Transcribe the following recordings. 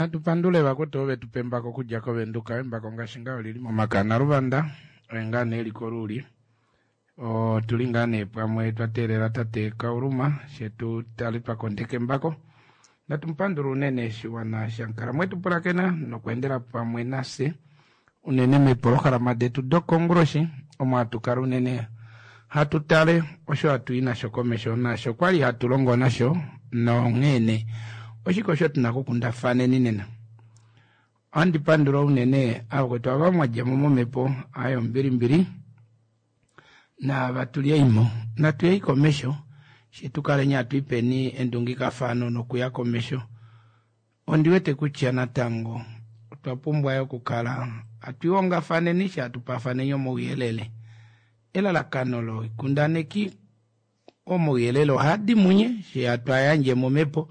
Natu pandule vakwetu ovo vetu pa embako okudja kOvenduka. Embako ngaashi ngaa olili momake aNaluvanda, oye ngaa nee eli koluuli. Otuli ngaa nee pamwe twa teelela tate Kauluma shetu tale twa kondeka embako. Natu mu pandule unene shiwana shankala mwetu pulakena nokweendela pamwe nafye unene meepolohalama detu dokonguloshi omo hatu kala unene hatu tale osho hatu i nasho komesho naasho kwali hatu longo nasho nonghee nee oshike osho tuna okukundafaneni nena. Ohandi pandula unene avakwetu ava mwa dja mo momhepo aye ombilimbili naava tuli eimo natu yei komesho she tu kaleni hatu ipeni endungikafano nokuya komesho. Ondi wete kutya natango otwa pumbwa yo okukala hatu ihongafaneni she hatu paafaneni omauyelele. Elalakano loikundaneki omauyelele ohaa di munye she hatu a yandje momhepo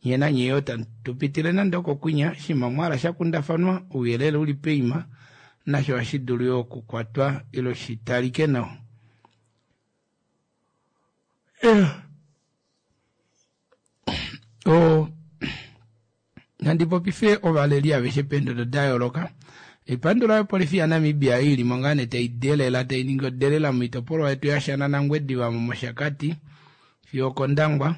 nye nanye yoo tamu tu pitile nande okokwinya shima mwa hala sha kundafanwa ouyelele uli peima nasho ohashi dulu yoo okukwatwa ile shi talike nawa. O nandi popife ovaleli aveshe peendodo da yooloka. Epandula yopolifi yaNamibia ei ili mo ngaa nee tai delela tai ningi odelela moitopolwa yetu yaShana naNgwediva mOshakati fiyo okOndangwa.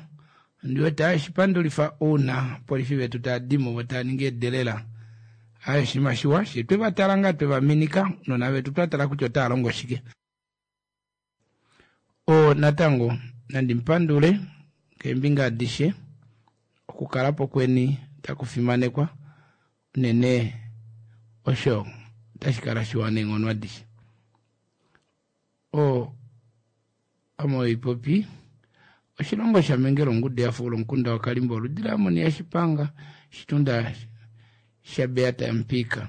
Ondi wete haye shi pandulifa ouna opolifi vetu tava di mo vo tava ningi edelela. Haye oshinima shiwa she twe va tala ngaa twe va minika ounona vetu twa tala kutya otava longo shike. O natango nandi mu pandule keembinga adishe okukala po kweni taku fimanekwa unene osho otashi kala shiwa neenghono adishe. O ame oipopi oshilongo shaMengela ongudu ya fuula omukunda waKalimba oludi laAmoni yaShipanga shitunda shaBeata yaMupika.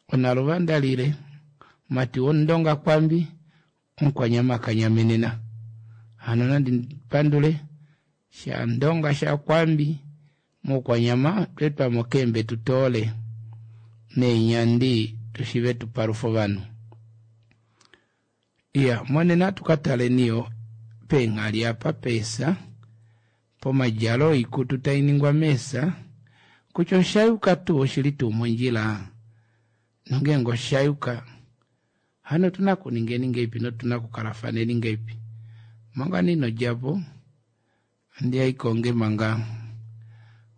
Onaluvanda lile, mati wOmundonga Kwambi, Omukwanyama kanyamenena. Hano nandi pandule shaNdonga shaKwambi mOukwanyama twe twamo keembe tu toole neenyandi tu shive tu palufe ovanhu. Iya, monena atu ka taleni yo peenghali apa peesa pomadjalo oikutu tai ningwa meesa kutya osha yuka tuu oshili tuu mondjila nongeenge osha yuka hano otuna okuningeni ngeipi notuna okukalafaneni ngeipi. Manga nee ino dja po andi ya ikonge manga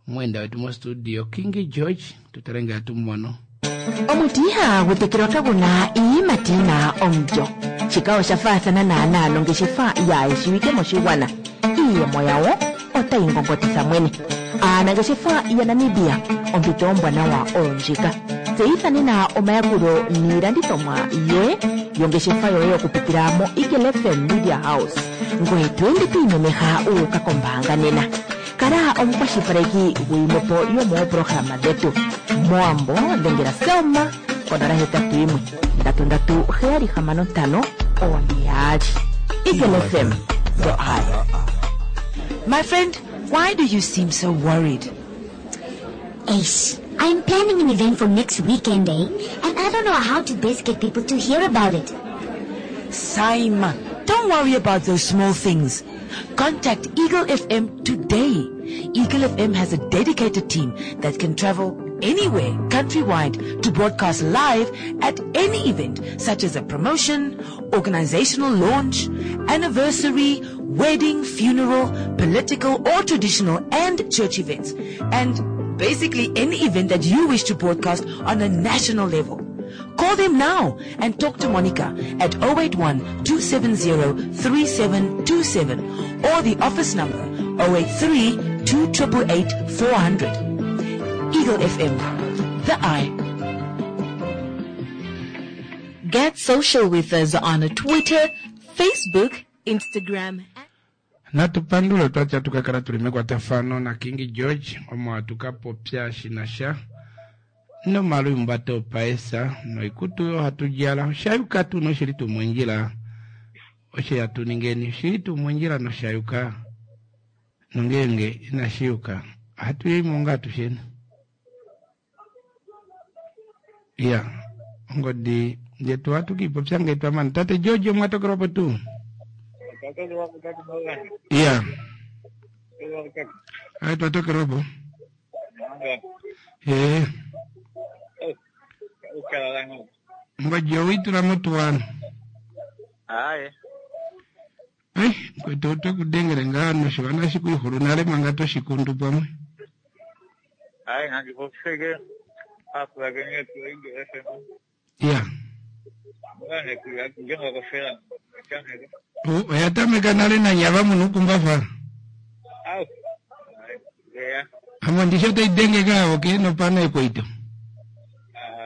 omweenda wetu mostudio Kingi George tutale ngee atu mu mono. Omuti ihaagu tekelwa kagu na iiyimati yi na omulyo. Shika osha faathana naanaa nongeshefa yaayeshiwike moshigwana. Iiyemo yawo otayi ngongotitha mwene. Aanangeshefa yaNamibia, ompito ombwanawa oyo ndjika. Tseyitha nena omayakulo niilandithomwa yoye yongeshefa yoye okupitila moEagle FM Media House. Ngoye to ende to imemeha wu uka kombaanga nena. Kala omukwashilipaleki guyimwe po yomoopolohalama dhetu. MOwambo dhengela Selma ko 081 3376 4 2. Eagle FM, the eye. My friend, why do you seem so worried? Eish, I'm planning an event for next weekend, eh? And I don't know how to best get people to hear about it. Saima, don't worry about those small things. Contact Eagle FM today. Eagle FM has a dedicated team that can travel anywhere countrywide to broadcast live at any event such as a promotion, organizational launch, anniversary, wedding, funeral, political or traditional and church events. And basically any event that you wish to broadcast on a national level. Call them now and talk to Monica at 081 270 3727 or the office number 083 288 400. Eagle FM, the eye. Get social with us on Twitter, Facebook, Instagram. Natu pandule twati atu ka kala tuli mekwatafano na King George omo atu ka popya shi na sha nomalwiimbato opaesa noikutu oyo hatu djala. Osha yuka tuu noshili tuu mondjila osho hatu ningeni? Oshili tuu mondjila nosha yuka? Nongeenge inashi yuka ohatu yei mo ngaa atusheni? Ya, ongodi yetu ohatu kiipopya ngee twa mana. Tate George omwa tokelwa po tuu? Ya, aye twa tokelwa po. Ee. Ngodi owi tula motuwano. Aye. Ai, kwetu oto kudengele ngaa noshiwana shi kuihulu nale manga toshikundu pamwe. Aye, ngangipofike apulakeni yetu Eagle FM. Ya. Ngane kuya njengokufela. Chaneke. Oya tameka nale nanyava munukumbafa. Au. Aye. Yeah. Amo ndisho tai denge kaa oke nopana ekweito.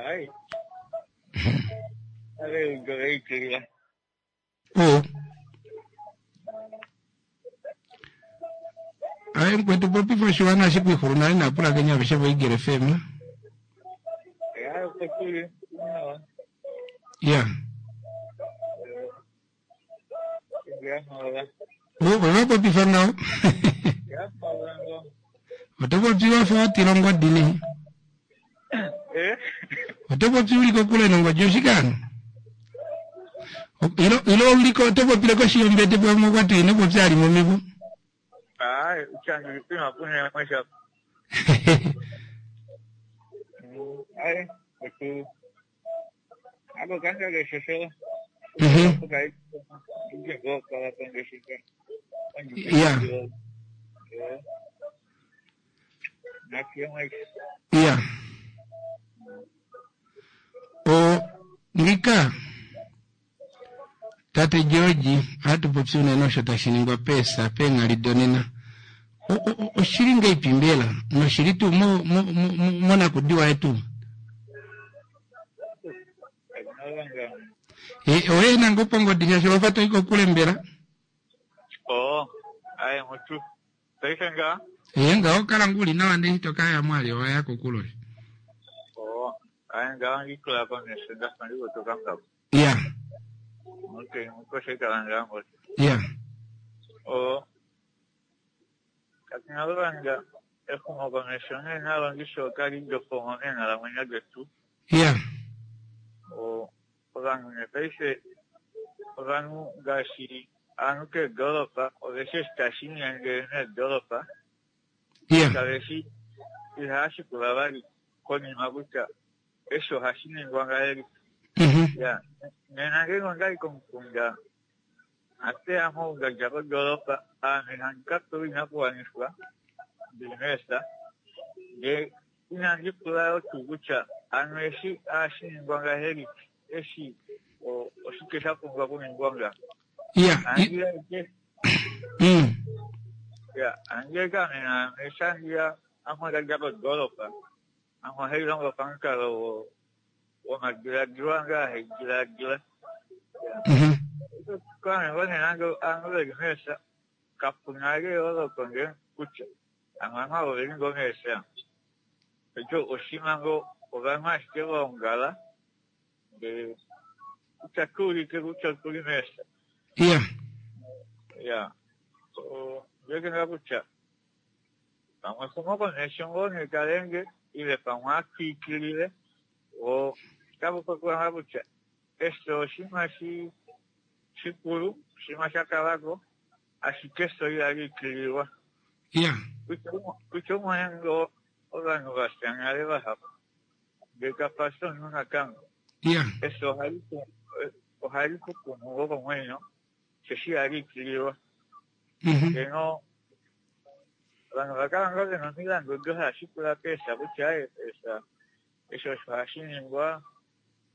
Aye. Ale ugoreikira. O. Aye mkwetu popifa oshiwana shi kuihulu nale naapulakeni aveshe vo Eagle FM. Ya kutuli. No. Ya. Ya no. O, oya popifa nawa. Ya no. Oto popi wafa watila ongodi ne. Eh? Oto popi uli kokule nongodi oshikano. Ilo ilo uliko oto popile koshi yombete pamwe kwati ino popi ali momivo. Aye, changi pima punya maisha. Aye, kutu. Abo kanga ke shosho. Yeah. Ya. O ngika tate George hatu popi unene osho tashi ningwa pesa penghali donena. Oshili ngeipi mbela noshili tuu monakudiwa yetu. E, oye nango pongodi shaashi wafa toi kokule mbela. Oh, aye mutu. Paife nga? Ee ngaho kala nguli nawa ndee toka ya mwali owaya kokule. Oh, aye nga ngikola komesho ndafa ndikotoka ngabo. Ya. Okay, mukoshe kala ngambo. Ya. Oh. Katinalobanga exumokomesho nenalongisho kali lyofomo meenkalamwenyo dhetu. Ya. O ovanhu nepaife ovanhu ngaashi aantu keedolopa oveshi eshi tashi inyenge meedolopa Ya. kaveshi ihaya shikula vali konima kutya eshi ohashi ningwa ngahelipi. Ya, nena ngenge ondali komukunda ateyamo oungadja kodolopa ame handi kapewa oinakuwanifwa ndili meesa ndee inandi pula yo tuu kutya ano eshi ohashi ningwa ngahelipi eshi oshike sha pumbwa okuningwa nga. Ya. Andiya ike ya andiya ike ame naame eshi andiya ame ondadja kodolopa ame ohailongo pamukalo womadiladilo ange ahaidiladila. Kwame ngoo nange aantu veli meesa kapuna eyooloko nge kutya ovanhu avo oveli ngoo meesa. Echo oshima ngoo ovanhu ashike vaongala ndee kutya tuulike kutya otuli meesa. Ya. Ya. Ndiwete ngaa kutya pamwe exumokomesho ngoo nee talenge ile pamwe atwiikilile oo otapu popiwa ngaa kutya efyo oshinima shikulu, oshinima sha kalako, ashike efyo ihali ikililwa. Ya. Kutya umone ngoo ovanhu vafya nale vahapu ndee kapasi omunhu natango. Ya. Efyo ohali kukumu ngoo komwenyo osheshi ihali ikililwa. Ngeno ovanhu ovakala ngoo vena omilandu odo hava shikula peesa kutya aye peesa eshi osho hashi ningwa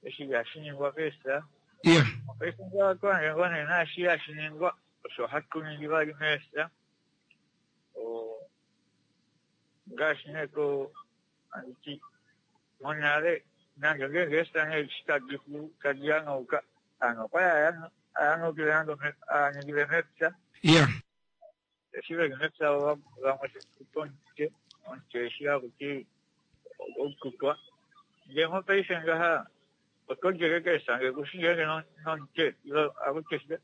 eshi ihashi ningwa peesa. Ya. Paife ngaa kwange ngoo nee naashi hashi ningwa osho hatu ningi vali meesa. Ngaashi nee ko anditi monale nande ngeenge eesa nee eshi tadi hanauka aanhu okwali haya nande aaningile mepya. Ya. Eshi veli mepya vamwe omutwe omutwe eshi hakuti oututwa. Ndee mopaife ngaha oto djele keesa ngee kushi ngeenge nomutwe ile akuti shike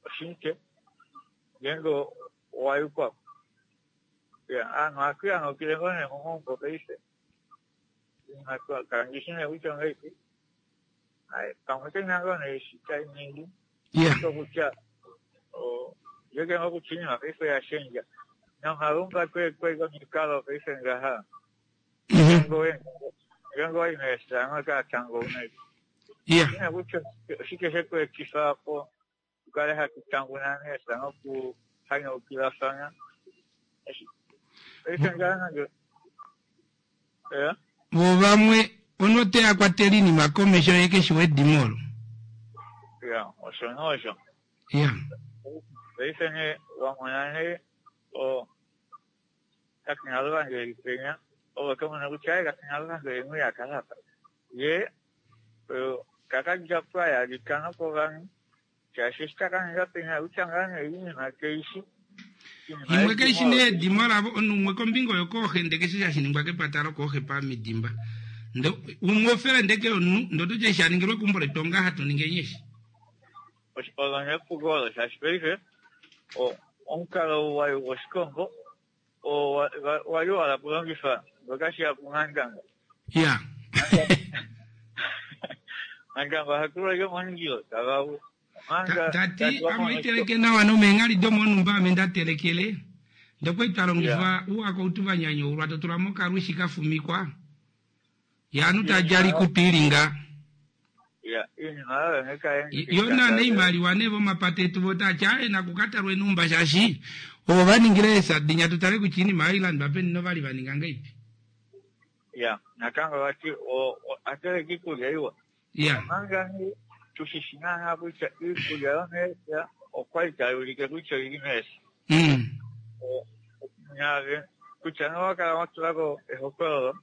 oshimutwe ngeenge owayukwa. Ya, aanhu ohatu hanaukile ngoo nee momaumbo paife. Kala ndishi nee kutya ongahelipi. Aye, pamwe kena ngoo nee eshi tainingi. Ya. Okutya ndiwete ngoo kutya oinima paife oya shendja. Nomalumba kweli omikalo paife ngaha. Ngeenge owa i meesa otaa tangouna. Ya. Ine kutya oshike she ku etifa po tu kale hatu tanguna meesa nokuhanyaukilafana. Paife ngaa nande ya. Vo vamwe ono te ya kwatela iinima komesho ye keshi wedimo olo. Ya, osho nosho. Ya. Paife nee wamona nee o tate Naluvanga eli penya, ove oto mono kutya aye tate Naluvanga oye mwii a kala apa. Ye taka dja po a yalika nokovanhu shaashi eshi taka ninga penya kutya ngaa nee oinima keishi. Imwe keishi nee edimo lavo, omunhu umwe kombinga oyo kooxe ndee keshe hashi ningwa kepata lokooxe pamidimba. Ndo umwe ofelende ke omunhu, ndo oto ti eshi a ningilwe keumbo letu onga hatu ningi enyeshi. Olo nee epuko olo shaashi paife omukalo ou wa li woshikongo oo wa li wa hala okulongifa ngoka shi ya kuNgandanga. Ya. Ngandanga oha tulwa ashike momundilo tava u. Omanga Ta ti ame oiteleke nawa nomeenghali domonhumba ame nda telekele. Ndee okwali twa longifa ouakoutu va nyanyoulwa to tula mo okalwishi ka fumikwa. Ye ovanhu taa djala oikutu ili nga. Ya, iinima oyo nee kai endifika Yo naana oimaliwa nee vomapata etu vo taa ti aaye naku ka talwe enhumba shaashi ovo va ningile eesadinya tu tale kutya oinima oyo ilandwa peni novali va ninga ngahelipi. Ya, natango vati oha teleke iikulya iwa. Ya. Omanga nee tu shi shi naanaa kutya iikulya yomeepya okwa li tai ulike kutya oi li meepya. Naave kutya nee owa kala wa tula ko ehokololo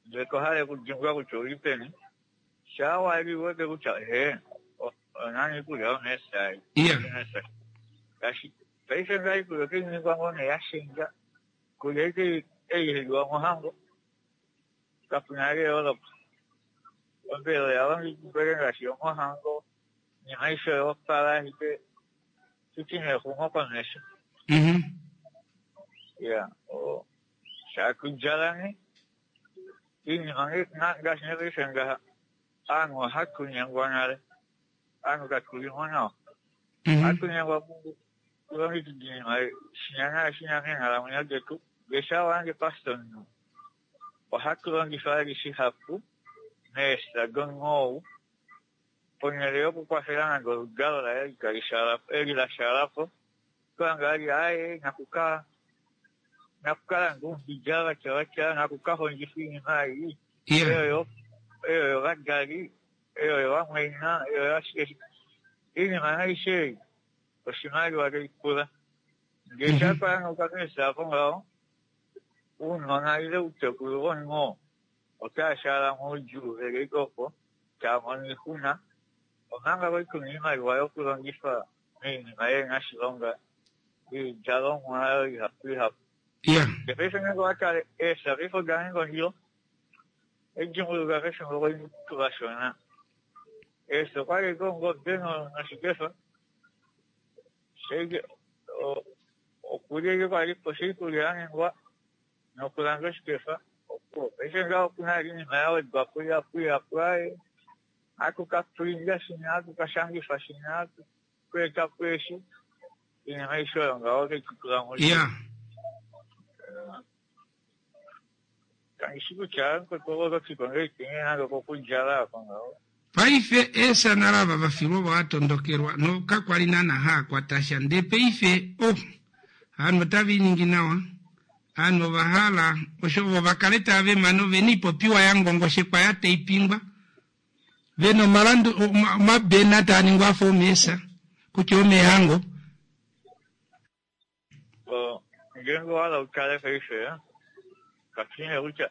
ndele to hale okudimbwa kutya ouli peni, shaa wa li u wete kutya ehee, oyo naana iikulya yomeepya ei. Ya. Ngaashi paife ngaa iikulya otai ningwa ngoo nee ya shendja, iikulya ei ei hai liwa mohango kapu na eyooloko. Ombelela oya longekidwa ashike ngaashi yomohango, oinima aishe oya opala ashike tuti nee exumokomesho. Ya, shaa tudjala nee iinima ngaashi nee paife ngaha ovanhu ohatu nyengwa nale, ovanhu katu li mo nawa. Ohatu nyengwa kulongekida oinima shinya naashinya meenghalamwenyo detu. Ndee shaa wa hange pastor omunhu ohatu longifa vali shihapu meefya domunhu ou ponhele yokukwafela nande oludalo laye eli la shaala po, oto hange vali aaye nakuka nakuka landa oumbidja vatya vatya, nakuka hondjifa oinima ei, eyo yovadali, eyo yovamwaina, eyo yashike shike. Oinima aishe ei oshimaliwa tai pula. Ngee sha panuka meefya apo ngaho, ounona ile outekulu vomunhu oo otava shaala moudjuu veli ashike opo tava mono oixuna, omanga kwali tuna oimaliwa yokulongifa moinima ihena oshilonga, oidjalomwa oyo ihapu ihapu. Ndee paife ngeenge owa tale eefya paife oda ninga ondilo, ohandi dimbuluka pefimbo kwali tuvashona, eefya okwali ashike ongobe noshikefa, okulya ashike kwalipo sho oikulya ya ningwa nokulanda oshikefa opuwo. Paife ngaho okuna vali oinima ya wedwapo ihapu ihapu aaye ohatu ka prinda shinya, ohatu ka shangifa shinya, ohatu ka etapo eshi, oinima aishe oyo ngaho otai tu tula moudjuu. Kandi shi kutya oto ti ko ngahelipi nande okokudjala oko ngaho. Paife eesanala ava va filwa ovo a tondokelwa no kakwa li naana haa kwata sha ndee paife oh ovanhu otava iningi nawa, ovanhu ova hala osho vo va kale tava vema novena oipopiwa ya ngongoshekwa ya taipingwa vena omalandu omabena taa ningwa afa omeesa kutya omeehango. Ngeenge owa hala u tale paife, katu shii nee kutya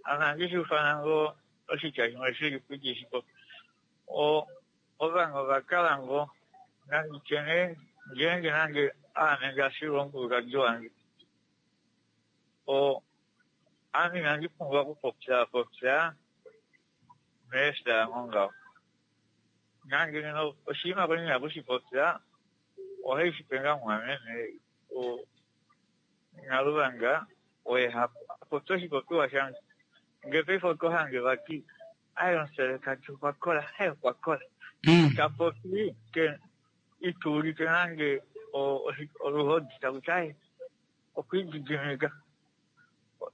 ame ohandi shi ufana ngoo oshitya shimwe shi li po itashi popi. Ovanhu ova kala ngoo nandi tye nee ngeenge nande aame nda filwa omukulukadi wange, ame inandi pumbwa okupopya popya meefya yange ngaho. Nande ngeno oshinima kwali ndina okushipopya, ohai shi pe ngaa mumwameme Naluvanga oye ha popi oshipopiwa shange. Ngee paife oto hange vati aye omuselekadi okwa kola, aye okwa kola. Ta popi ita ulike nande oluhodi taku ti aye okwa lididimika.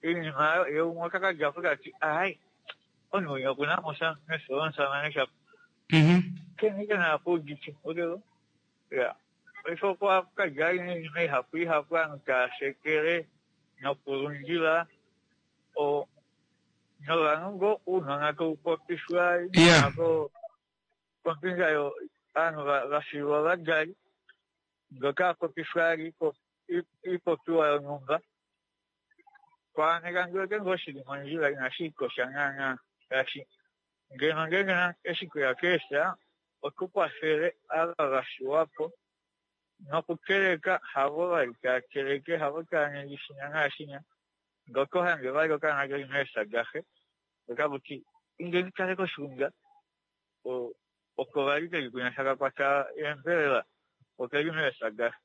Iinima ye umwe ota ka dja po ta ti ai omunhu winya oku na mo sha mefyo lomusamane shapo. Keni ke na kuudite odelo. Ya. Paife okwa ka dja iinima ihapu ihapu aantu taya shekele nokulundila o novanhu ngoo uunona tau popifwa ko kombinga yo aanhu va filwa ovadali ngoka a popifwa ali iipopiwa yonhumba. Kwaaneka ndi wete ngoo shili mondjila inashi ikosha naana shaashi ngeno ngeenge eshi kweya keefya otu kwafele ava va fiwa po nokuteleka havo vali tava teleke havo tava ningi shinya naashinya ngee oto hange vali okaana keli meefya daxe otaka ti indeni tale koshiunda oko vali keli kwinya taka kwata eembelela okeli meefya daxe.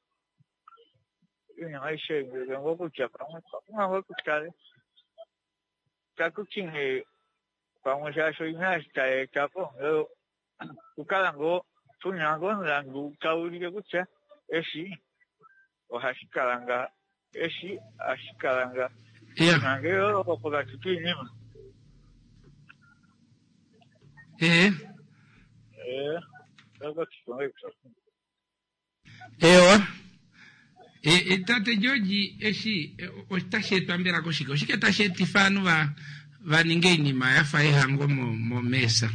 Iinima aishe ei ndi wete ngoo kutya pamwe otwa pumbwa ngoo tu tale taku ti nee pamwe shaashi oina eshi tai eta po okukala ngoo tu na ngoo omulandu tau ulike kutya eshi ohashi kala ngaha, eshi ohashi kala ngaha. Nande eyooloko pokati kiinima. Ee. Eewa. E, e, tate George, eshi e, otashi etwa mbela koshike? Oshike tashi etifa ovanhu va va ninge oinima ya fa ehango momeesa?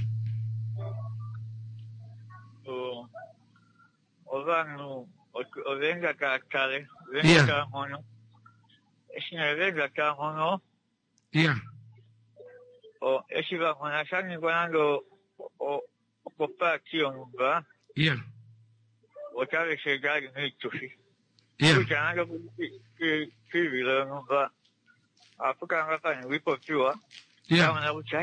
Ovanhu ova enda tava tale, ova enda tava mono. Eshi nee va enda tava mono, eshi va mona sha ningwa nande okopaati yonhumba, otave shi eta ali moitufi. Kutya nande poivilo yonhumba ohapu kala ngaa pa ningwa oipopiwa, va mona kutya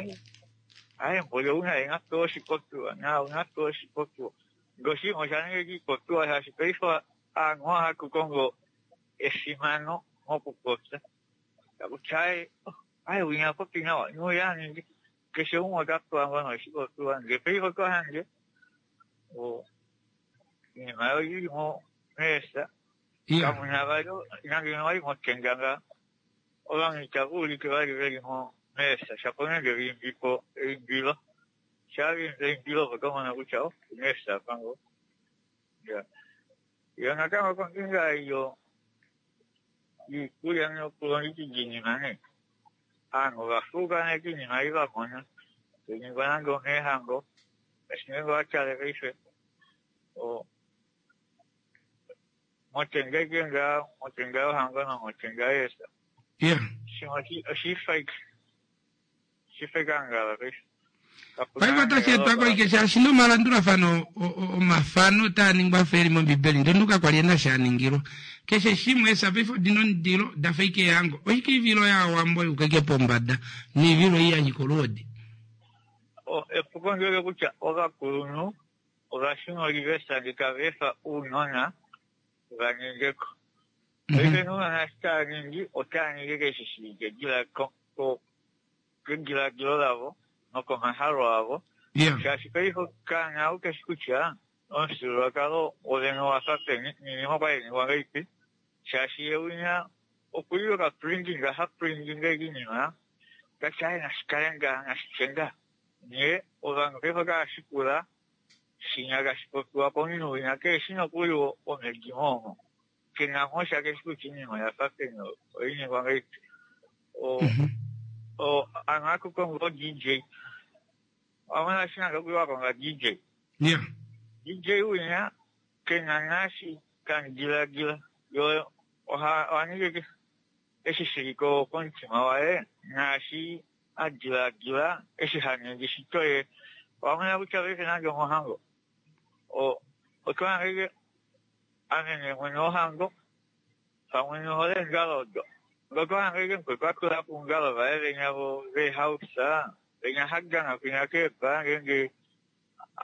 ai mboli ou naye na pewe oshipopiwa, naau na pewe oshipopiwa. Ngee oshinima osha ninga ashike oipopiwa shaashi paife ovanhu ohatu kongo efimano mokupopya. Taku ti ai, ai winya a popi nawa, nouya a ningi. Keshe umwe ota pewa ngoo nee oshipopiwa ndele paife oto hange oinima oyo ili meefya kamu na vali nande ino li motenda ngaha. Ovanhu itava ulike vali ve li meefya shapo nande va imbi po eimbilo. Shaa va imbi eimbilo opo to mono kutya oh omeefya apa ngoo. Yo natango kombinga yiikulya nokulongekida iinima nee, aanhu ova fuuka nee kiinima ei va mona tai ningwa nande omeehango ngaashi ngeenge owa tale paife motenda ashike ngaa motenda yohango nomotenda yeefya shimwe oshifa ashike. Paife otashi etwa koike shaashi nomalandulafano omafano taa ningwa afa eli mOmbibeli ndele kakwa li ena sha ningilwa. Keshe shimwe eesa paife odina omundilo da fa ike ehango. Oshike oivilo yaawambo yuka ike pombada noivilo ei ya nyika oluhodi? Epuko ndi wete kutya ovakulunhu ova shuna olivesa ndee tava efa ounona va ninge ko. Paife ounona eshi tava ningi otava ningi ashike eshi shili kediladilo lavo nokomahalo avo, shaashi paife okaana ou keshi kutya omufyuululwakalo wovene owa fa peni noinima okwa li hai ningwa ngahelipi, shaashi ye winya okuli okaprintinga ha printinga ashike oinima ta ti aaye nashi kale ngaha nashi tye ngaha, nghee ovanhu paife otava shikula shinya tashi popiwa komunhu winya keheshi nokuli womedimo omo. Ke na mo sha keshi kutya iinima oya fa peni oyi ningwa ngahelipi. O ano ohatu kongo o DJ. Owa mona shi nande okuli wa konga DJ. Yeah. DJ winya ke na naashi tamu diladila. Yo oha oha ningi eshi shili ko komutima waye naashi a diladila eshi ha ningi shito ye. Owa mona kutya paife nande omohango o otwa hange Ame nee mwene wohango pamwe nohole eengalo odo. Ngee otwa hanga ashike mukwetu a tula po oungalo vaye venya veehausa, venya ha dana kwinya keebaa ngeenge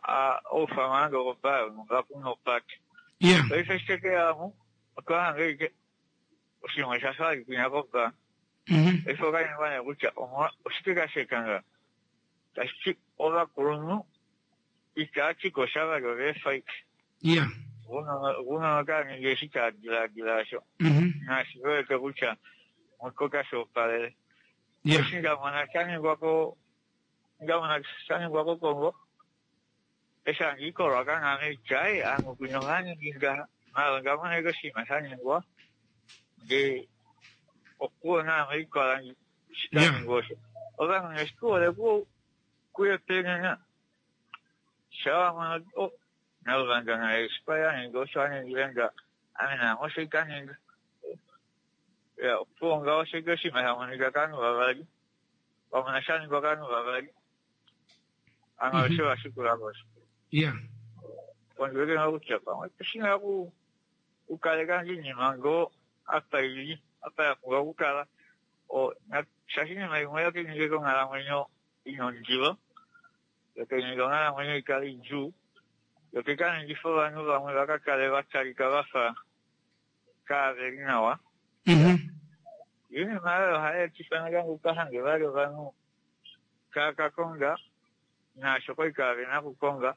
a ufanwa nande okobaa yonhumba kuna opate. Paife eshi teke ya mu otwa hanga ashike oshinima osha fa vali kwinya kobaa. Paife oka ningwa nee kutya oshike tashi eta ngaha? Tashi ti ovakulunhu itava ti ko sha vali ova efa ashike. Ounona otava ningi eshi tava diladila asho. Naashi ve wete kutya. Mokoka shoopalele. Eshi nda mona sha ningwa ko nda mona sha ningwa kOkongo, eshi handi i koRuacana ame itya, ai, aanhu kwinya ohava ningi ngaha. Maala onda mona ashike oshinima sha ningwa, ndee opuwo naame oikola eshi sha ningwa osho. Ovanhu nee eshi hole kuyepenena, sha wa mono, oh, Naluvanda naye eshi kwali a ninga osho a ningile nga, ame naame osho ita ninga. Ya, opuwo ngaho osho ike oshinima sha monika kovanhu vavali, wa mona sha ningwa kovanhu vavali, hano osho wa shikula ko osho. Ondi wete ngoo kutya pamwe oshi na okukaleka oinima ngoo apa i li, apa ya pumbwa okukala. Shaashi oinima imwe oyo tai ningi onghalamwenyo i na ondilo, yo tai ningi onghalamwenyo i kale idjuu, yo tai ka ningifa ovanhu vamwe va ka kale va talika va fa kaave li nawa. Oinima oyo ohai etifa natango u ka hange vali ovanhu tava ka konga naasho kwali kaave na okukonga,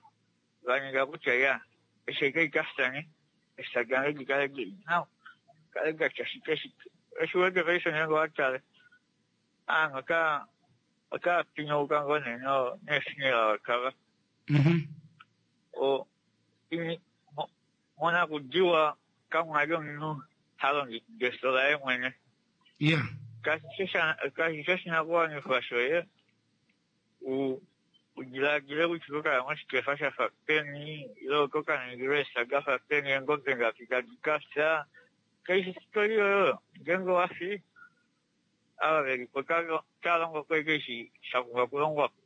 va ninga kutya ya eshi ashike i ka fya eshi dange di kale di li nawa, kale da tya shike shike. Eshi u wete paife ngeenge owa tale ovanhu otava pinyauka ngoo nee neefuneral cover. Monakudiwa kamwa li omunhu ha longekida efyo laye mwene. Kashi fi oshinakuwanifwa shoye u diladile kutya oto ka ya moshikefa sha fa peni ile oto ka ningilwa eefya da fa peni, eengobe ngapi tadi ka fya. Kai fi oshitoli yoye oyo. Ngeenge owa fi, ava ve li po otava longo ko ashike eshi sha pumbwa okulongwa po.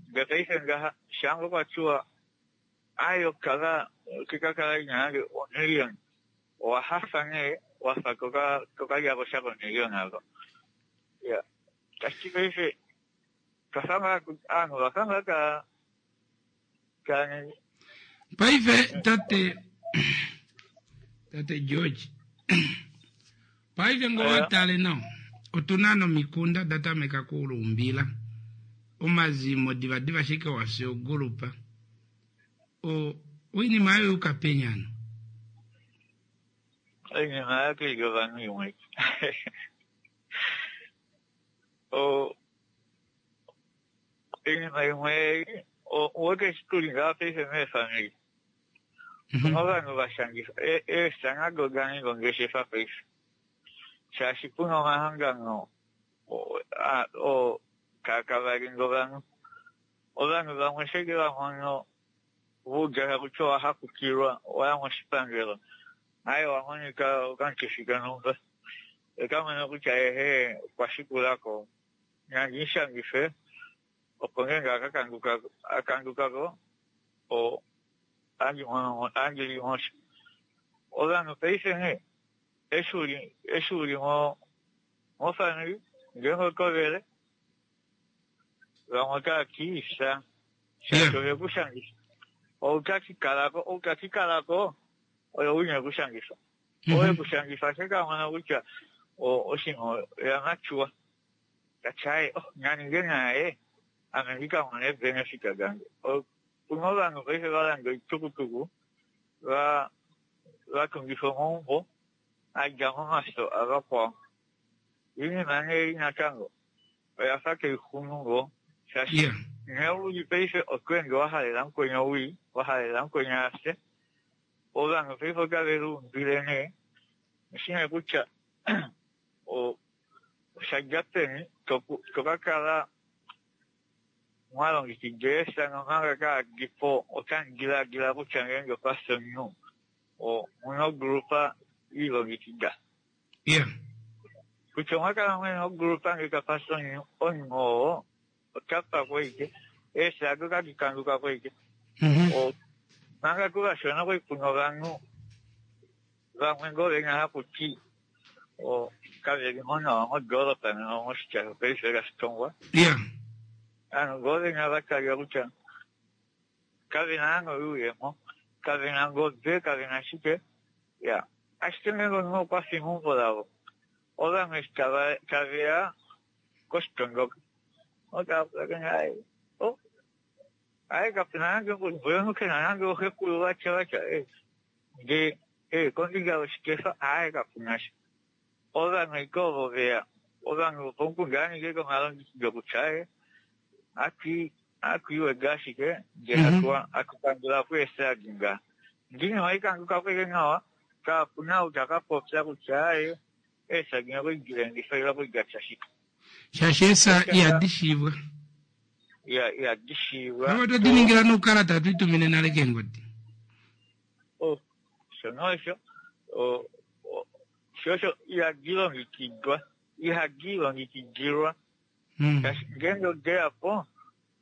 Ndele paife ngaha, shaa kwa tiwa Ayo kala oke ka kala ina nande omillion. Owa hafa nee wafa toka toka lyako sha komillion avo. Ya. Tashi paife twafa ngaa aanhu ovafa ngaa ta ta ningi. Paife tate tate George paife ngo wa tale nawa otu na nomikunda da tameka kuulumbila omazimo divadiva ashike wa fya ogulupa o oinima ayo yuka peni ano? Oinima ayo kai li ovanhu imwe. O oinima imwe uwete eshi tuli ngaha paife meefamili Puna ovanhu va shangifa eefya nado oda ninga ongeshefa paife shaashi puna omahangano oo taa kavalinga ovanhu. Ovanhu vamwe sheke va mono va uda taku ti owa hakukilwa owa ya moshipangelo aye owa monika okamukifi konhumba eka mono kutya ehe okwa shikula ko nandi mu shangife opo ngeenge a kanduka ko ohandi li mo sha. Ovanhu paife nghee eshi u li mofamili ngeenge oto vele vamwe otava ti fya shaashi ove ku shangifa. Ou ta kala ko oye ou ine ku shangifa. Ou e ku shangifa ashike a mona kutya oshinima oya mature ta ti aaye oh naninge naye ame ndi ka mone eebenefit dange. Opuna ovanhu paife va landa oitukutuku va va tungifa omaumbo a dja momafyo avakwao. Oinima nee ei natango oya fa tai xunu ngoo shaashi nghee u li paife oto ende wa halela mukweni owii, wa halela mukweni a fye. Ovanhu paife otave liumbile nee oshi nee kutya osha dja peni to ka kala mwa longekida eefya nomanga kaadi po otamu diladila kutya ngeenge okwa fi omunhu omu na ogrupa i longekida. Kutya omwa kala mwe na ogrupa ngee kapa fi omunhu, omunhu oo ota pakwa ashike, eefya ado otadi kanduka po ashike. Manga tuu vashona okwali ku na ovanhu vamwe ngoo venya haku ti kave li mo nawa modoolopa nena moshitya shopaife lashitongwa. Ovanhu ngoo venya va talika kutya kave na naana oyuuyemo, kave na ngobe, kave na shike. Ya, ashike ngeenge omunhu okwa fi meumbo lavo, ovanhu eshi tave ya koshitondoka otava pulakene aye oh aye kapu na nande omunhu ke na nande oxekulu vatya vatya ndee kombinga yoshikefa aye kapu na sha. Ovanhu ashike ovo veya ovanhu vopomukunda va ninge omalongekido kutya hatu iweda ashike ndee hatu kandula po eesadi ngaha. Ndee oinima oikanduka po ashike nawa kapuna ou taka popya kutya aaye eesadi okwali dilengifa ile okwali datya shike. Shaashi eesa ihadi shiivwa. Ihadi shiivwa. Ove oto diningila noukalata hatu itumine nale keengodi. Oh, shono osho shosho ihadi longekidwa ihadi longekidilwa. Shaashi ngeenge odeya po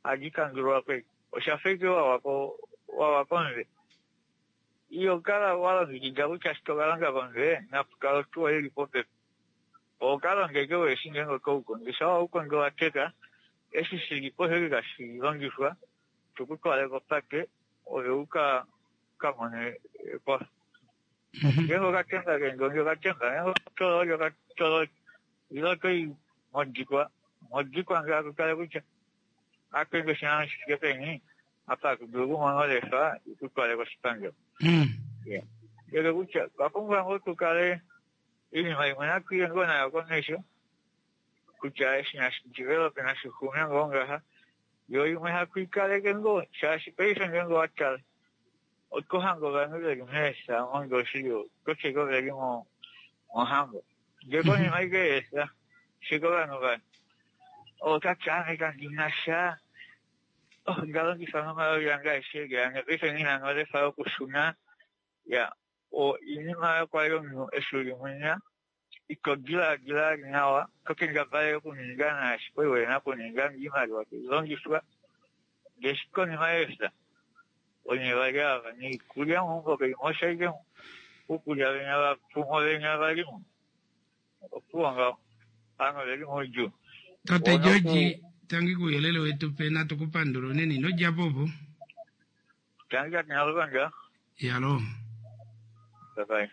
ohadi kandulwa po oshafa ashike wawa komutwe. Iho kala walongekida kutya eshi tokalonga komutwe napu kale otuwa ili popepi. Oho kalonga ashike weshi ngeenge otoukondo. Shamha oukondo wateka eshi shilipo osho tashi longifwa tukutwale kopate ove uka kamone ekwafo. Ngeenge okatemba keendongi okatemba, ngeenge okatololi okatololi ile otoyi modikwa, modikwa ngee akutale kutya ohatu ende oshinano shifike peni apa hatu dulu okumona olefa ikutwale koshipangelo. Ndele kutya otwa pumbwa ngoo tukale oinima imwe natu iye ngoo nayo komesho kutya eshi nashi develope nashi xume ngoo ngaha yo imwe hatu ikaleke ngoo shaashi paife ngeenge owatala oto hange ovanhu veli meesa monge oshili ototi ashike veli mohango ndee konima ashike yeesa shike ovanhu va otati ame kandina sha ondalongifa nomaloli ange aeshe eli ane paife nghina nolefa yokushuna ya oinima oyo kwali omunhu eshi uli mwinya ito dilaadila nawa to kendabala okuninga naashi kwali wena okuninga oimaliwa tailongifwa ndee eshi konima yeefya onye vali ava noikulya meumbo kaimo osho ashike uukulya venya vapumo venya valimo opuwo ngaho ovanhu oveli moudjuu. Tate George, tangi kouyelele wetu pe natu kupandula unene ino dja po opo. Tangi tate Naluvanga. Yalo. Bye bye.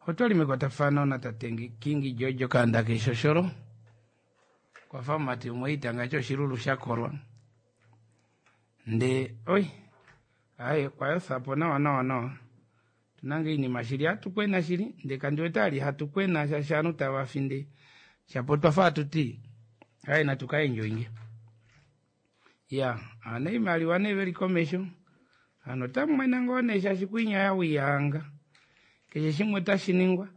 Otwali mekwatafano natate King George Okaanda keshosholo. Kwafa omumati umwe itanga choshilulu shakolwa. Nde oi aye kwayothapo nawa nawa nawa. Tunange iinima shili hatu kwena shili nde kandi wete ali hatu kwena shaashi ovanhu tava finde shapo twafa hatu ti aye natu ka enjoyinge. Ya ana iimaliwa nee veli komesho hano otamwena ngoo nee shaashi kwinya yawiyanga keshe shimwe otashi ningwa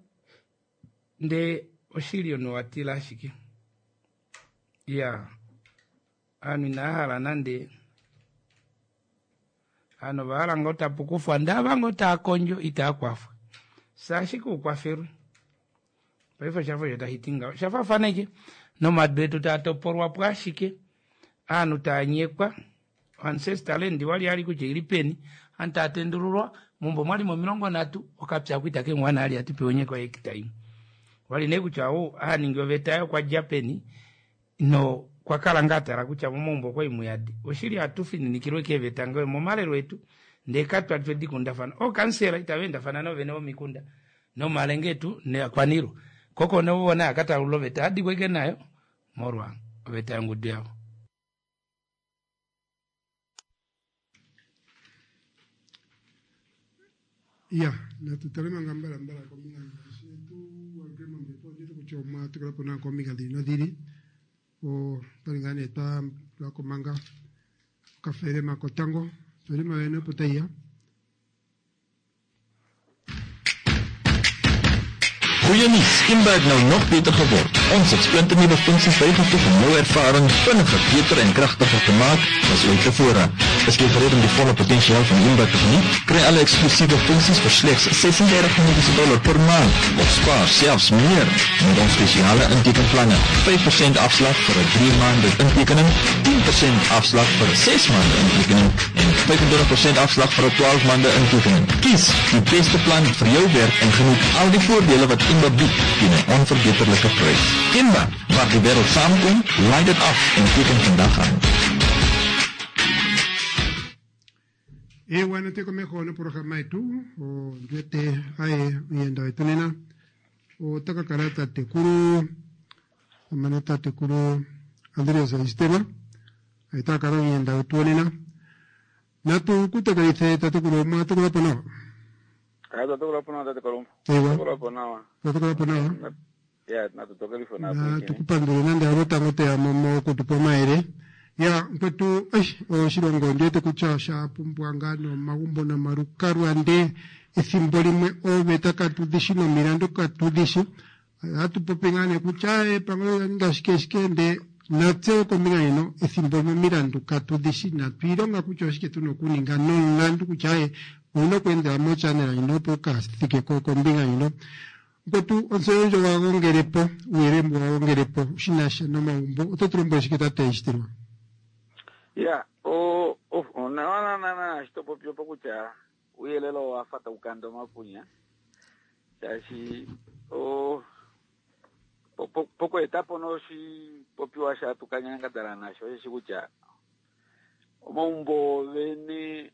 ndee oshili omunhu watila ashike. Ya ovanhu inava hala nande ovanhu ovahala ngoo tapu kufwa ndee ava ngoo taa kondjo itaa kwafwa saashike ukwafelwe paife oshafa osho tashi ti ngaho oshafaafana ashike nomadu etu taa topolwa po ashike ovanhu taa nyekwa ancestor land wali ali kutya ili peni aantu taa tendululwa mumbo mwalimo 30 okapya kwita kemwana ali ati pewe nyekwa hekta imwe wali nee kutya ou aningi oveta yaye okwa dja peni no kwa kala ngaa tala kutya momaumbo okwali muyadi oshili hatu fininikilwe keeveta ngee momalelo etu ndee katwali twedi kundafana ookansela itava endafana novene vomikunda nomalenge etu neakwanilwa koko novona akatalulula oveta adikweke nayo molwa oveta yongudu yavo. Ya natu tale manga mbalambala kombinga ngaashi tu walukile mombepo onditi kutya omwa tukula po nawa kombinga dhili nodhili otwali ngaa nee twa tulako manga okafelema kotango felema yoyene opo taiya. Goeie nuus, Imba het nou nog beter geword. Ons het splinternuwe funksies bygevoeg om jou ervaring vinniger, beter en kragtiger te maak as ooit tevore. Is jy gereed om die volle potensiaal van Imba te geniet? Kry alle eksklusiewe funksies vir slegs $36 per maand of spaar selfs meer met ons spesiale intekenplanne. 5% afslag vir 'n 3 maande intekening, 10% afslag vir 'n 6 maande intekening en 25% afslag vir 'n 12 maande intekening. Kies die beste plan vir jou werk en geniet al die voordele wat Imba bied teen 'n onverbeterlike prys. Imba, waar die wêreld saamkom, laai dit af en teken vandag aan. Ewa nate komeho noprograma yetu ondwete aye oyenda wetu nena ota ka kala tatekulu amane tatekulu Andreas Aistema ota kala omuyenda wetu wonena natu kutakalithe tatekulu omwa tukula po nawa. Otwa tokola po nawa tate Kalumbu. Ewa. Tokola po nawa. Otwa tokola po nawa. Ya, natu tokelife Na tukupandule nande halo tango toya mo mokutupa omayele. Ya, mkwetu, eish, oshilongo ondi wete kutya osha pumbwa ngaa nomagumbo nomalukalwa ndee ethimbo limwe ooveta katu dhi shi nomilandu katu dhi shi. Ohatu popi ngaa nee kutya epangelo olya ninga shike shike ndee natse kombinga ndjino ethimbo limwe omilandu katu dhi shi inatu ilonga kutya oshike tuna okuninga nomulandu kutya aye owuna okweendela mochannel ndjino opo wuka thike kombinga ndjino. Mkwetu ontseyo ndjo wa gongele po, uuyelele mbu wa gongele po shi na sha nomagumbo, oto tu lombwele shike tate Eshitilwa? Ya, o o nawa na na shi to popi opo kutya uuyelele owa fa tawu kanda omapunya shaashi o pokweeta po noshipopiwa shatu kanyangadhala nasho osheshi kutya omagumbo vene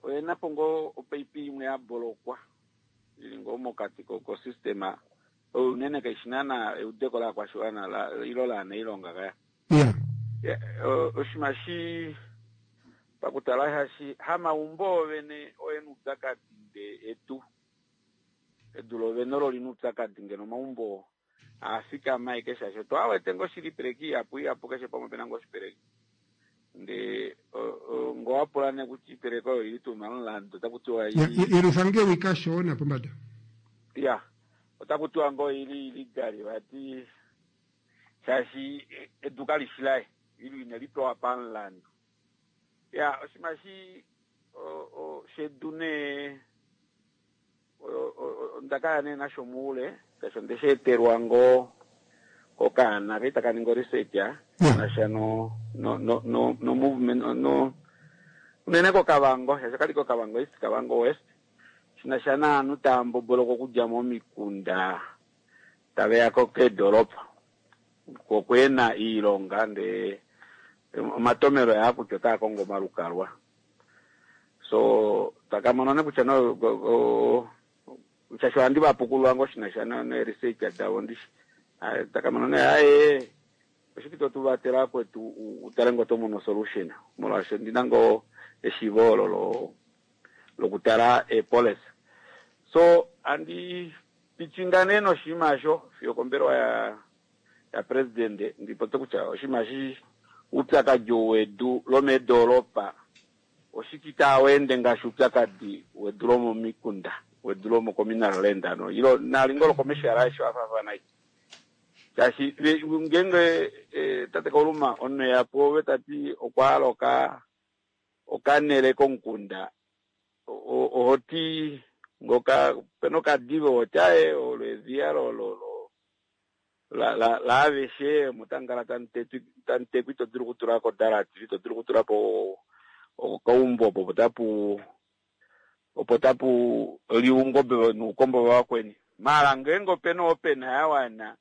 oyena po ngoo opaipi imwe ya bolokwa ili ngoo mokati kosystema oyo unene kaishi naana eudeko laakwashiwana ilo laanailonga kaya. Oshinima shi pakutala hashi hamaumbo vene oyena uupyakadi nde edu edu lovene olo lina uupyakadi ngeno omaumbo aafikama aike shaashi otwa wete ngoo shili ipeleki ihapu ihapu keshe pamwe pena ngoo oshipeleki ndee ngoo wapula nee kutya ipeleki oyo ili tuu momulandu otaku tiwa Yelutha ngewi kashona pombada. Ya, otaku tiwa ngoo ili illegal vati shaashi edu kalishi laye ilo ineli pewa pamulandu. Ya, oshinima shi shedu nee onda kala nee nasho muule shaashi ondeshi etelwa ngoo kokaana kali taka ningi research nasha no no no no no movement no unene koKavango shaashi okali koKavango East Kavango West shinasha naanhu tava mbomboloka okudja momikunda taveya ko keedoropa kokwena iilonga ndee omatomelo aa kutya otaa kongo omalukalwa so takamona ne kutya no shaashi ohandi vapukulula ngoo shinasha neresearch davo ndishi takamona ne aye oshike to tuvatela kwetu utale ngoo tomono solution molwaashi ondina ngoo eshiivo olo lokutala eepolicy so andi pichinga nee noshinima osho fiyo kombelewa ya president ndipopye kutya oshinima shi uupyakadi wedu lomeedoropa oshike itaweende ngaashi uupyakadi wedu lomomikunda wedu lomocommunal land ano ilo nali ngoo locommercial aeshe wafaafana shaashi ngeenge tate Kauluma omunhu eya pwoove tati okwa hala okanele komukunda ohoti ngoka pena okadive ohoti aye olo edhiya laaveshe omo tamukala tamutekwa ito dulu okutulako odalati ito dulu okutulapo okaumbo opo tapu liwa oungobe nuukombo vavakweni maala ngeenge opena opena ya wana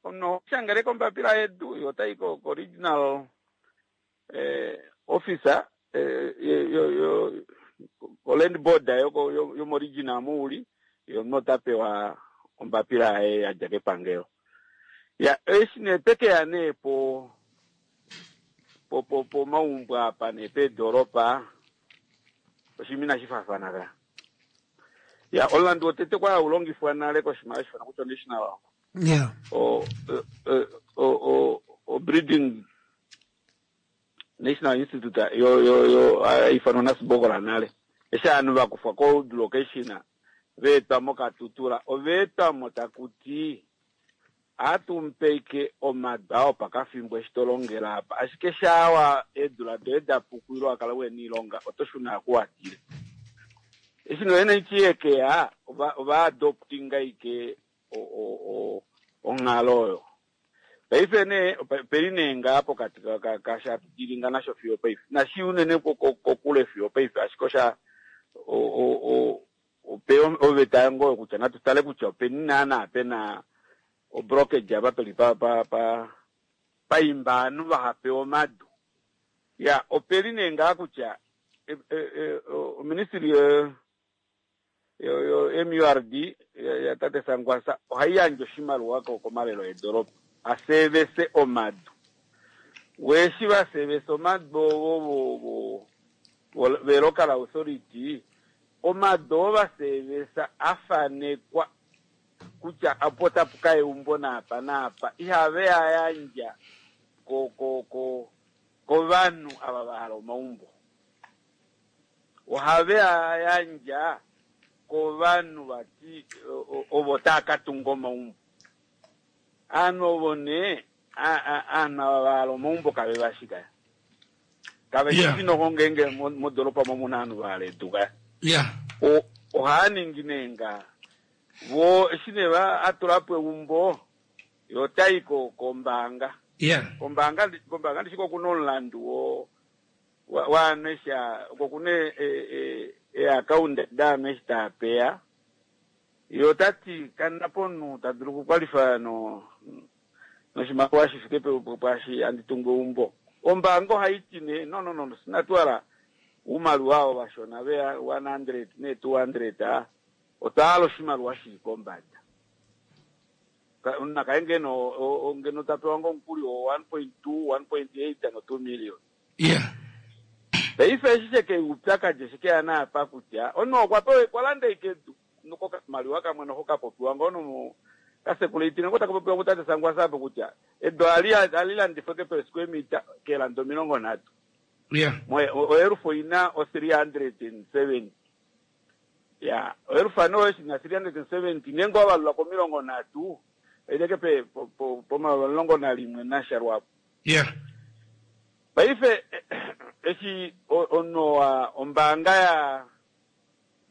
omunhu oho kombapila yedu yo otayi ko regional officer yo land board yomoregional muuli yo omunhu ota pewa ombapila yaye yadja kepangelo. Ya, eshi nee twekeya nee po pomaumbo apa nee peedoropa oshinima inashi faafana ka. Ya, omulandu wotete kwali haulongifwa nale koshinima hashi ifanwa kutya national o breeding National Institute yo haifanwa Nasibokola nale eshi ovanhu vakufwa ko location veetwa moKatutura oveetwamo takuti atumpeike omadu ao pakafimbo eshi tolongela apa ashike shawa eedula doye dapuku ilo wakala wena iilonga oto shuna kuwatile eshi no NHE yekeya ova adoptinga ike onghalo oyo paife nee peli nee ngaa pokati kashatudilinga nasho fiyo paife nashi unene kokule fiyo paife ashike osha ope oveta ngoo kutya natu tale kutya openi naana pena obrokage apa peli paimba ovanhu vahapewa omadu. Ya, opeli nee ngaa kutya oministry yo MURD ya tate Sankwasa ohai yandje oshimaliwa komalelo eedoropa asevese omadu weshi vasevese omadu ovo velocal authority. Omadu oo vaseevesa a fanekwa kutya opo otapu ka eumbo naapa naapa ihave a yandja ko ko ko kovanhu ava va hala omaumbo. Ohave a yandja kovanhu vati ovo tava ka tunga omaumbo. Aanhu ovo nee aanhu ava va hala omaumbo kave va shi kaya. Kave shi Yeah. noho ngeenge modoropa mo muna ovanhu va hala edu kaya. Yeah. Ohaya ningi nee nga vo eshi nee va atula po eumbo ye otayi ko kombaanga. Yeah. Kombaanga kombaanga ndishi ko kuna omulandu wo waanhu eshi oko kuna eeakaunda daanhu eshi taa peya. Ye ota ti kana po omunhu ta dulu okukwalifa no noshimaliwa shi fike pwaashi handi tungu eumbo. Ombaanga ohai ti nee no no no inatu hala oumaliwa oo vashona veya 100 nee 200 otwa hala oshimaliwa shili kombada. Omunhu nakaye ngeno ngeno ta pewa ngoo omukuli wo 1.2, 1.8 no 2 million. Yeah. Paife eshi sheke upyakadi eshi keya naapa kutya omunhu okwa pewa okwa landa ashike edu nokokamaliwa kamwe noho ka popiwa ngoo nomu kasekulaitinga ngoo taka popiwa kutate Sangwasapo kutya edu ali landifwe ke per square meter keelanda 30. Yeah. Oelufu oina o 370. Ya, oelufu ano oyo shina 370 ngeenge owa valula ko 30 oileke pe pomayovi 11 nasha lwapo. Yeah. Paife eshi omunhu wa ombaanga ya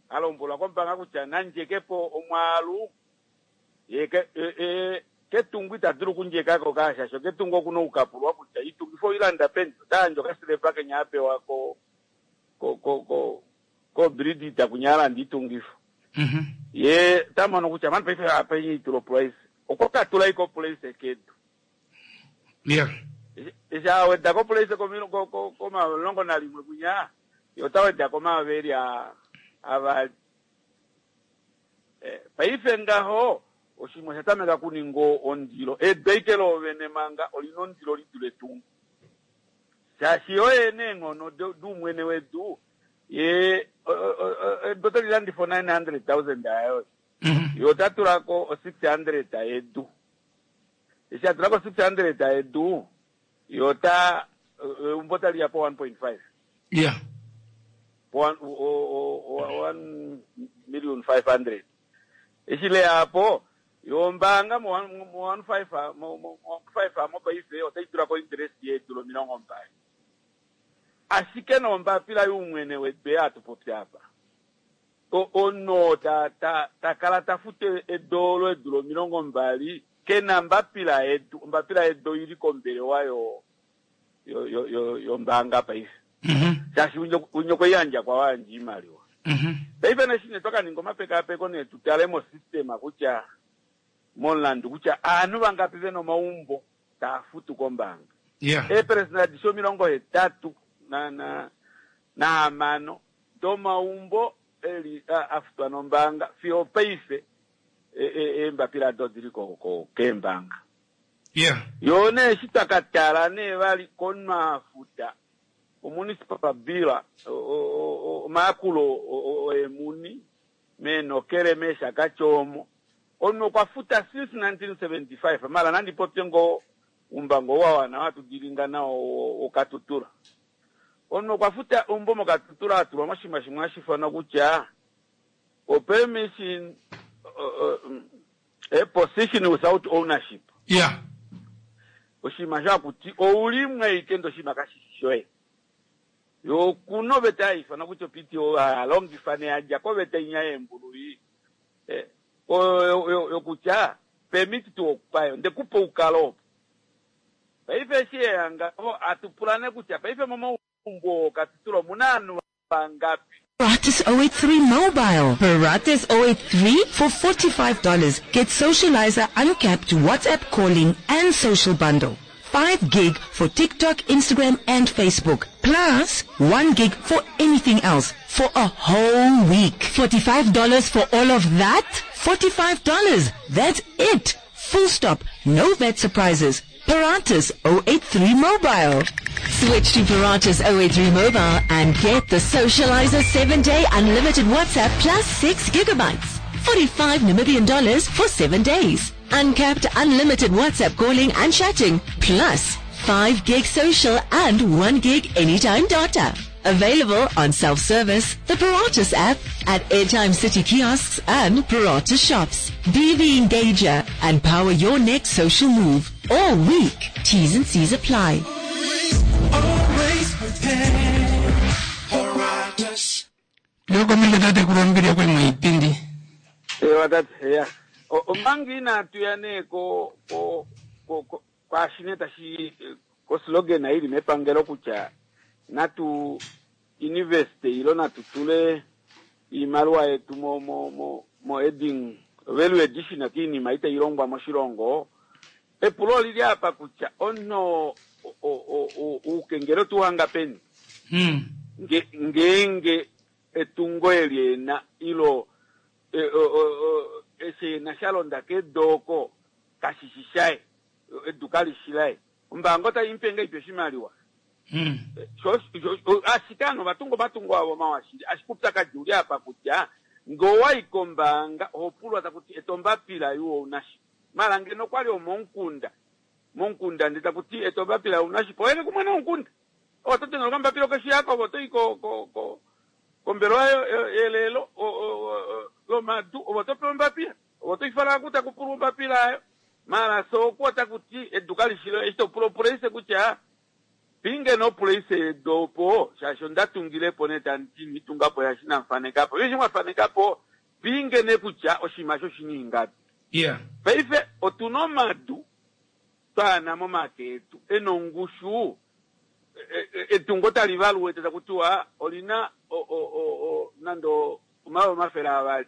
alombwelwa kombaanga kutya nandjekepo omwaalu ye ketungu ita dulu okundjekako kaashasho ketungu okuna okukapulwa kutya itungifo oilanda peni ota yandja okasilepa kenya apewa ko ko ko ko ko bridi itakunya alanda itungifo. Ye ota mono kutya mani paife apa itula price okwa katula iko price kedu. Yeah. Eshi aweda ko price komayovi 11 kunya ye ota weda komayovi eli avali. Paife ngaho oshimwe osha tameka kuninga ondilo. Edu ashike loovene manga olina ondilo lidule etungo. Shaashi oye neenghono dumwene wedu ye edu otali landifwa 900,000 ayo. Ye ota tulako 600 yedu. Eshi atulako 600 yedu ye ota eumbo tali ya po 1.5. Yeah. Po 1,500,000. Eshi le yapo yo ombaanga mo 1.5 mo 1.5 mo paife otai tulako interest yedu lo 20. Ashike nombapila youmwene wedu atupopi apa. Ono ta ta ta kala ta fute edolo edu lo 20 kena mbapila yedu, mbapila yedu ili kombelewa yo yo yo yo yombaanga paife. Shaashi unyoko yandja kwa wandji imaliwa. Paife neshine twakaninga omapekapeko ne tutale mo system kutya momulandu kutya aanhu vangapi vena omaumbo taa futu kombaanga. Yeah. Eeperesenda adishe 86 na domaumbo eli afutwa nombaanga fiyo paife eembapila do dili ko keembaanga. Yeah. Yo nee eshi twakatala nee vali konwafuta omunicipal bill omayakulo oemuni meenokele meeshakati omo omunhu okwa futa since 1975 mala nandi popye ngo umbango wawana watudilinga nao okatutura. Omunhu okwa futa umbo mokatutura atulwa moshima shimwe hashifana kutya o permission a position without ownership. Yeah. Oshima shakuti oulimwe ikendo oshima kashishoe. Yo kuno veta ifana kutya PTO alongifa ne aja ko veta inya embulu yo kutya permit to occupy ndekupa ukalo. Paife shi yanga atupulane kutya paife momaumbo katutulo munanu vangapi. Paratus 083 mobile. Paratus 083 for $45. Get Socializer uncapped WhatsApp calling and social bundle. 5 gig for TikTok, Instagram and Facebook. Plus 1 gig for anything else for a whole week. $45 for all of that? $45. That's it. Full stop. No VAT surprises. Paratus 083 Mobile. Switch to Paratus 083 Mobile and get the Socializer 7-day unlimited WhatsApp plus 6 gigabytes. 45 Namibian dollars for 7 days. Uncapped unlimited WhatsApp calling and chatting plus 5 gig social and 1 gig anytime data. Available on self-service, the Paratus app, at Airtime City kiosks and Paratus shops. Be the engager and power your next social move all week. T's and C's apply. Always prepared. Paratus. Tuyokomesho tatekulu ombili yokwali moipindi. Ewa tate, ya. Omanga inatu ya nee ko ko ko ko kwaashi nee tashi ko slogan ili mepangelo kutya natu investe ilo natu tule iimaliwa yetu mo mo mo mo adding value addition kiinima itayi longwa moshilongo. Epulo olili apa kutya omunhu uukengele otu hanga peni? Ngeenge etungo eli ena ilo eshi ena sha londa kedu oko kashishi shaye, edu kalishi laye. Ombaanga otai mupe ngahelipi oshimaliwa? Ashike ovanhu ova tunga omatungo avo mawa shili, ashike oupyakadi uli apa kutya ngee owayi kombaanga oho pulwa taku ti eta ombapila yuwo una shi. Mala ngeno okwali omomukunda, momukunda ndee taku ti eta ombapila una shi, oye kumwe nomukunda. Oto dengele okambapila okeshi yako, ove oto i kombelewa yelelo lomadu, ove oto pewa ombapila, ove oto ifala oku taku pulwa ombapila ayo. Mala sooku otaku ti edu kali shi loye, eshi to pula opuleise kutya pinge nopuleise yedu opo, shaashi onda tungilepo nee tandi ti nitungapo shaashi inamu fanekapo. Eshi mwa fanekapo, pinge nee kutya oshinima osho oshina ingapi. Paife otuna omadu twaana momake etu ena ongushu, etungo tali valuete taku tiwa olina nande 200,000.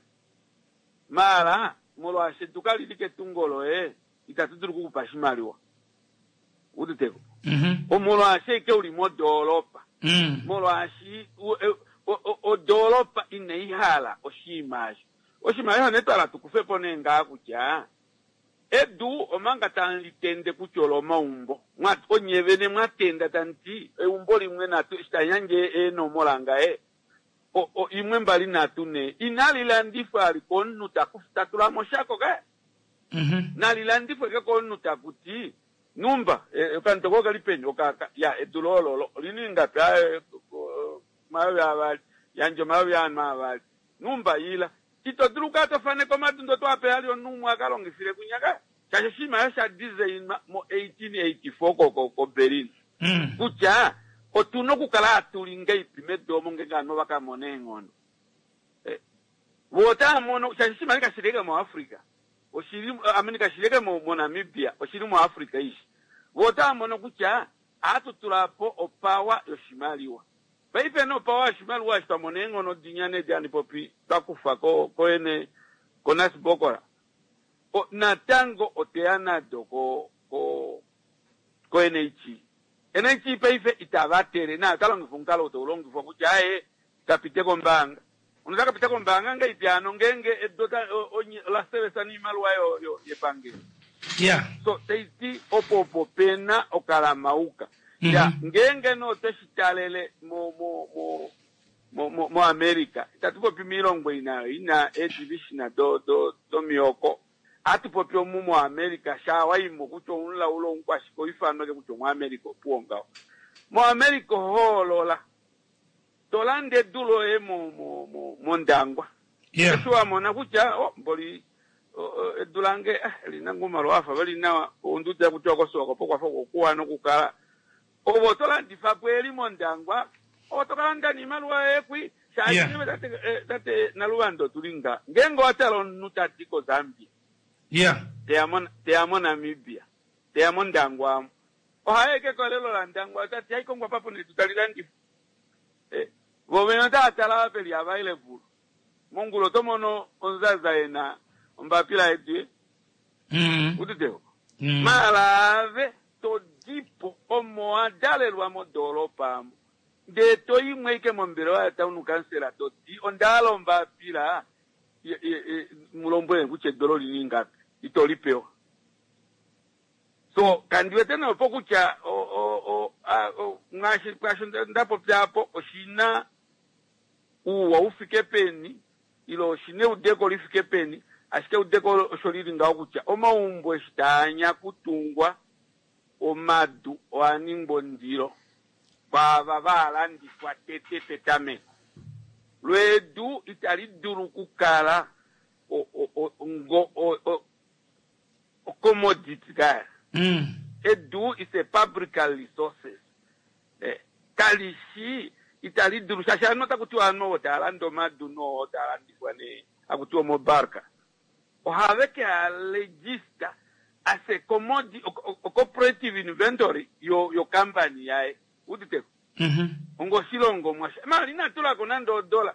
Mala molwaashi edu kalili ketungo loye, itatu dulu okukupa oshimaliwa. Uditeko? Omolwaashi ashike uli modoolopa. Molwaashi odoolopa inai hala oshinima osho. Oshimaliwa nee twala tukufe po nee ngaa kutya edu omanga tamu litende kutya olomaumbo. Onye vene mwatenda tamu ti eumbo limwe natu eshi tali yandje eenomola ngaye. 1 2 3 4. Inali landifwa ali komunhu ta tula moshako kaye. Nali landifwe ke komunhu taku ti numba, okandoko kali peni, okaka, ya, edu lololo, olini ngapi? Aye, 2000, yandje 4000. Numba ila. Ito dulu ka to faneka omadundo to ape ali omunhu umwe aka longifile kunyaka. Shaashi oshinima osho sha designwa mo 1884 ko Berlin. Kutya otuna okukala hatu li ngaipi medu omo ngeenge ovanhu ova ka mona eenghono. Vo otava mono, shaashi oshinima kashi li moAfrica. Oshili, I mean, kashi li moNamibia, oshili moAfrica ishi. Vo otava mono kutya ohatu tula po opawa yoshimaliwa. Paife no opawa yoshimaliwa eshi twa mona eenghono dinya nedi handi popi twa kufa koene koNasbokola. Natango oteya nado ko NHE. NHE paife itava tele nayo ota longifa omukalo tau longifwa kutya aye kapite kombaanga. Ono kapite kombaanga ngaipi ano ngeenge edu la sevesa niimaliwa yepangelo. So taiti opo opo pena okalamauka. Ya ngeenge no tweshi talele mo America. Itatu popi miilongo inayo ina edivishina do mihoko. Atu popi omu mo America sha waimo kutya omulaulo omukwashike oifanweke kutya omu America opuwo ngaho. Mo America hoolola. Tolande edu loye mOndangwa. Eshi wa mona kutya, oh, mboli, edu lange, lina ngumalo wafa vali nawa, onduda kutya okosuwa kopo kwafa okuwa nokukala. Ovo tolandifa po eli mOndangwa, ovo tokalanda niimaliwa yoye kwi. Shaashi tate Naluvando tulinga. Ngeenge owa tala omunhu tadi koZambia. Teya moNamibia. Teya mOndangwa amo. Ohaye ke kolelo la Ndangwa, tati hai kongwa papo nedu tali landifwa. Vo vene otava tala veli available. Mongulo to mono onzaza ena ombapila yedu. Uditeo. Malave to dipo omo adalelwa modoropa amo. Ndee to imwe ike mombelewa ya town council to di ondala ombapila mulombwele kutya edolo lini ngapi. Ito lipewa. So kandi wete nee opo kutya ngaashi kwaasho nda popya apo oshi na uuwa u fike peni ile oshi na eudeko li fike peni, ashike eudeko osho li li ngaho kutya omaumbo eshi taa anya kutungwa omadu oa ningwa ondilo kwaava va landifwa tete petameko. Lo edu itali dulu okukala ngo commodity kaya. Edu is a public resources. Kali shi itali dulu shaashi ovanhu otaku tiwa ovanhu ovo tava lande omadu noo taa landifwa nee haku tiwa omobarka ohave ke a register as a commodity, o cooperative inventory yo yo company yaye uditeko onga oshilongo mwasha mali ina tulako nande odola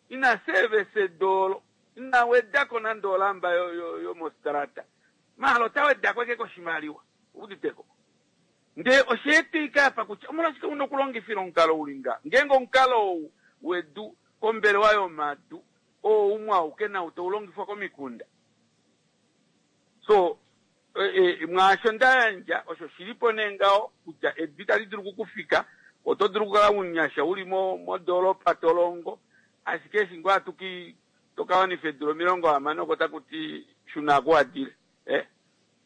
ina service edolo ina wedako nande olamba yo yo yomostrata mahala ota wedako eke koshimaliwa uditeko Ndee osha etika apa kutya omolwashike u na okulongifila omukalo u li ngaha, ngeenge omukalo ou wedu kombelewa yomadu oo umwe auke nau tau longifwa komikunda. So, mwaasho nda yandja osho shi li po nee ngaho kutya edu itali dulu okukufika, oto dulu okukala omunyasha u li modoolopa to longo, ashike eshi ngoo hatu ki to ka wanifa eedula 60 oko taku ti shuna kuadile. Eh.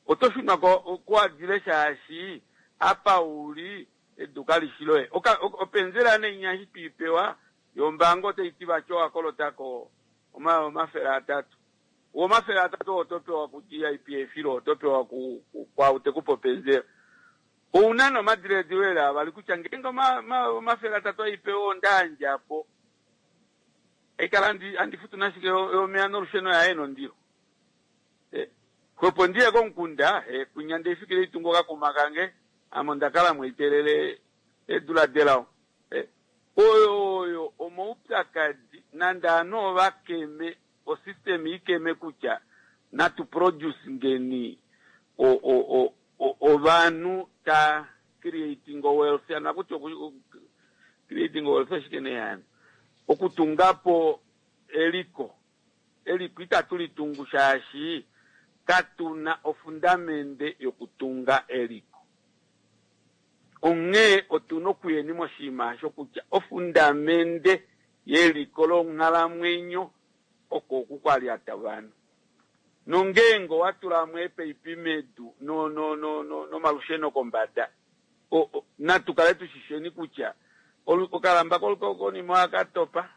Oto shunwa ko kuadile shaashi apa u li edu kali shi loye. Oka, openzela nee inya eshi twi pewa yombaanga otai ti vati owa kolota ko 300. Wo 300 oo oto pewa ku GIPF ile oto pewa ku, ku, kwaau te ku pe openzela. Ou na nee omadilaadilo eli avali kutya ngeenge oma, oma, 300 ei pewa onda yandja po, haikala handi, handi futu nashike yomeya nolusheno yaye nondilo. Xwepo ndi ye komukunda, kwinya nde ifikile itunga okakuma kange, ame onda kala mweitelele eedula delao. Oyo oyo omaupyakadi, nande ovanhu ova keme, osystem i keme kutya natu produce ngeni ovanhu ta creating wealth, hano akuti creating wealth oshike nee hano? Okutunga po eliko. Eliko itatu li tungu shaashi katu na ofundamende yokutunga eliko. Onghee otu na okuyeni moshinima osho kutya ofundamende yeliko longhalamwenyo oko oku kwa lyata ovanhu. Nongeenge owa tula mo eepaipi medu nomalusheno kombada, natu kale tu shi sheni kutya okalamba konima ohaka topa.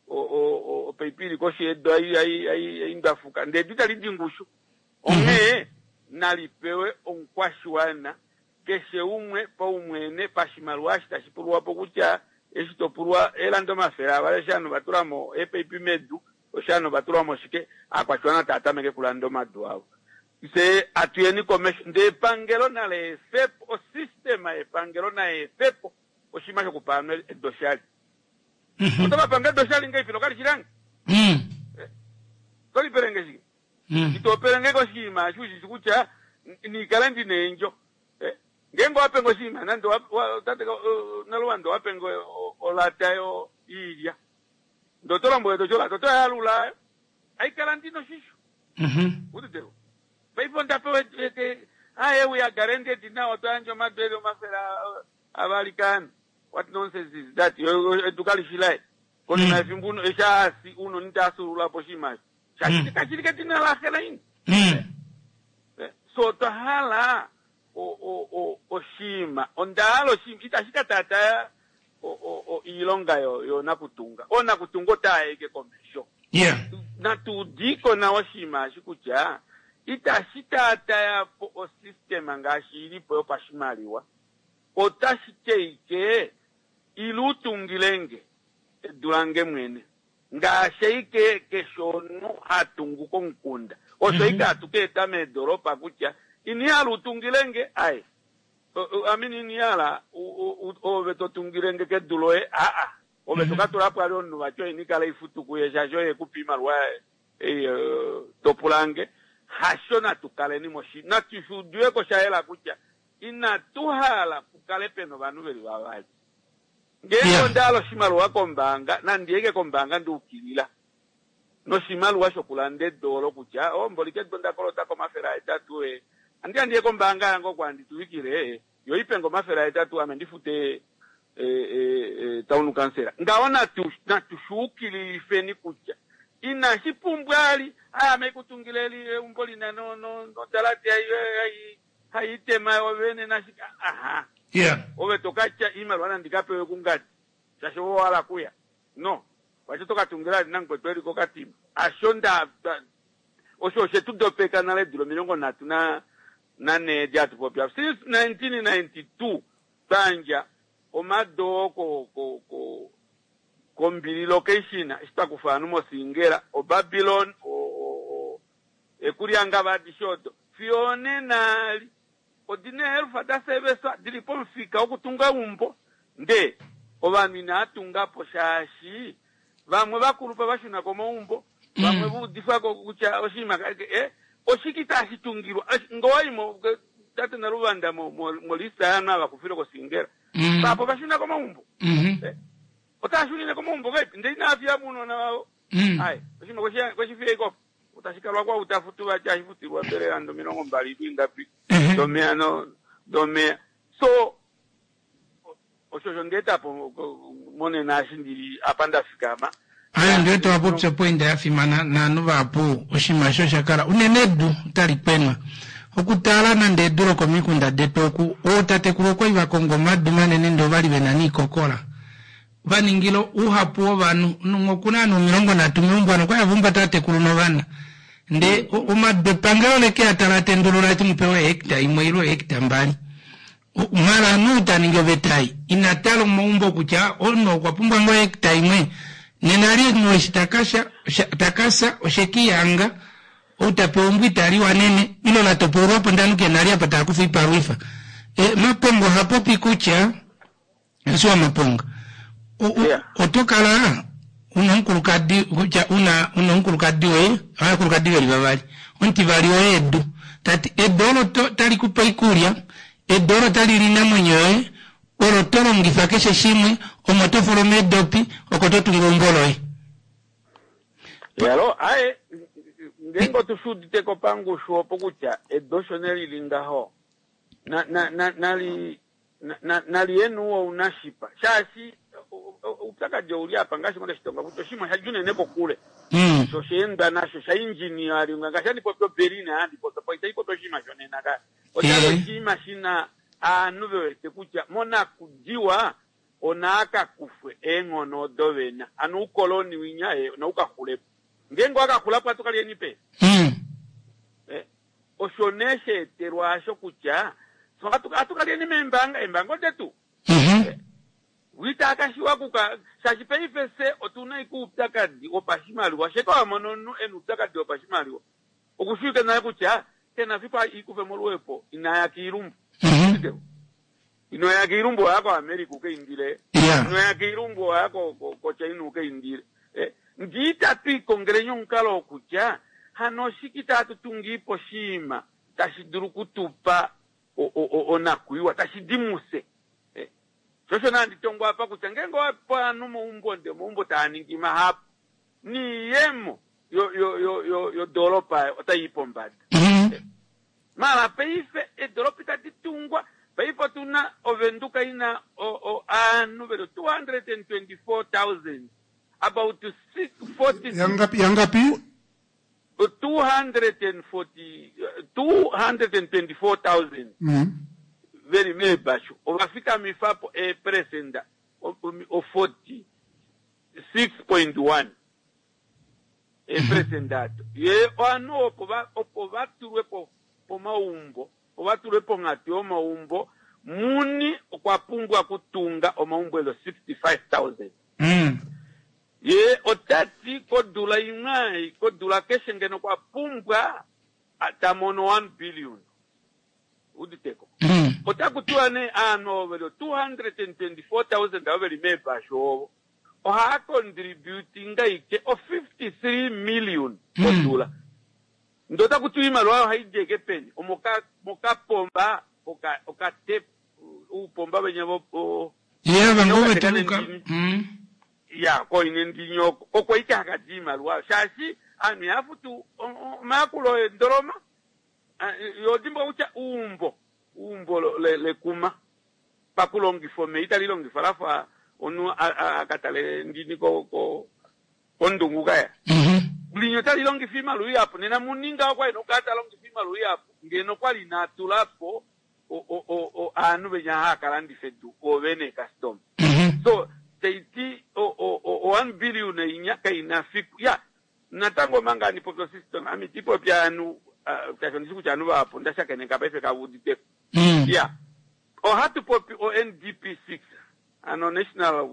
Opaipi ili koshi yedu ai ndwafuka ndee edu itali di ngushu. Onghee nali pewe omukwashiwana keshe umwe paumwene pashimaliwa eshi tashi pulwa po kutya eshi to pulwa eelanda 200 eshi ovanhu va tula mo eepaipi medu osho ovanhu va tula mo shike aakwashiwana tava tameke kulanda omadu avo. Fye atuyeni komesho ndee epangelo nali efe po osystema yepangelo nai efe po oshinima shokupa ovanhu edu oshali. Oto va pange edu oshali ngeipi nokali shi lange? Oto lipele nge shike? Ito pele nge koshinima eshi u shi shi kutya nikale ndi na eendjo. Ngeenge owa penge oshinima nande tate Naluwanda owa penge olata yoilya ndee oto lombwele to ti olata oto yalula haikala ndi na oshisho. Uditeko? Paife onda pewa aye we are guaranteed now otwa yandja omadu eli 200 kaanhu. What nonsense is that? Edu kali shi laye. Konima yefimbo uno eshi a si uno ta fyuulula po oshinima osho. Shaashi kashi li kedina laxe laina. So otwa hala oshinima, onda hala oshinima itashi ka taataya oilonga yoonakutunga. Oonakutunga otava i ashike komesho. Natu udiko nawa oshinima eshi kutya itashi taataya po osystem ngaashi i li po yopashimaliwa. Otashi ti ashike, Ila u tungile nge edu lange mwene, ngaashi ashike keshe omunhu ha tungu komukunda. Osho ashike hatu ka eta meedolopa kutya, Ini hala u tungile nge, aye. I mean, ini hala ove to tungile nge kedu loye, aa. Ove to ka tula po vali omunhu vati oye nikala ifutu kuye shaashi oye e ku pa oimaliwa ei to pula nge. Hasho natu kaleni moshi, natu shi udiwe ko sha yela kutya Inatu hala pu kale pe na ovanhu ve li vavali. Ngeenge onda hala oshimaliwa kombaanga, nandi ye kombaanga nda ukilila noshimaliwa shokulanda edu olo kutya, oh, mboli kedu onda kolota ko 800, ee, Andi ya ndiye kombaanga yange oko handi tuvikile, yo i pe nge 800 ame ndi fute town council. Ngaho natu, natu shuukililifeni kutya inashi pumbwa ali, ai ame haikutungile eli eumbo li na no, no, nodalate hai, hai, hai itema yo vene nashike. Aha. Yeah. Ove to ka tya iimaliwa nandi ka pewe kungadi, shaashi ove owa hala kuya. No. Vati oto ka tungila ali namukwetu eli kokatima. Asho nda, nda, Osho oshe tu dopeka nale eedula 34 edi hatu popi apa. Since 1992 twa yandja omado oo ko, ko, ko, kombili location eshi twa kufa ovanhu moSingela, oBabylon, o, o, o, Ekulyangava adishe odo. Fiyo onena eli odi na eelufa da seveswa di li pomufika wokutunga eumbo ndee ovanhu inava tunga po shaashi vamwe vakulupa va shuna komaumbo, vamwe va udifwa ko kutya oshinima ka, eh, oshike itashi tungilwa? Nge owa yi mo, tate Naluvanda, mo, mo, molista yaanhu ava kufile koSingela, vahapu ova shuna komaumbo. Eh, otava shunine komaumbo ngahelipi ndele inava fiya mo ounona vavo? Ai, oshinima kweshi fiya ashike opo. Otashi kalwa kwa utafutu vati hashi futilwa mbele rand 20 ingapi domeya no domeya. So osho osho nda po monena eshi ndili apa nda fikama. Aye ndiwete wa popya opoinda ya fimana naanhu vahapu oshinima eshi osha kala unene edu otali kwenwa. Okutala nande edu lokomikunda detu oku ootatekulu okwali va konga omadu manene ndee ovali vena niikokola. Va ningila ouhapu wovanhu. Omunhu okuna ovanhu 30 meumbo ano okwali ava umbata ovatekulu novana. Ndee omadu epangelo leke a tala tendulula eti mu pewe hectare imwe ile hectare mbali. Mala omunhu ou ta ningi oveta ei ina tala omaumbo kutya omunhu okwa pumbwa ngoo hectare imwe. Nena li omunhu eshi ta ka fya oshe ke ihanga ou ta pewa eumbo itali wanene ile la topolwa po ndee ovanhu kena li apa tava kufa oipalwifa. Mapongo oha popi kutya Eshi wa Maponga, oto kala una omukulukadi kutya una una omukulukadi woye ovakulukadi veli vavali omutivali woye edu tati edu olo tali kupe oikulya edu olo tali li inamwenyo yoye olo to longifa keshe shimwe omo to fulu meedopi oko to tungu eumbo loye. Yalo, aye ngeenge otu shi udite ko pangushu opo kutya edu osho ne lili ngaho na na na nali Nali enu ounashipa shaashi oupyakadi ouli apa ngaashi ngo ndashitonga kutya oshinima osha dja unene kokule sho osha endwa nasho sha engineeringwa ngaashi handi popi oBerlin handi popi po itai popi oshinima shonena ka oshali oshinima shina aanhu ve wete kutya monakudiwa onaa ka kufwe eenghono odo vena ano oukoloni winya nau ka xulepo ngeenge owa ka xulapo ohatu ka lyeni peni? Osho nee sha etelwa asho kutya fye ohatu ohatu ka lyeni meembanga, eembanga odetu. Wi taa ka shiwa kuka shaashi paife fye otu na ike oupyakadi wopashimaliwa. Sheke wa mona omunhu e na oupyakadi wopashimaliwa oku shiwike nale kutya ke na fiku e ikufe moluhepo ina ya kiilumbu. Ino ya kiilumbu owa ya koAmerica u ka indile. Ino ya kiilumbu owa ya koChina u ka indile. Ngee itatu ikongeleni omukalo wokutya hano oshike itatu tungiipo oshinima tashi dulu okutupa onakuyiwa, tashi di mufye. Sho osho nee handi tongo apa kutya ngeenge owa pe ovanhu omaumbo ndee omaumbo taa ningi mahapu, niiyemo yodoolopa otai i pombada. Mara paife eedolopa itadi tungwa. Paife otu na Ovenduka i na ovanhu veli 224,000 about 46 Yangapi? Yangapi? 240 224,000 veli meebashu ova fikamifa po eeperesenda o 46.1. Eeperesenda ado. Ye ovanhu opo va, opo va tulwe po, pomaumbo, opo va tulwe ponghatu yomaumbo, muni okwa pumbwa okutunga omaumbo eli 65,000. Ye ota ti kodula imwe ei, kodula keshe ngeno okwa pumbwa a, ta mono 1 billion. Uditeko? Otaku tiwa nee aanhu ovo veli 224,000 avo veli meebashu ovo, Ohaa contributinga ike o 53 million kodula. Ndee otaku tiwa iimaliwa oyo ohaidi ashike peni? Omoka mokapomba oka oka tap uupomba venya vo o Ye ava venya ngoo okateka vetu luka. nendini. Ya koine ndini oko oko ike haka di iimaliwa oyo shaashi aanhu ihaya futu omayakulo eendoloma. Yo dimbuluka kutya uumbo uumbo lekuma pakulongifa omeya itali longifwa lafa omunhu a ka tale ndini ko ko kondungu kaya. Linya otali longifa iimaliwa ihapu nena muninga okwa ena okukala ta longifa iimaliwa ihapu ngeno okwali ina tula po aanhu venya haya ka landifa edu oovene eecustoma. So taiti o 1 billion inya kaina fiku ya natango omanga handi popi osystem ame iti popi aanhu shaashi ondishi kutya aanhu vahapu onda shakeneka paife kava uditeko. Ya ohatu popi o NDP 6 ano national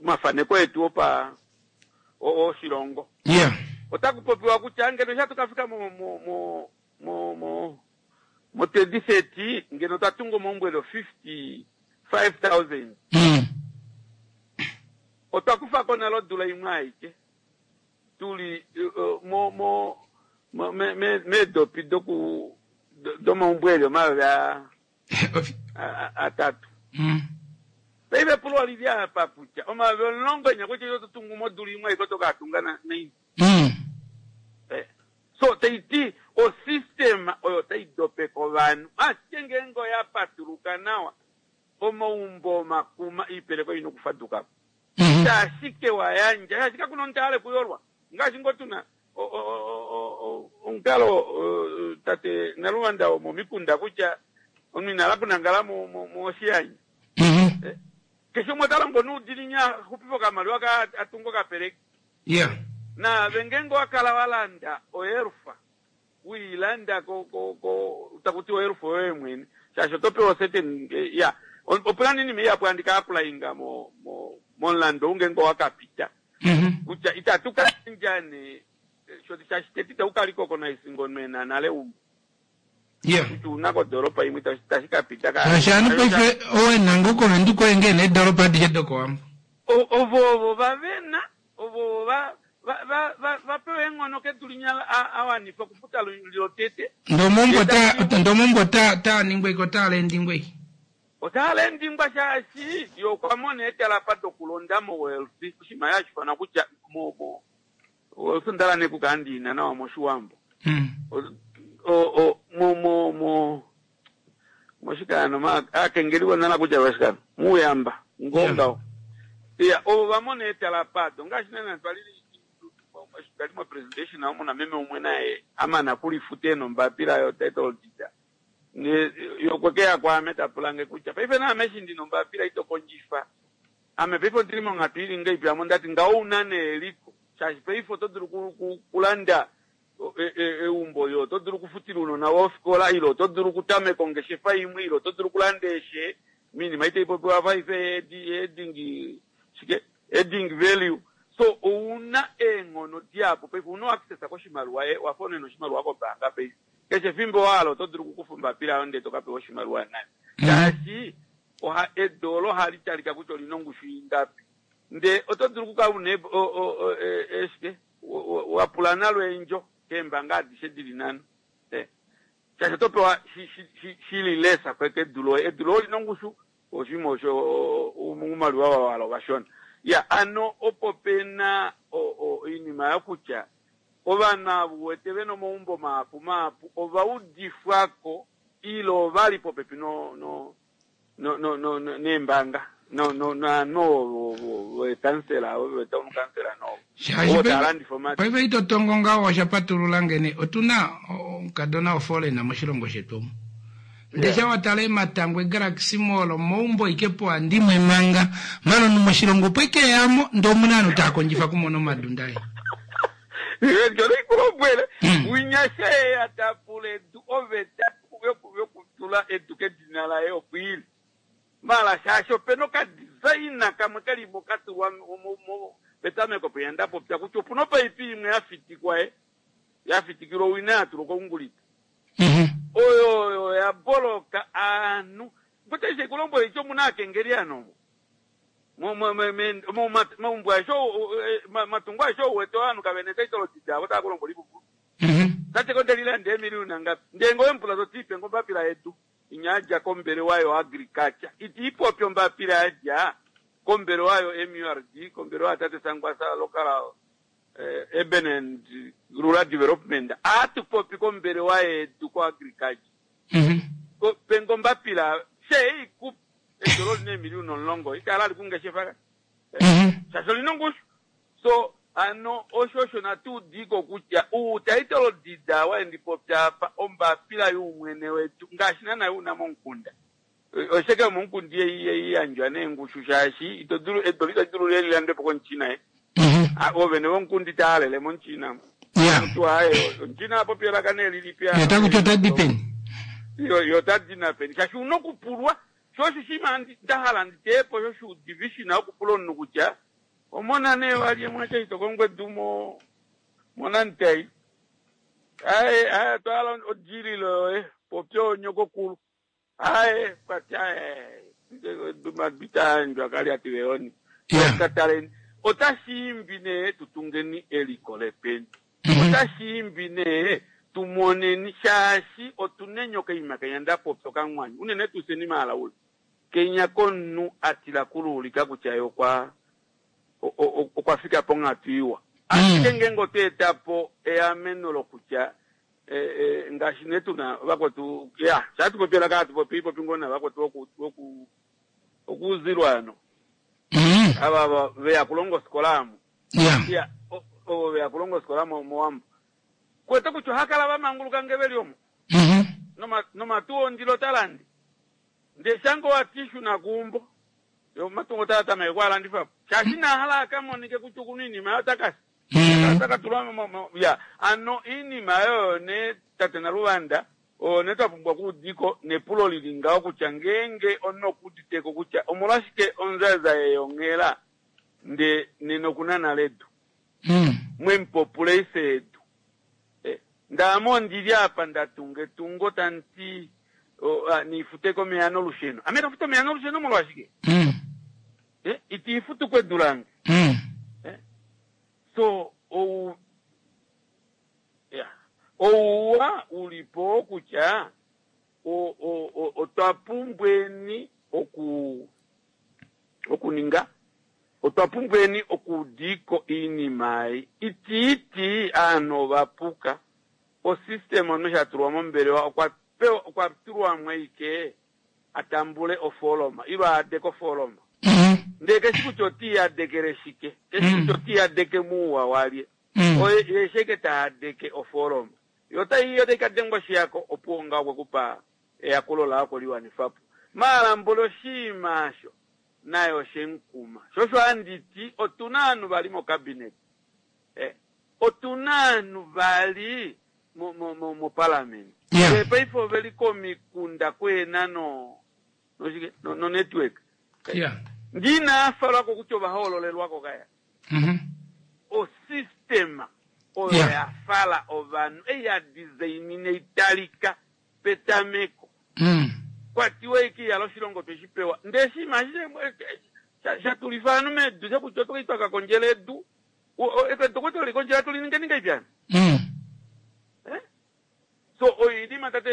omafaneko etu opa oshilongo. Otaku popiwa kutya ngeno eshi hatu ka fika mo mo mo mo mo mo 2030 ngeno otwa tunga omaumbo eli 55,000. Otwa kufa ko nale odula imwe aike tuli mo mo meedopi doku domaumbo eli omayovi atatu. Paife epulo oli li apa kutya omayovi 10 enya kutya oto tungu modula imwe aike oto ka tunga naini. So tai ti osystem oyo tai dopeke ovanhu ashike ngeenge oya patuluka nawa omaumbo omakuma iipeleko ina okufaduka po. Shashike wa yandja shaashi kakuna omunhu ta hale okuyolwa ngaashi ngoo tuna omukalo tate Naluvanda womomikunda kutya omunhu ina hala okunangala moshiyanya. Keshe umwe ota longo noudiinini a xupife okamaliwa kaye a tunge okapeleki. Naave ngeenge owa kala wa landa oelfa, we i landa ko, ko, ko, taku tiwa oelfa oyoye mwene, shaashi oto pewa certain, ya, opu na oinima ihapu handi ka applyinga mo, mo, momulandu ou ngeenge owa ka pita, kutya itatu ka yandja nee, shaashi tete itaku ka recognize ngono e na nale eumbo. Kutya una kodoolopa imwe itashi ka pita ka. Shaashi ovanhu paife owe na ngoo koVenduka oye ngee needoolopa adishe dokOwambo. Ovo ovo va vena, ovo ovo va va va va pewa eenghono kedu linya a wanifa okufuta lotete. Ndee omaumbo ota ndee omaumbo ota otaa ningwa ike otaa lendingwa ike. Otaa lendingwa shaashi ye okwa mona eetalapa dokulonda moWelsi, oshinima hashi ifanwa kutya mo mo Welsi onda hala nee okukala ndi i na nawa mOshiwambo. O o mo mo mo moshikano ma aakengeli vonala kutya vashikano muuyamba ngoo ngaho. Iya ovo va mona eetalapa ado ngaashi naana twali twali mo presentation omu na meme umwe naye a mana kulifuta ena ombapila yo title deed. Ne ye okwe ke ya kwaame ta pula nge kutya paife naame eshi ndi na ombapila ito kondjifa Ame paife ondili monghatu ili ngahelipi ame ondati ngaho ouna nee eliko shaashi paife oto dulu kulanda eumbo ile oto dulu okufutila ounona voye ofikola ile oto dulu okutameka ongeshefa imwe ile oto dulu okulanda eeshe oinima itai popiwa paife heading shike heading value so ouna eenghono dihapu paife ouna access koshimaliwa ye wafa unene oshimaliwa kombaanga paife keshe efimbo wa hala oto dulu okukufa ombapila yoye ndele to ka pewa oshimaliwa nayo shaashi Oha, edu olo ohali talika kutya oli na ongushu ingapi. Ndee oto dulu okukala u na e, o, o, o, e, e, shike, wa pula nalo eendjo keembanga adishe di li nhano. E, shaashi oto pewa shi, shi, shi, shi li lesa kedu loye. Edu loye oli na ongushu, oshinima osho oumaliwa wa hala ovashona. Ya, ano opo pe na o, o, oinima yokutya ovanhu ava u wete ve na omaumbo mahapu mahapu ova udifwa ko ile ova li popepi no, no, no, no, no, no, neembanga no, no, naanhu veekansela ovo vetown kansela no ovo tava landifa omadu. Paife ito tongo ngaho osha patulula ngene otu na omukadona oforeigner moshilongo shetu omu. Ndee sha wa tala ematangwe Galaxy Mall omaumbo ike poandimwe manga mala omunhu moshilongo opo ike eyamo ndee omuna ovanhu tava kondjifa okumona omadu ndaye. Ndele ikulombwele winya she ya ta pula edu oveta yokutula edu kedina laye opo ili. Mala shaashi opena okadesign kamwe kali mo ka tulwa petameko pwinya nda popya kutya opuna opaipi imwe ya fitikwa ye ya fitikilwa owina ya tulwa koungulita. Oyo oyo ya boloka aanhu. Ngote she kulombwele ityo omuna aakengeli ano omo. Momaumbo aeshe matungo aeshe ou wete ovanhu kave na etitle deed avo tava ku lombwele oipupulu. Tate ko ndeli landa eemiliyuna ngapi? Ndee ngee owemupula to ti ipe nge ombapila yedu inya yadja kombelewa yo agriculture. Iti ipopi ombapila yadja kombelewa yo MURD, kombelewa ya tate Sankwasa local. Urban and Rural Development ohatu popi kombelewa yedu koagriculture. Penga ombapila she ei ku edu olo lina eemiliyuna omulongo itala ali kungeshefa ka. Shaashi olina ongushu. So ano osho osho natu udiko kutya uutitle deed wa ndi popya apa ombapila yuumwene wedu ngaashi naana yuuna momukunda. Osheke yomomukunda ihai yandjwa neengushu shaashi ito dulu edu itali dulu li landwe po komuChina ye. Oovene vomukunda itava halele momuChina. Omutu aye omuChina a popi elaka nee lilipi Ye ota kuti ota di peni? Yo ota di napeni shaashi una okupulwa sho osho oshinima nda hala ndi teye po sho shuudivishina okupula omunhu kutya omona nee walye mwatya ito kongo edu mo monantai. Aye aye otwa hala odililo yoye popya onyokokulu. Aye kwati aye madu itayandjwa kali ati veyoni. Kataleni otashi imbi nee tutungeni eliko lepeni. Otashi imbi nee tumoneni shaashi otuna enyoka ima kenya ndapopya okamwanyu unene tuu fyeni maalaule. Kenya komunhu atila kuluulika kutya ye okwa okwa fika ponghatu iwa. Ashike ngeenge otwa eta po eameno lokutya ngaashi nee tuna vakwetu ya sha hatu popi elaka hatu popi popi ngoo navakwetu voku voku okuuzilwa ano ava va veya kulonga ofikola amu ya ovo veya kulonga ofikola mowambo kwete kutya oha kala vamanguluka nge veli omo nomatu ondilo talandi ndee shange wati shuna kuumbo yo omatungo otaa tameke kwaalandifa po shaashi ina hala akamonike kutya okuna oinima yayo takasi Otaka tulwa ya ano iinima oyo nee tate Naluvanda oyo nee twa pumbwa okuudiko nepulo lili ngaho kutya ngeenge omunhu okuuditeko kutya omolwashike onzaza yeyonghela nde nena okuna nale edu mwemupopula ife edu ndaame ondili apa nda tunga etungo tanti niifuteko omeya nolusheno ame tafuta omeya nolusheno molwashike itiifutuko edu lange So ou ya ouwa u li po oo kutya o, o, o, otwa pumbweni oku okuninga otwa pumbweni okuudiko iinima ei itiiti aanhu ova puka osystem omunhu sha tulwa mombelewa okwa pewa okwa tulwamo ashike a tambule ofooloma ilo a adeke ofooloma. Ndee keshi kutya ota iyadekele shike, keshi kutya ota iyadeke muuwa walye. Oye ye sheke ta adeke ofooloma. Yo otai otai ka dengwa oshihako opuwo ngaho okwe ku pa eyakulo laye okwe li wanifa po. Maala mboli oshiima osho naye oshe mu kuma. Sho osho handi ti otu na ovanhu vali mocabinet. Eh, otu na ovanhu vali moparliament. Ndele paife ove li komikunda kuhena no noshike no, no network. Ndi inaa falwako kutya ova hoololelwako kaya. Osystem oyo ya fala ovanhu ei ya designina italika petameko. Kwa tiwa eke ihala oshilongo twe shi pewa. Ndele oshinima ashishe sha tulifa ovanhu medu shokutya otwa ka kondjela edu. Edu okwa twa kondjela tuli ninge ninga ipi hano? So oinima tate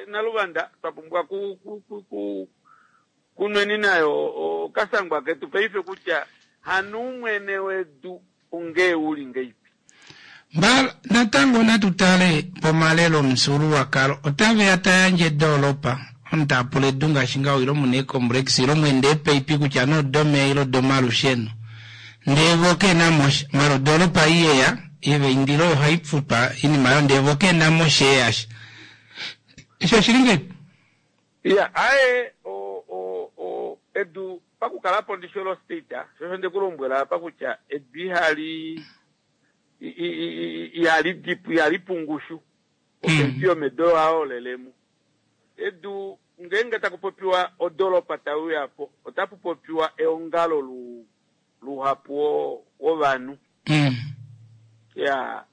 Naluvanda twa pumbwa ku ku ku ku kunweni nayo okasangwa ketu paife kutya hano umwene wedu ongee uli ngeipi. Mbala natango natu tale pomalelo omufyuululwakalo otave ya ta yandje edoolopa omunhu taa pula edu ngaashi ngaho ilo muna eecomplex ilo mwende eepaipi kutya nee odomeya ile odomalusheno ndee vo kena mo sha mara odoolopa ei yeya yeva indila oyo ohai futwa oinima oyo ndee vo kena mo shee yasha eshi oshili ngahelipi? Iya, aye o, o, o, edu pakukalapo ndishi olo state, sho osho nde ku lombwela apa kutya edu ihali ihali dipu, ihali pungushu. Opepi yomedu oyo haolelemo. Edu ngeenge taku popiwa odoropa tai uya po, otapu popiwa eongalo lu, luhapu wovanhu. Ya,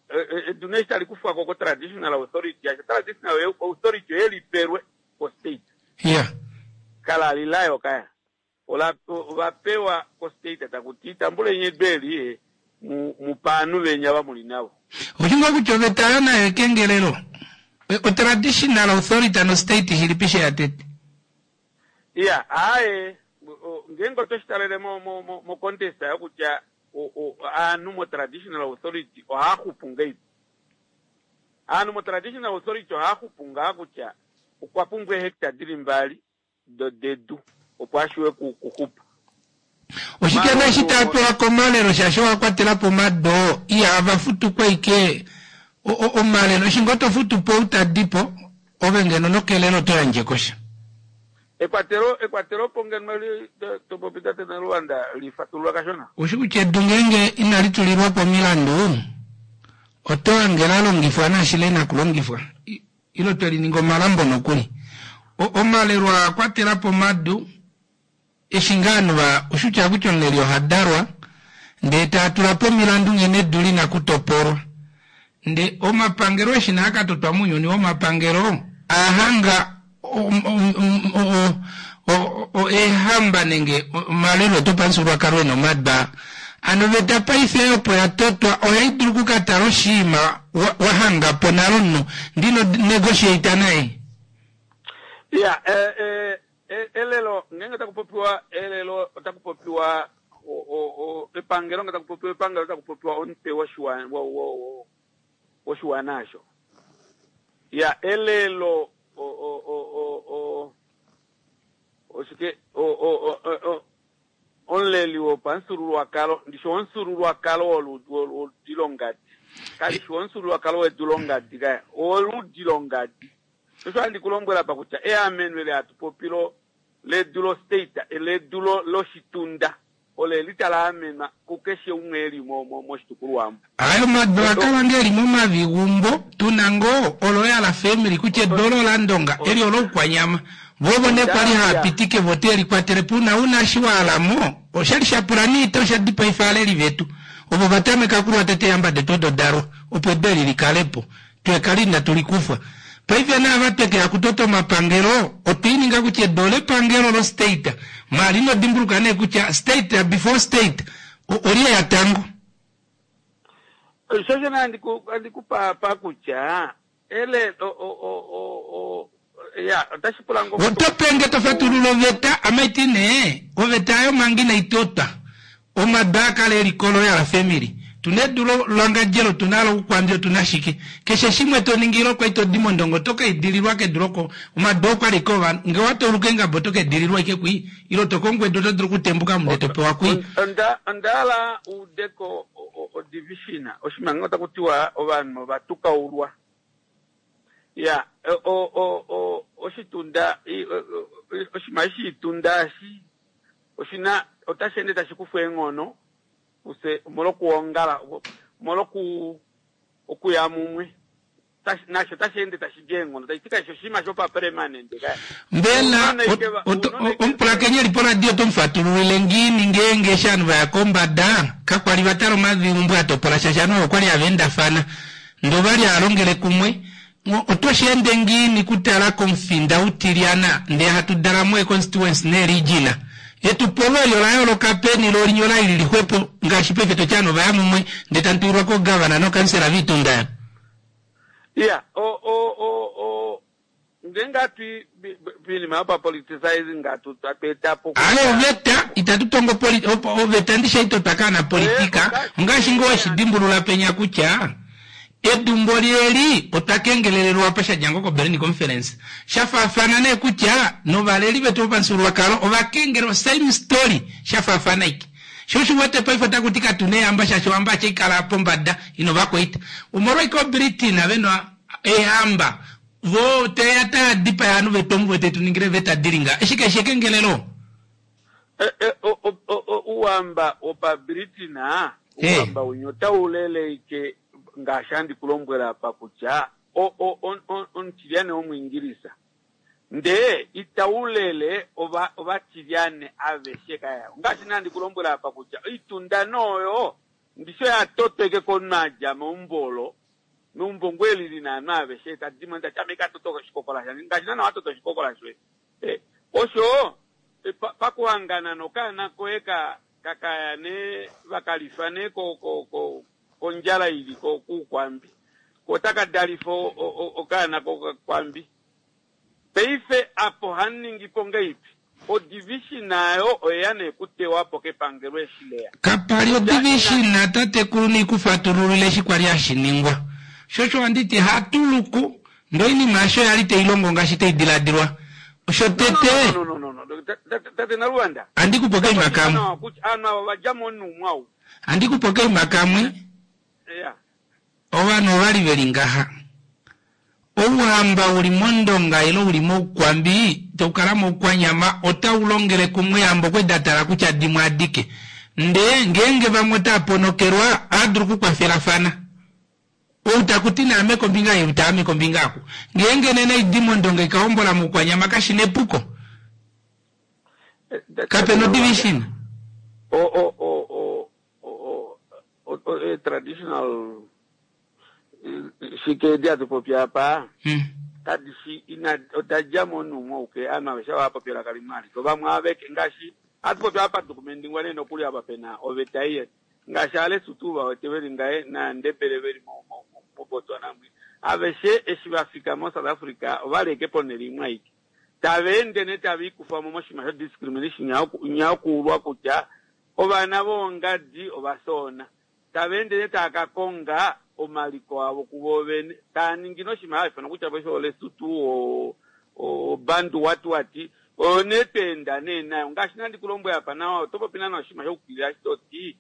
edu nee eshi tali kufwa ko ko-traditional authority, yasho traditional authority oye lipelwe ko-state. Kala li layo kaya. Ola, ova pewa ko-state taku ti, tambuleni edu eli, mu, mu pa ovanhu veni ava mu li navo. Oshi ngoo kutya oveta oyo nayo ekengelelo? O-traditional authority no-state shilipi sheya tete? Iya, aaye, ngeenge otwe shi talele mo, mo, mo, mo context yokutya. Aanhu mo-traditional authority ohaya hupu ngeipi? Aanhu mo-traditional authority ohaya hupu ngaa kutya okwa pumbwa eehecta dili mbali dedu opo a shiwe kuhupa. Oshike nee eshi taa pewa komalelo shaashi owa kwatela po omado ihava futu po ashike omalelo eshi ngoo to futu po ou ta di po ove ngeno nokelelo oto yandje ko sha. Ekwatelo ekwatelopo ngeno eli to popi tate Naluvanda li fatulula kashona. Oushi kutya edu ngeenge inali tulilwa po omilandu oto hange la longifwa naashi le na kulongifwa ile twe li ninga omalambo nokuli. Omalelo aa kwatela po omadu Eshi ngaa ovanhu va oshutya kutya omuleli oha dalwa ndee taa tula po omilandu nghene edu li na kutopolwa. Nde omapangelo eshi naa ka totwa mounyuni womapangelo aa hanga eehamba nenge omalelo etu opamufyuululwakalo e na omadwa. Hano oveta paife opo ya totwa ohai dulu oku ka tala oshiima wa hanga po nale omunhu ndee ino negotiate naye. Iya, eh, Elelo, ngeenge taku popiwa elelo otaku popiwa epangelo, ngeenge taku popiwa epangelo otaku popiwa omutwe woshiwana osho. Ya, elelo oshike omuleli wopamufyuululwakalo, ndishi omufyuululwakalo woludi longadi, kali shi omufyuululwakalo wedu longadi kaya, owoludi longadi. Osho handi ku lombwela apa kutya eameno eli hatu popi lo ledu lo state, ledu lo loshitunda ole li tala amenwa kukeshe umwe eli mo mo moshitukulwa omu. Aye omadu a kala nge eli momavigumbo tuna ngoo oloyala family kutya edu olo olandonga eli oloukwanyama vo ovo ne kwali haa pitike vo te li kwatele po una una eshi wa alamo oshali sha pula niita osha dipaifa aaleli vetu ovo va tameka okulwa tete eehamba detu odo dalwa opo edu eli li kalepo Twe kali inatu li kufwa. Paife naava tweke ya kutota omapangelo, otwe i ninga kutya edu olepangelo lo state. Maala ino dimbuluka nee kutya state before state, olye ya tango. Sho shene handi ku, handi ku pa, pa kutya, ele, o, o, o, o, o, ya, otashi pula ngo. Oto penge to fatulula oveta, ame ti nee, oveta ayo manga inai totwa, Omadu aa kala e li koRoyal Family. Tu na edu loLangandjera, otu na loukwambi, otu na shike. Keshe shimwe to ningi ile okwa li to di mOndonga oto ka idililwa kedu loko. Omadu oo okwa li ike ovanhu. Ngee owa tauluka eengaba oto ka idililwa ike kwii. Ile oto kongo edu oto dulu okutembuka mo ndee to pewa kwii. Onda onda hala u ude ko o-division. Oshinima ngee otaku tiwa ovanhu ova tukaulwa. Ya, o, o, o, oshitunda, oshinima eshi shitunda eshi Oshina otashi ende tashi kufwa eenghono kufye omolwokuongala, omolwoku okuya mumwe. Nasho otashi ende tashi di eenghono, tashi ti kashi shi oshinima shopapermanente kaya. Mbela omupulakeni e li poradio oto mu fatululile ngiini ngeenge eshi ovanhu va ya kombada kakwa li va tala omaviumbo a topola shaashi ovanhu ovo okwa li hava endafana ndee ova li hava longele kumwe Oto shi ende ngiini kutala komufinda utilyana ndee hatu dala mo eeconstituency neeregion? Etupolo eli ola yooloka peni lo linye ola li lili xwepo ngaashi paife toti ovanhu ovaya mumwe ndee tamu tulilwa ko governor nokansela viitunda ya. Iya, o, o, o, o, ngeenge hatu i poinima yopapoliticizing hatu hatu eta po kutya. Aaye oveta itatu tongo poli, oveta ndishi haitotwa kaanapolitika, ongaashi ngoo weshi dimbulula penya kutya Edu mboli eli otwa kengelelelwa apa sha dja ngoo koBerlin Conference. Sha faafana nee kutya novaleli vetu vopamufyuululwakalo ova kengelelwa, same story, sha faafana aike. Sho osho u wete paife otaku ti katu na eehamba shaashi ohamba ache ikala pombada ina ovakwaita. Omolwaike oBritain ve na eehamba voo teya taa dipaya ovanhu vetu omu vete tu ningile eeveta di li ngaha. Eshi kashi shi ekengelelo? Ouhamba wopaBritain, ouhamba winya otau leleike ngaashi handi ku lombwela apa kutya omutilyane wOmuingilisa, ndee itau lele ovatilyane aveshe kaya. Ongaashi nee handi ku lombwela apa kutya oitunda nee oyo ndishi oya totwa ike komunhu a dja meumbo olo, meumbo ngoo eli li na ovanhu aveshe, ta di mo ndee ta ti ame ka tota oshikokola shange ngaashi naana wa tota oshikokola shoye. Osho pakuhangana nokaana koye ka kaya nee va ka lifa nee kondjala ili kUukwambi, ko otaka dalifa okaana kokakwambi. Paife apa ohamu ningi po ngaipi? Odivision nayo oyeya nee kutewa po kepangelo eshi leya. Kapa li odivision tatekulu niikufatululile eshi kwali hashi ningwa. Sho osho handi ti hatuluku ndee oinima yasho yali tai longo ngaashi tai diladilwa. Shotete. No, no, no, no, no. Tate Naluvanda. Andi ku po kaima kamwe. Aanhu ava ova dja monhu mwau. Andi ku po kaima kamwe. Yeah. Ovanhu ovali veli ngaha. Ouhamba uli mOndonga ile uli mOukwambi tau kala mOukwanyama otau longele kumwe eehamba okwe da tala kutya dimwe adike. Ndee ngeenge vamwe otaa ponokelwa ohaa dulu okukwafelafana. Ou taku ti naame kombinga ei ou taame kombinga aku. Ngeenge nena oidi mOndonga ika hombola mOukwanyama kashi na epuko. Kape na odivision. O o o o o o o traditional shike edi hatu popi apa kadi shi ina oda dja momunhu umwe auke ovanhu aveshe ava popi elaka limwe alike ovamwe aveke ngaashi hatu popi apa dukumendingwa nee nokuli apa pena oveta ei ngaashi aalesotho va wete veli ngaye naandebele veli moBotswana mwi aveshe eshi va fika moSouth Africa ovali eke ponhele imwe aike tava ende nee tava ikufa mo moshinima sho discrimination nya yokuulwa kutya ovana voongadi ovasoona Tava ende nee tava ka konga omaliko avo kuvo vene, tava ningi nee oshinima hashi ifanwa kutya paife oLesotho, oBantu what what, oyo nee twa enda nee nayo. Ngaashi nandi ku lombwele apa nawa, oto popi naana oshinima sha ukilila eshi to ti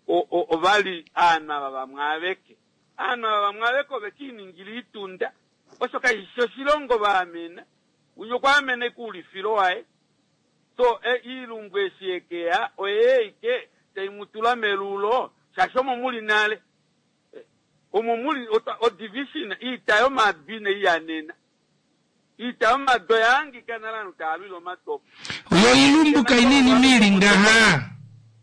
ova li aanhu ava vamwe aveke. Aanhu ava vamwe aveke ove ke iningila oitunda, osho kashi shi oshilongo va amena. Winya okwa amena ashike oulifilo waye. So iilumbu eshi yekeya oye eike tai mu tula melulo shaashi omo muli nale. Omo muli o division iita yomabi nei yanena. Iita yomadu oya hangika nale ovanhu tava lwile omadu opo. Yo iilumbu kaina iinima ili ngaha.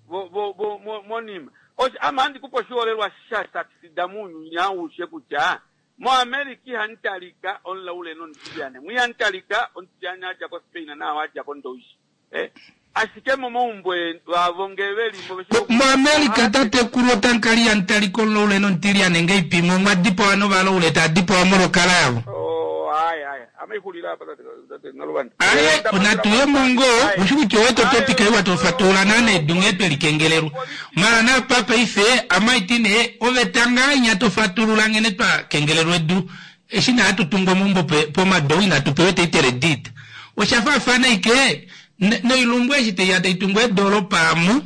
Vo vo vo mo monima. Osho ame ohandi kupe oshiholelwa sha succeeda muunyuni aushe kutya Mo America ihamu talika omulaule nomutilyane, mo ihamu talika omutilyane a dja ko Spain naao a dja ko Ndowishi. Eh, ashike momaumbo avo nge ve li mo ve shi Mo America tatekulu otamu kala ihamu talika omulaule nomutilyane nge ipimwe omwa dipawa novalaule taa dipawa molwokala yavo. Oh, aye, aye. Ame ixulila apa tate, tate Naluvanda. Aye, natu ye mo ngoo, ushi kutya owe to topic ei wa tofatulula naana edu nghee twe likengelelwa. Mara napa paife amaiti nee oveta ngaa inya tofatulula nghene twa kengelelwa edu eshi nee hatu tungu omaumbo pomadou inatu pewa etitle deed. Osha faafana ashike noilumbu eshi taiya tai tungu eedolopa amu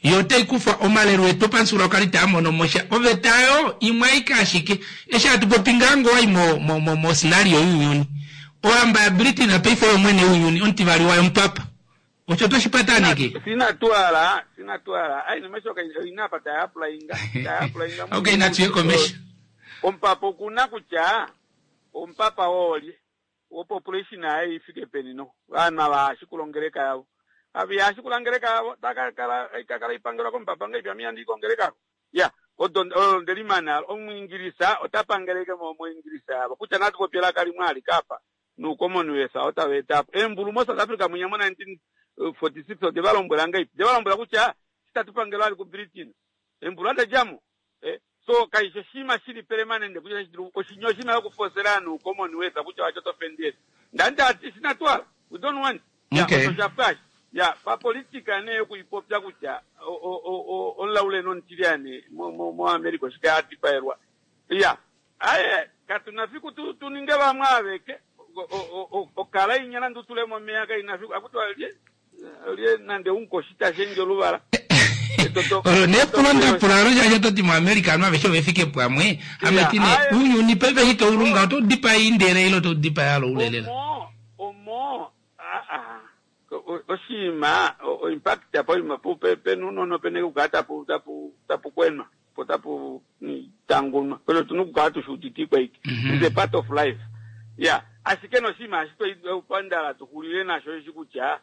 yo otai kufa omalelo etu opamufyuululwakalo itaa mono mo sha. Oveta oyo imwe aike ashike. Eshi hatu popi ngaa ngoo owai mo mo mo scenario younyuni. Ohamba ya Britain paife oyo mwene wounyuni omutivali wayo omupapa. Osho oto shi pataneke? Sina twala, sina twala. Ai nomesho kai ina apa taya applyinga, taya applyinga. Okay, natu ye komesho. Omupapa okuna kutya omupapa oolye, opopulation yaye ifike peni no. Vanhu ava hashikula ongeleka yavo. Ava ihashikula ongeleka yavo, taka kala ikakala ipangelwa komupapa ngeipi ame ihandi i kongeleka. Ya, odo olo nde li mana. Omuingilisa ota pangele ike mo moingilisa yavo. Kutya natu popye elaka limwe alike apa. NuuCommonwealth otava eta po eembulu moSouth Africa mwinya mo 1946 ode va lombwela ngahelipi? Ode va lombwela kutya eshi tatu pangelwa vali kuBritain eembulu ada dja mo. Eh, so kaishi oshinima shili pelemanende kutya tashi dulu oshinya oshinima shokufosela ovanhu Commonwealth kutya wacho to fendele. Ndani tati sinatwala we don't want. Ya, Okay. osho sha pwa Ya, papolitika nee yokuipopya kutya omulaule nomutilyane moAmerica oshike a dipaelwa. Ya, Aye, katu na fiku tu, tu ninge vamwe aveke. Okala inya nande u tule momeya kai na fiku. Akuti olye, olye nande unkoshi ta shendje oluvala. Olo nee epulo nda pula olo shaashi oto ti muAmerica ovanhu aveshe ove fike pamwe. Ame ti nee ounyuni paife eshi tau lunga oto dipaya indele ile oto dipaya aloule lela. Omo, omo, aa, oshinima, o-impact poima pena uunona opena okukala tapu, tapu, tapu kwenwa. Po tapu tangunwa. Osho otu na okukala tu shi udite ikwaike. It's a part of life. Ya, ashike noshinima eshi twapandala tu xulile nasho osheshi kutya,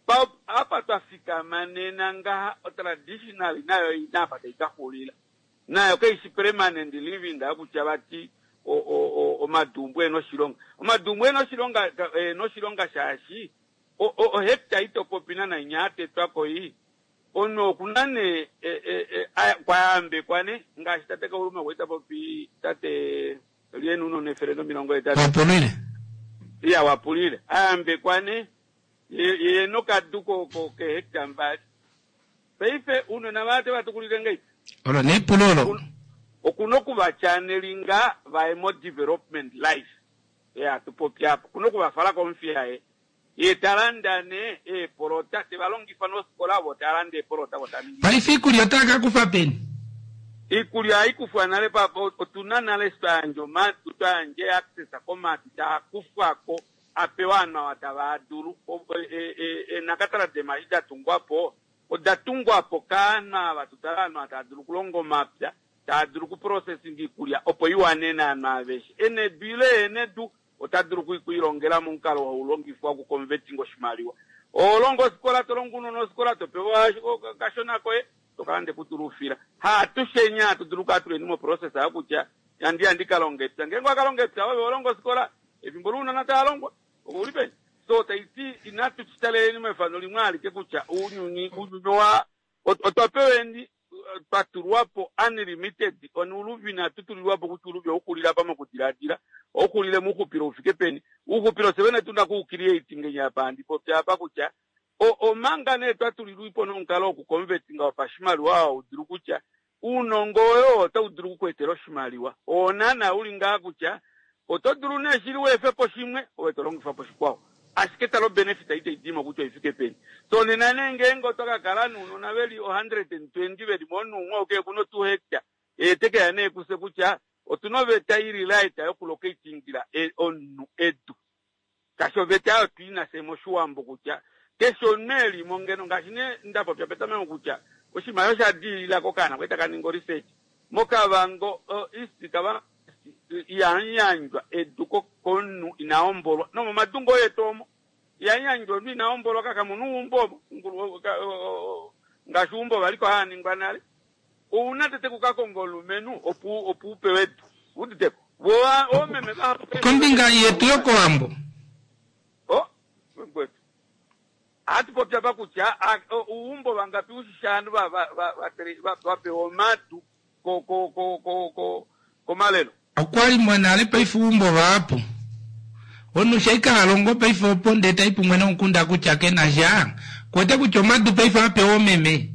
pa, apa twa fikama nena ngaha, otraditionally nayo oi na apa tai ka xulila. Nayo kai shi permanent living kutya vati o, o, o, omadumbu e na oshilonga. Omadumbu e na oshilonga, e na oshilonga shaashi o, o, ohecta ito popi nana inya ya tetwa ko ii. Omunhu oku na nee kwa yambekwa nee ngaashi tate Kauluma kwali ta popi tate Lyeni Uunona 180. Wapulile. Iya wapulile. A yambekwa nee. Ye nokadu keehectare mbali. Paife ounona vaye ote va tukulile ngahelipi? Olo nee epulo olo. Okuna oku va channelinga vaye mo development life ei hatu popi apa. Okuna oku va fala kOmuthiya ye. Ye ta landa nee eepolota, te va longifa nofikola vo tava landa eepolota vo tava ningi. Paife iikulya otava ka kufa peni? Iikulya ohai kufwa nale pa, otuna nale eshi twa yandja omadu, twa yandja eaccess komadu taa kufwa ko a pewa ovanhu ava tava dulu. Eenakatala deemashi da tungwa po oda tungwa po kaanhu ava tu tale ovanhu ava tava dulu okulonga omapya, tava dulu oku processing iikulya opo i wanene ovanhu aveshe. E na edu ile ehena edu ota dulu oku i longela momukalo hau longifwa oku converting oshimaliwa. Oho longo ofikola, to longo ounona ofikola, to pewa okashona koye, to ka landa ekutu loufila. Haatusheni hatu dulu okukala tuleni mo process yokutya handi ya ndi ka longe epya. Ngeenge owa ka longa epya ove oho longo ofikola, Efimbo lounona tava longwa, ouli peni? So tai ti inatu shi taleleni mefano limwe alike kutya ounyuni ounyuni owa otwa peweni twa tulwa po unlimited on uluvi inatu tulilwa po kutya uluvi ouxulile apa mokudiladila ouxulile mouxupilo ufike peni ouxupilo fye vene tuna ku creating apa handi popi apa kutya omanga nee twa tulilwa po nomukalo woku convertinga wopashimaliwa hau dulu kutya Uunongo woye oo otau dulu oku ku etela oshimaliwa. Oo naanaa u li ngaha kutya oto dulu nee shili u efe po shimwe ove to longifa po shikwao. Ashike tala obenefit itai di mo kutya oi fike peni. So nena nee ngeenge oto ka kala nounona ve li 120 ve li momunhu umwe ou kehe ku na o two hectare, ye te ke ya nee kufye kutya otu na oveta i li right yoku locatingila omunhu edu. Shaashi oveta oyo tu i na fye mOshiwambo kutya keshe omunhu e li mo ngeno ngaashi nee nda popya petameko kutya oshinima osho osha diilila kokaana kwali taka ningi o-research moKavango East, Kavango East ihamu yandjwa edu komunhu ina hombolwa nomomadungo etu omo ihamu yandjwa omunhu ina hombolwa kakamuna uumbo omo ngaashi uumbo valiko haa ningwa nale. Ouna tete ku ka konga omulumenhu opo opo u pewe edu. Uditeko? Vo oomeme vahapu paife Kombinga yetu yokOwambo. Oh, mukwetu. Ohatu popi apa kutya uumbo vangapi ushishi aanhu va va va va va pewa omadu ko ko ko ko ko komalelo. Okwali mwa nale paife uumbo vahapu. Omunhu sho ashike ha longo paife opo ndee tai pumwe nomukunda kutya ke na sha, ku wete kutya omadu paife oha pewa oomeme.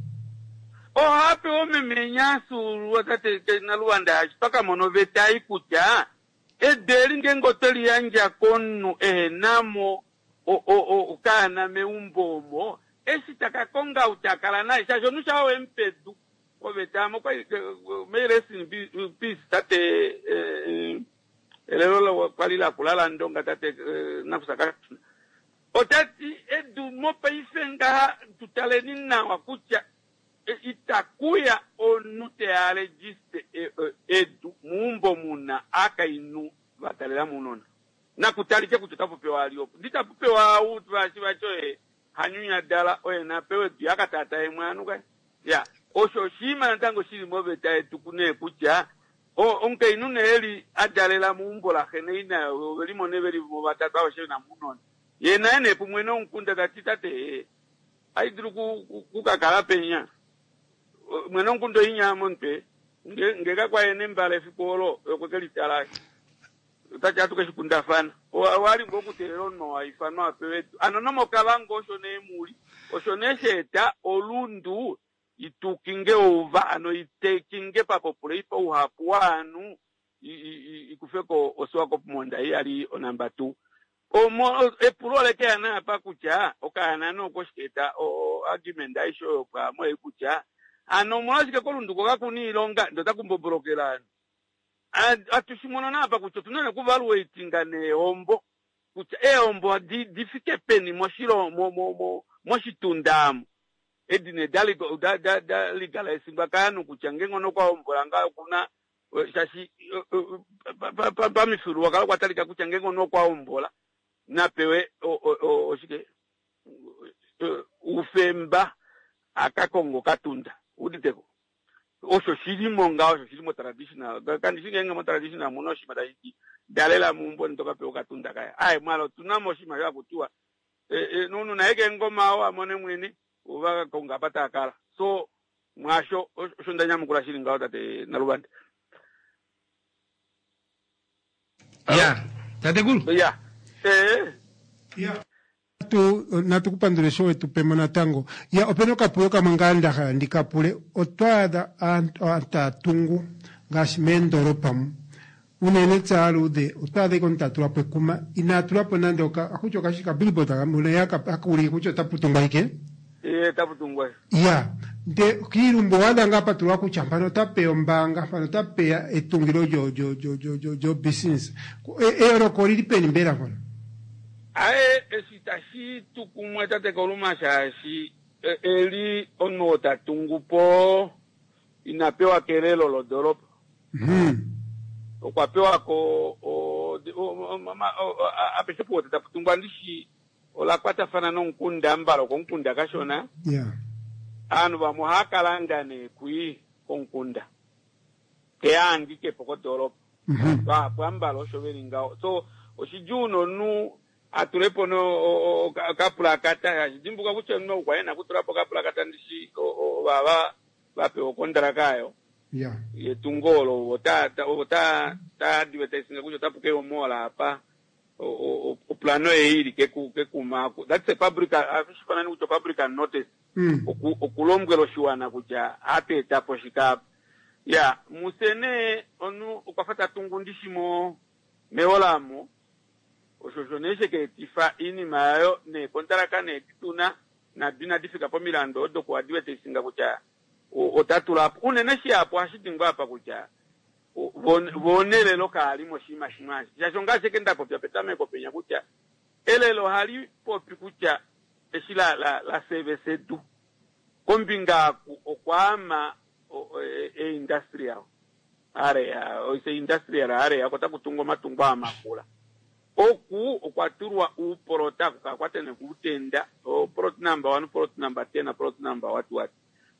Oha pewa oomeme nyaasuululwa tate Naluwanda shaashi twa ka mona oveta ei kutya edu eli ngeenge otwe li yandja komunhu ehe na mo okaana meumbo omo, eshi ta ka konga ou ta kala naye shaashi omunhu shaa we mu pa edu oveta okwali may rest in peace tate Elelo kwali lakula laNdonga tate Nakusa Kashuna ota ti edu mopaife ngaha tu taleni nawa kutya itakuya omunhu teya registe edu meumbo muna aakainhu va talela mounona. Nakutalike kutya otapu pewa ali opo. Ndi tapu pewa ou vaashi vati oye Hanyunyadala oye na pewe edu ye a ka taataye mwaanu kai. Ya, osho oshinima natango shi li moveta yetu kunee kutya o, omukainhu nee eli a dalela meumbo laxe naina ove li mo nee ve li mo vatatu aveshe ve na mo ounona. Ye naye nee pumwe nomukunda ta ti tate ee, ohai dulu ku, ku, ku ka kala penya. Mwene womukunda oinya momutwe, nge, nge kakwa ye nembala efiku olo, ye okwe ke li tala. Ota ti ohatu ke shi kundafana. Owa li ngoo okuteelela omunhu oo a ifanwa a pewe edu? Ano nomOkavango osho nee mu li. Osho nee sha eta Olundu yi tukinge ouva, ano yi takinge papopulei pauhapu waanhu i kufe ko oSwakopmund ei ya li onamba two. Omo epulo ole ke ya nee apa kutya okaana nee oko shika eta o-argument aishe oyo pwaamo ei kutya ano omolwashike kOlundu ko kaku na iilonga ndee otaku mbobolokele ovanhu. Ohatu shi mono naapa kutya otu na okuvaluatinga neehombo kutya eehombo di, di fike peni moshilo, mo, mo, mo, moshitunda amu. Edi nee da, da, da, da legalisingwa kaanhu kutya ngeenge omunhu okwa hombola ngaho okuna shaashi pamifyuululwakalo okwa talika kutya ngeenge omunhu okwa hombola na pewe oshike oufemba a ka konge okatunda. Uditeko? Osho shi li mo ngaho, osho shi li motraditional. Kandi shi ngeenge motraditional omu na oshinima tashi ti dalela meumbo ndele to ka pewa okatunda kaye. Aaye, mwala otu na mo oshinima sho haku tiwa nomunhu naye keengoma oo a mone mwene, ova ka konga apa taa kala. So, mwaasho osho nda nyamukula shi li ngaho tate Naluvanda. Ya, tatekulu. Ya. Ya. Natu natu ku pandule sho wetu pemo natango. Ya opena okapulo kamwe ngaa nda hala ndi ka pule. Otwa adha aantu taya tungu ngaashi meendolopa mu. Unene tse aaluudhe otwa adha ike omuntu ta tula po ekuma inaa tula po nande oka akutya okashi ka billboard kamwe haka haka ulike kutya otapu tungwa ike. Ee, tapu tungwa. Ya, nde kiilumbu owa adha ngaa pa tulwa kutya mpano ota peya ombaanga, mpano ota peya etungilo lyo lyo lyo lyo lyo lyo business. Eyooloko olili peni mbela mpono? Aye, eshi itashi tu kumwe tate Koluma shaashi eli omunhu oo ta tungu po ina pewa kelelo lodoropa. Okwa pewa ko apeshe opo tapu tungwa ndishi ola kwatafana nomukunda mbala okomukunda kashona. Aanhu vamwe ohava ka landa nee kwii komukunda teya ahangike po kodoropa. Vahapu ambala osho veli ngaho. So oshidjuu nomunhu a tule po no okapulakata shaashi dimbuluka kutya omunhu okwa ena okutula po okapulakata ndishi ovava va pewa okondraka ayo yetungo olo ovo ta ta advertising kutya otapu keya omall apa oplano ei ili kekuma aku that's a public ohashi fanani kutya public notice oku okulombwela oshiwana kutya ohatu eta po shika apa ya muse nee omunhu okwa fa ta tungu ndishi mo meholamo osho osho nee sheka etifa iinima yayo neekontalaka nee dituna nado inadi fika pomilandu odo ku advertisinga kutya ota tula po unene shihapu ohashi dingwa apa kutya vo nelelo kaali moshinima shimwe ashike shaashi ongaashi eke nda popya petameko penya kutya elelo ohali popi kutya eshi la la la service edu kombinga aku okwaama e industrial area oise industrial area oko taku tungwa omatungo aa makula oku okwa tulwa uupolota kukakwatene kuutenda o plot number 1 plot number 10 plot number what what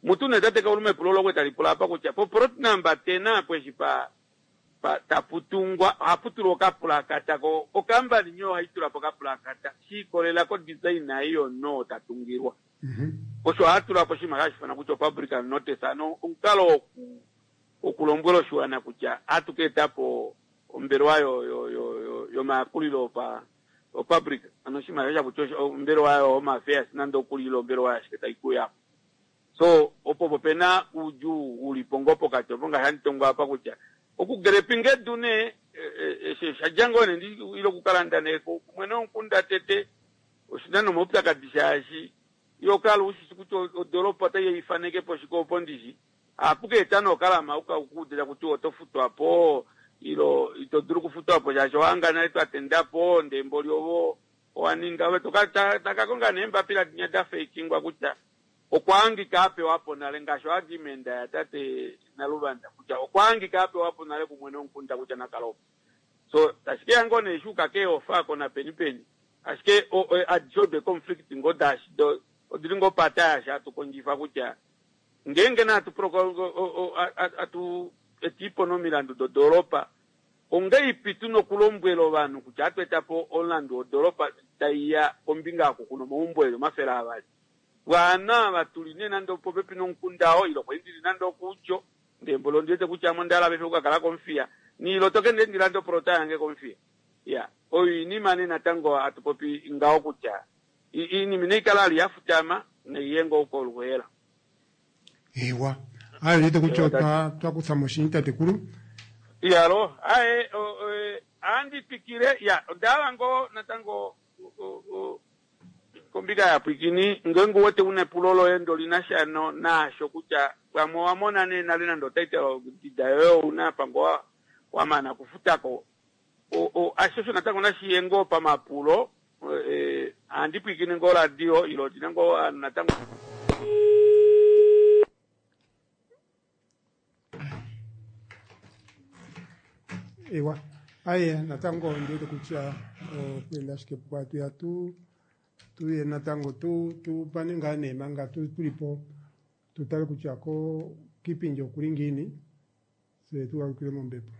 Mutu nee tate Kauluma epulo lokwe tali pula apa kutya po plot number 10 apo eshi pa pa tapu tungwa ohapu tulwa okapulakata ko okambani nyoo ohayi tula po okapulakata shi ikolela ko design ei yomunhu oo ta tungilwa. Osho oha tula po oshinima hashi ifanwa kutya o-public notice ano omukalo woku wokulombwela oshiwana kutya ohatu ka eta po ombelewa yo yo yo yo yomayakulilo opa opublic ano oshinima sha kutya ombelewa yo home affairs nande okuli ile ombelewa yashike tai kuya So opo opo pena uudjuu ulipo ngoo pokati opo ngaashi handi tongo apa kutya oku grepinga edu nee eshi osha dja ngoo nee ndi ile oku kalanda nee kumwene womukunda tete oshina nomaupyakadi shaashi iho kala ushishi kutya odoropa otai ifaneke po shike opo ndishi ohapu ka eta nee okalama uka ukuudila kutya oto futwa po ilo ito dulu okufutwa po shaashi owahanga nale twa tenda po ndee mboli ovo owa ninga ove toka taka konga nee eembapila dinya da feikingwa kutya Okwa hangika a pewa po nale, ngaashi oargument ya tate Naluvanda kutya okwa hangika a pewa po nale kumwene womukunda kutya na kale opo. So, tashi keya ngoo nee shuuka keeofa ko napeni peni, ashike adishe odo eeconflict ngoo daashi do odili ngoo pata yaashi hatu kondjifa kutya ngeenge nee hatu atu etiipo nomilandu dodoolopa, ongeipi tuna okulombwela ovanhu kutya ohatu eta po omulandu wodoolopa taiya kombinga yoku kuna omaumbo eli 200. Pwaana ava tu li nee nande opopepi nomukunda oo, ile okwa li ndi li nande okuutjo, ndee mboli ondi wete kutya ame onda hala paife oku ka kala kOmuthiya, niilo to ke ndee ndi lande oplota yange kOmuthiya. Iya, oyo oinima nee natango hatu popi ngaho kutya iinima inai kala vali ya futama, nai ye ngoo koluheela. Eewa. Aye, ondi wete kutya otwa twa kutha mo oshindji tatekulu. Iyalo, aye, ohandi twikile, iya, onda hala ngoo natango Kombinga yaapwiikini, ngeenge u wete u na epulo loye ndele oli na sha naasho kutya pamwe owa mona nee nale nande otitle deed yoye ou na apa ngoo wa mana okufuta ko, ashishe osho natango nashi ye ngoo pamapulo. Ohandi pwiikine ngoo oradio ile odi na ngoo ovanhu natango. Ewa, aye natango ndiwete kutya okuenda ashike pukwatu ya tu tuye natango tu tupane ngaa nee manga tu tulipo tutale kutya ko kiipindi okuli ngiini tse tugalukile mombepo.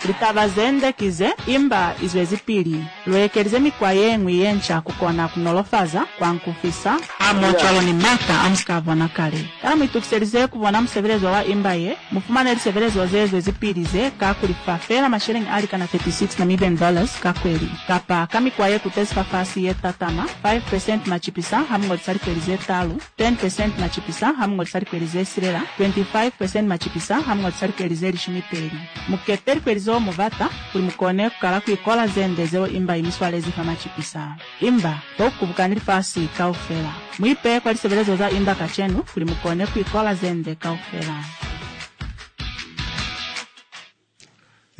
Litaba zende ki ze, imba izwezipili. Luekelize mikwa yeñwi yenca kukona kunolofaza, kuankufisa, hamohocwalo ni maata amusika bona kale. Kana muitukiselize kubona musebelezo wa imba ye? Mufumane lisebelezo ze zwezipili ze ka kulifa feela masheleñi a likana 36 Namibian Dollars ka kweli. Kapa ka mikwa ye kutezi fafasi ye tatama, 5% machipisa hamuñolisa likweli ze talu, 10% machipisa hamuñolisa likweli ze silela, 25% machipisa hamuñolisa likweli ze lishumi peli. Mukete likweli zeo mubata kuli mukone kukala kuikola zende zeo imba imiswalezi fa machipisa. Imba, fokukubukani lifasi kaufela. Muipeye kwa lisebelezo za imba kacenu kuli mukone kuikola zende kaufela.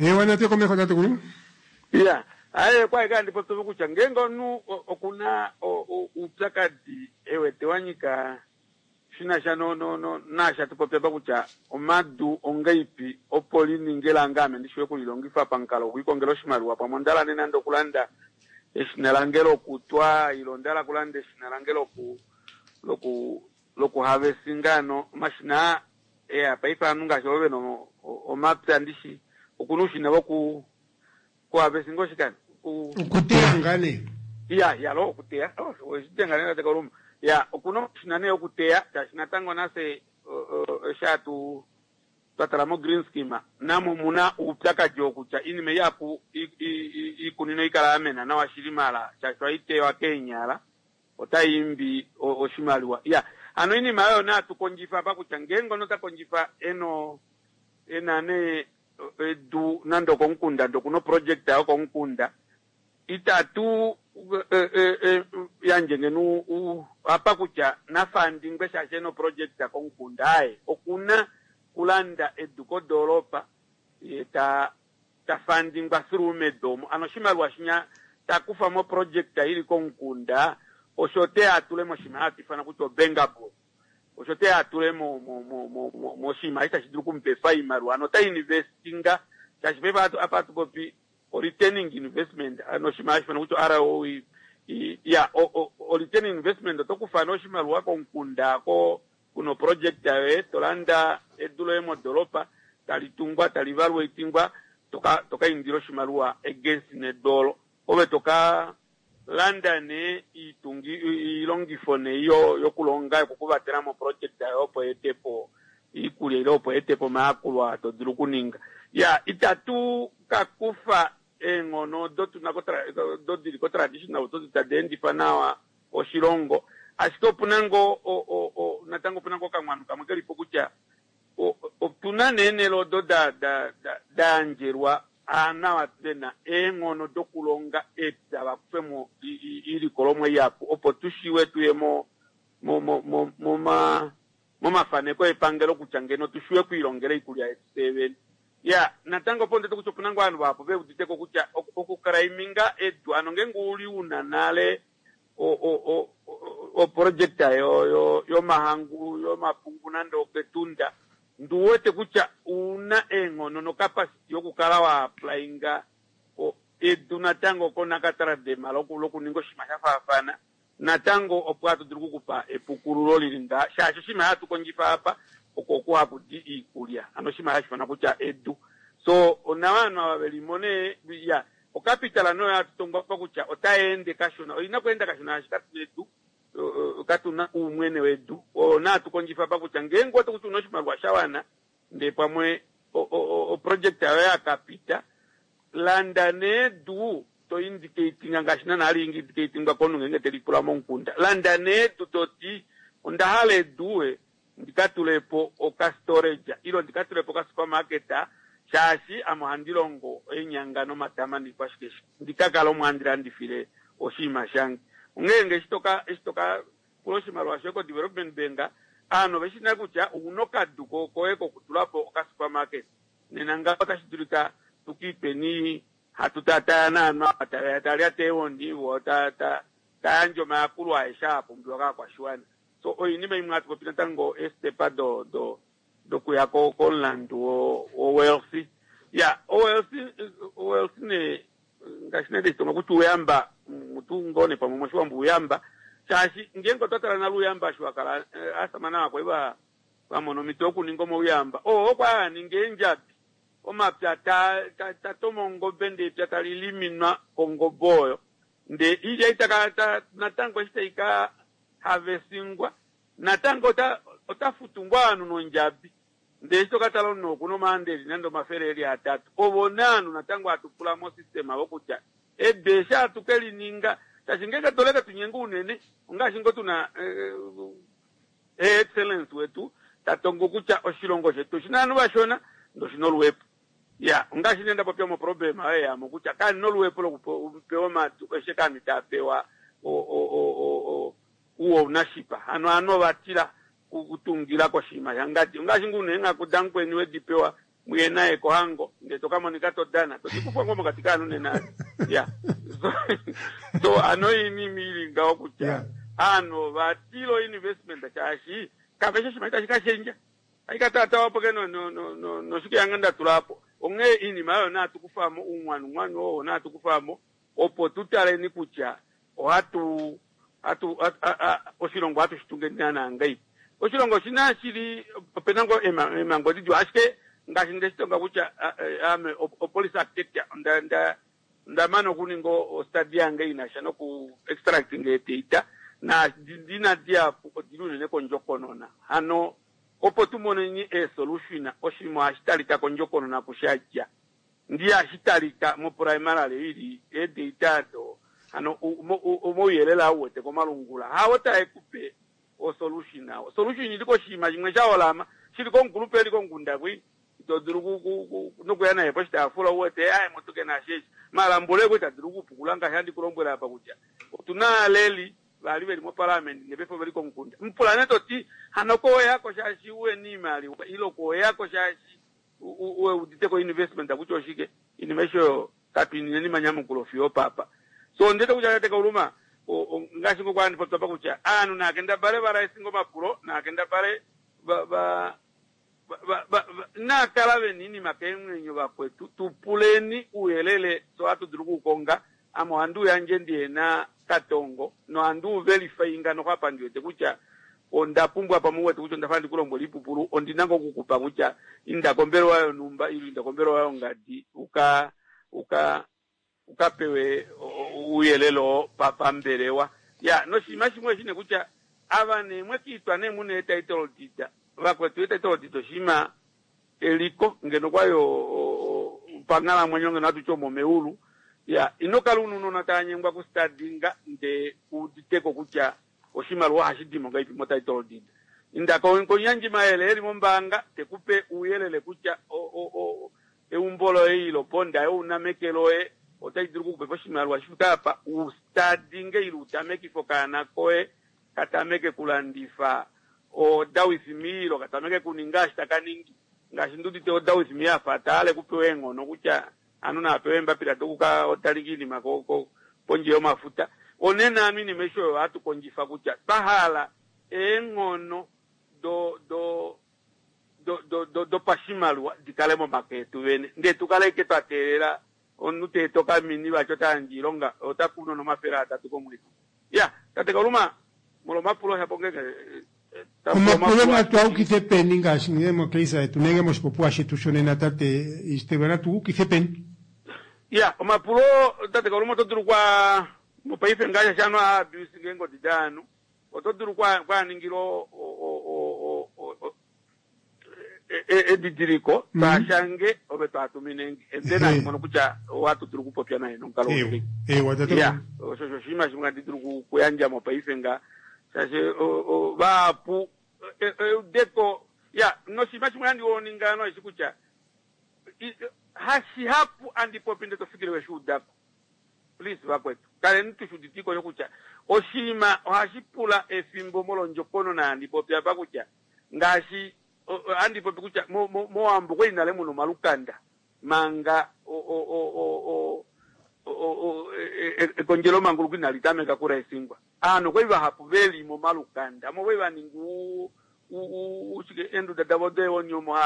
Eewa natu ye komeho tatekulu. Iya, aye kwa eka ndi popya kutya ngeenge omunhu okuna oupyakadi e wete wa nyika shi na sha no, no, no, naashi hatu popi apa kutya omadu ongaipi opo li ninge lange ame ndi shiwe okulilongifa pamukalo wokwiikongela oshimaliwa pamwe onda hala nee nande okulanda eshina lange lokutwa ile onda hala okulanda eshina lange loku loku lokuhavesinga ano omashina aa eya paife ovanhu ngaashi ovo vena omapya ndishi okuna oushina voku kuhavesinga oshikani Okuteya ngaa nee. Ya, ya lo okuteya. Oh, oshitenga nee tate Kaluma. Ya, okuna omashina nee okuteya, shaashi natango nafye eshi hatu twa tala mo green scheme, namo omuna uupyakadi oo kutya iinima ihapu iikunino ikala ya mena nawa shili mala shaashi ohayi teywa keenyala otayi imbi oshimaliwa. Ya, hano iinima oyo nee hatu kondjifa apa kutya ngeenge omunhu ota kondjifa eno ena nee edu nande okomukunda ndee okuna oproject yokomukunda itatu yandje ngeno apa kutya nafandingwe shaashi ena oproject komukunda aaye okuna kulanda edu kodoolopa ye ta ta fandingwa through medu omo ano oshimaliwa shinya ta kufa moproject ili komukunda osho te atule moshinima hatu ifana kutya obankable Osho te a tule mo, mo, mo, mo, mo, moshinima eshi tashi dulu okumupefa oimaliwa. Hano ota investinga, shaashi paife apa, apa hatu popi o returning investment, ano oshinima hashi ifanwa kutya ROE. Ya, o, o, o returning investment oto kufa nee oshimaliwa komukunda ko kuna oproject yoye, to landa edu loye modoropa, tali tungwa, tali valwa oitingwa, toka, toka indila oshimaliwa against nedu olo. Ove toka Landa nee iitungi, iilongifo nee yo, yokulonga yokukuvatela moproject yoye opo yeete po iikulya ile opo yeete po omayakulo aa to dulu okuninga. Ya, itatu ka kufa eenghono odo tu na odo di li kotraditional odo tadi endifa nawa oshilongo, ashike opu na ngoo o, o, o, natango opu na ngoo okamwanu kamwe ke li po kutya o, otu na nee eenhele odo da, da, da, da yandjelwa Aanawa ve na eenghono dokulonga epya va kufe mo iilikolomwa ihapu opo tu shiwe tu ye mo, mo, mo, mo, moma, momafaneko epangelo kutya ngeno tu shiwe okwiilongela oikulya yetu fyee vene. Ya, natango opo ndete kutya opu na ngoo ovanhu vahapu ve udite ko kutya okukraiminga edu, ano ngeenge u li u na nale o, o, o, oprojekta yo, yo, yomahangu, yomapungu nande oketunda, Ndu wete kutya ouna eenghono nocapacity yokukala wa applyinga edu natango koNakatradema lokuninga oshinima sha faafana, natango opo hatu dulu okukupa epukululo lili ngaa, shaashi oshinima hatu kondjifa apa oko oku haku di iikulya, ano oshinima hashi ifanwa kutya edu. So onawa ovanhu ava veli mo nee, ya, ocapital noyo hatu tongwa apa kutya otai ende kashona, oina okweenda kashona shaashi katuna edu. Katu na uumwene wedu. Oo natu kondjifa apa kutya ngeenge oto kuti una oshimaliwa sha wana ndee pamwe oproject yoye ya kapita, landa nee edu to indicatinga ngaashi naana hali indicatingwa komunhu ngeenge te lipula momukunda. Landa nee edu to ti onda hala edu ndi ka tule po oka storage ile ndi ka tule po oka supermarket shaashi ame ohandi longo eenyanga nomatama niikwashikeshe ndi ka kale omo handi landifile oshinima shange. Onghee nge eshi toka eshi toka pula oshimaliwa shoye ko development bank aanhu ove shi nale kutya ouna okadu koye kokutula po oka supermarket nena ngaho otashi dulika tu kiipeni hatu taataya naanhu ava tave ya tava lyata eewondi vo ta ta ta yandje omayakulo aeshe aa pumbiwa kaakwashiwana. So oinima imwe hatu popi natango eestepa do do dokuya ko komulandu wo wo wealthy. Ya, owealthy owealthy nee ngaashi nee ndeshi tonga kutya uuyamba mutu ngoo nee pamwe moshiwambo uuyamba shaashi ngeenge otwa tala nale uuyamba eshi wa kala aasamane ava kwali va va mona omhito yokuninga omauyamba oo okwa li haa ningi eendjabi. Omapya ta ta ta toma ongobe ndee epya tali liminwa kongobe oyo ndee iilya itaka ta natango eshi tai ka havesingwa natango ota ota futu ngoo ovanhu nondjabi ndee eshi toka tala omunhu okuna omaanda eli nande omafele eli atatu ovo nee ovanhu natango hatu pula mo system avo kutya edu eshi hatu ke li ninga shaashi ngeenge toleke tunyenge unene ongaashi ngoo tuna Her Excellence wetu ta tongo kutya oshilongo shetu oshina ovanhu vashona ndee oshina oluhepo. Ya, ongaashi nee nda popya moproblema oyo yamo kutya kani oluhepo lokupewa omadu eshe kani taa pewa uownership. Hano ovanhu ova tila kutungila koshinima shangadi. Ongaashi ngoo una eenghaku damukweni wedi pewa muye naye kohango ndee to ka monika to dana to dikufwa ngoo mokati kaanhu nena. Ya. So, so ano oinima ili ngaho kutya aanhu ova tila oinvestment shaashi kave shi oshinima tashi ka shendja. Aika tata wapo ke no no no no noshike yange nda tula po. Onghee iinima oyo naa tu kufamo uungwanungwanu oo naa tu kufamo opo tu taleni kutya ohatu hatu oshilongo ohatu shi tungeni naana ngahelipi. Oshilongo oshina shili opena ngoo eemhango didjuu ashike ngaashi ndeshi tonga kutya ame opolice architecture onda nda onda mana okuninga ostudy yange inasha noku extracting eedata naadi ndina dihapu odili unene kondjokonona. Hano opo tu moneni eesolution oshinima ohashi talika kondjokonona kushadja. Ndi hashi talika moprimarily ili eedata ado hano omauyelele aa uwete komalungula hao tae kupe osolution. Osolution ili koshinima shimwe sha holama shili komukulupe eli komukunda kwi ito dulu nokuya naye poshitaafula uwete aye motuke naasheshi maala mbule ita dulu okupukula ngaashi handi kulombwela apa kutya otuna aaleli vali veli moparliament nepefo veli komukunda mupula nee toti hano kooyako shaashi uena iimaliwa ilo kooyako shaashi uudite ko investment kutya oshike inima eshi oyo katuinine manyamukulo fiyo papa. So ndete kutya tate Kauluma ngaashi ngoo kwandi popya pa kutya aanhu naakendabale va raising omapulo naakendabale va va va naakala vena iinima keemwenyo vakwetu tupuleni uuyelele so hatu dulu okuukonga ame ohandi uyandje ndihena katongo nohandi uverifyinga noho apa ndiwete kutya onda pumbwa pamwe uwete kutya onda fa ndikulombwela iipupulu ondina ngoo okukupa kutya inda kombelewa yonhumba ile inda kombelewa yongadi uka uka uka pewe ouyelele oo pambelewa. Ya noshinima shimwe oshine kutya ava nee mwekiitwa nee muna eetitle deed vakwetu eetitle deed oshinima eliko ngeno kwali panghalamwenyo ngeno hatu ti omomeulu. Ya ino kala una ounona tava nyengwa kustadinga ndee kuuditeko kutya oshimaliwa ohashi dimo ngahelipi motitle deed. Inda komuyandji mayele eli mombaanga tekupe ouyelele kutya eumbo loye ilo bonda yo una meke loye otai dulu okukupa oshimaliwa shifike apa ustadinge ile utamekife okaana koye katameke kulandifa order with me ilo katameke kuninga eshi taka ningi ngaashi ndudite order with me afa taale kupewa eenghono kutya anu naapewa eembapila dokuka otalika iinima pondje yomafuta. Onena anu iinima eshi oyo hatu kondjifa kutya twahala eenghono do do do do dopashimaliwa dikale momake etu vene ndee tukale ike twa teelela omunhu teeta okamini vati ota yandje oilonga ota kunu 300 komwedi. Ya tate Kauluma molwa omapulo shapo ngenge omapulo natu a ukithe peni ngaashi ngee mocase yetu nenge moshipopiwa shetu shonena tate Ishitelwa natu ukithe peni? Ya omapulo tate Kauluma oto dulu kwa mopaife ngaashi ashano a abuse ngeengodi daanhu oto dulu kwaaningila edidiliko twaashange ove twaatumine and then handi mono kutya ohatu dulu okupopya naye nomukalo ya osho osho oshinima shimwe handi dulu okuyandja mopaife nga shaashi vahapu eudeko ya noshinima shimwe handi oninga noeshi kutya hashihapu andi popi nde tofikile weshi udako. Please vakwetu kaleni tushi uditiko kutya oshinima ohashi pula efimbo molwondjokonona handi popi apa kutya ngaashi handi popi kutya mOwambo kwali nale muna omalukanda manga ekondjelo manguluko inali tameka kuraisingwa. Aanhu okwali vahapu veli momalukanda omo kwali vaninga eenduda davo deewoni omo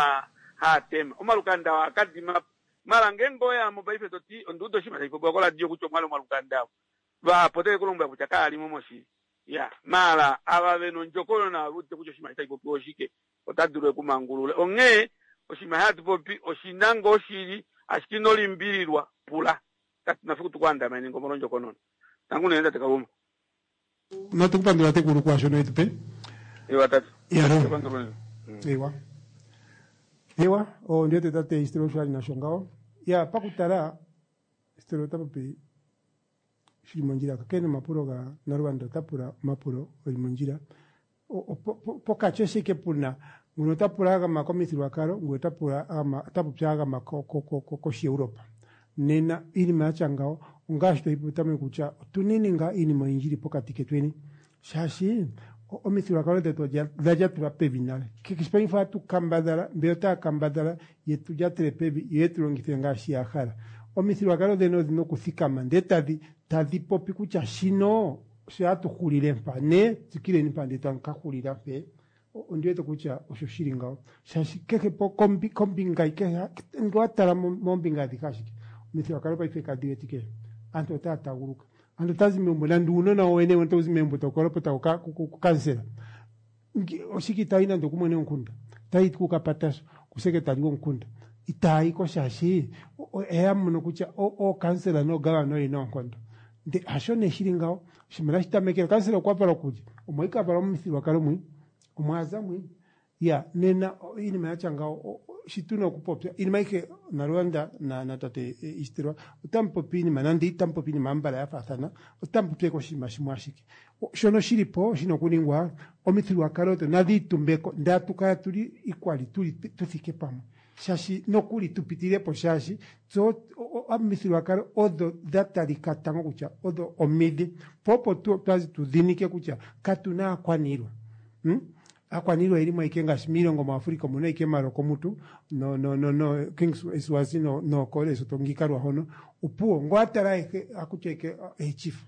haatema omalukanda oo akadima mala ngeenge oyamo paife toti onduuda oshinima tashi popiwa koradio kutya omwali omalukanda avo vahapu otave kulombwela kutya kaalimo moshili. Ya maala ava vena ondjokonona ave udite kutya oshinima tashi popiwa oshike ota dulu ekumangulule. Onghee Oshinima hatu popi oshina ngoo shili, ashike ino limbililwa, pula. Katu na fiku tukuandamene ngomolondjokonona. Tangu unene tate Kaluma. Natu kupandula tekulu kwaashono wetu pe. Ewa tate. Yaro. Tupandula unene. Ewa. Ewa, ondiwete tate Istero osho ali nasho ngaho. Ya, pakutala Istero ota popi shili mondjila. Kakele nomapulo ga Naluvanda ota pula omapulo geli mondjila. Pokati ashike puna nguno ota pula a gama komithigululwakalo, nguno ota pula a gama ota popi a gama kOshieuropa. Nena iinima ya tya ngawo ongaashi tweyi popi petameko kutya otuneni ngaa iinima oyindji yili pokati ketweni shaashi omithigululwakalo dhetu odha lyatelwa pevi nale. Kehe paife ohatu kambadhala, mbeya otaya kambadhala yetu lyatele pevi yo yetu longithe ngaashi ya hala. Omithigululwakalo dhene odhina okuthikama ndele tadhi tadhi popi kutya shino osho hatu hulile mpa ne tsikileni mpa ndele tamu ka hulila mpe. Ondi wete kutya osho shili ngawo shaashi kehe kombinga kehe ngele owa tala moombinga adhihe ashike omithigululwakalo paife kadhi wetike. Aantu otaya taguluka, aantu otaya zi megumbo nande uunona wowene otawu zi megumbo tawu ka lopota kukansela. Oshike itaayi nande okumwene gomukunda, otayi kukapatashu, kuseketali gomukunda. Itaayi ko shaashi oya mono kutya ookansela noogavana oye na oonkondo. Ndele hasho nee shili ngawo, oshinima otashi tamekele kansela okwa valwa kulye? Omo ashike a valwa momithigululwakalo mwi, omo a za mwi. Ya, nena iinima ya tya ngawo shi tu na okupopya iinima ayihe Nalwanda na na tate Istilwa otamu popi iinima nande itamu popi iinima ambala ya faathana, otamu popi ashike oshinima shimwe ashike. Shono shili po shina okuningwa omithigululwakalo odho nadhi itumbeko ndele atu kala tuli equally tuli tu thike pamwe shaashi nokuli tu pitilile po shaashi tse omithigululwakalo odho dha talika tango kutya odho omidhi po opo twazi tu dhinike kutya katuna aakwaniilwa. Aakwaniilwa oyeli mo ashike ngaashi miilongo muAfrica omuna ashike Maroko mutu no no no no King Swazi no no Lesotho ngiika lwahono opuwo ngo atala ayehe akutya ashike eechief.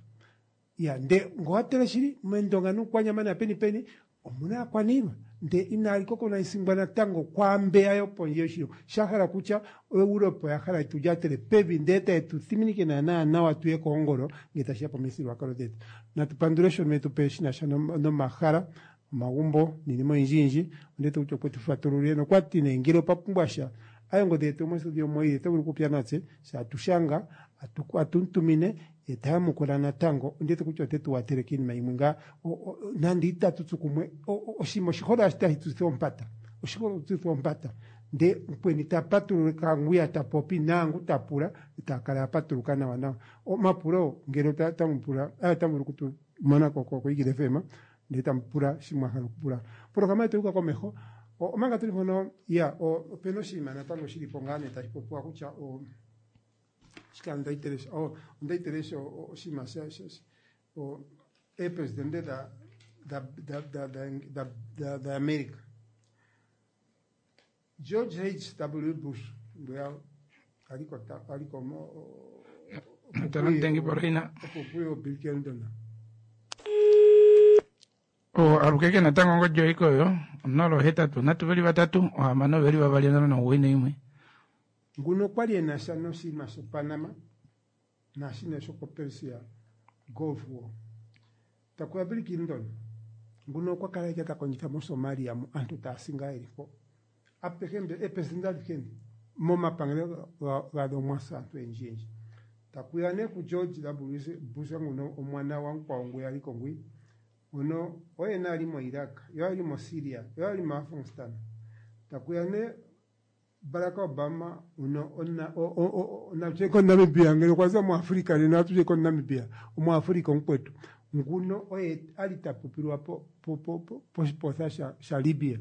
Ya nde ngo watala shili mEndonga nUukwanyama napeni peni omuna aakwaniilwa nde inali kokonaisingwa natango kwaambeya yopondje yoshilongo sha hala kutya oEurope oya hala yetu lyatele pevi ndele taye tu thiminike naanaa nawa tuye koongolo ngele tashiya pomithigululwakalo dhetu. Natu pandule shono yetu pe shinasha nomahala, omagumbo niinima oyindji yindji. Ondi wete kutya okwetu fatululile nokwati nee ngele opwa pumbwa sha aye ongodhi yetu yomostudio omo yili oto vulu okupopya natse sha atushanga atumu tumine ye ta yamukula natango. Ondi wete kutya ote tu watele kiinima yimwe ngaa nande itatu tsu kumwe oshinima oshihole ashike tashi tu tsitha oompata, oshihole okutsitha oompata nde mukweni ta patuluka ngwiya ta popi naangu ta pula etaya kala ya patuluka nawa nawa. Omapulo ngele otamu pula otamu vulu okutu mona ko koEagle FM ndele tamu pula shi mwa hala okupula. Opolohalama yetu oyuuka komeho omanga tuli mpono ya opena oshinima natango shili po ngaa nee tashi popiwa kutya shika onda itelesha oshinima eepresidente dha dha dha dha dha dha America. George H W Bush ngwiya aliko aliko opo puye Bill Clinton. Alukeke natango ongodhi yoye koyo 083 3 6 2 091. Nguno okwali ena sha noshinima shoPanama naashino shokoPersia Gulf War. Takuya Bill Clinton nguno okwa kala ike ta kondjitha moSomalia mu aantu taya si ngaa yeli mpo. Apehe mbe eepresidente adhihe momapangelo gadho omwa sa aantu oyendji yendji. Takuya nee kuGeorge W Bush nguno omwana gwamukwawo ngwiya ali ko ngwi. Ngono oye nee ali moIraq, yo ali moSyria, yo ali moAfghanistan. Takuya nee Barack Obama uno natye koNamibia ngele okwa za muAfrica nena atuje koNamibia omuAfrica omukwetu. Nguno oye ali ta popilwa poshipotha shaLibya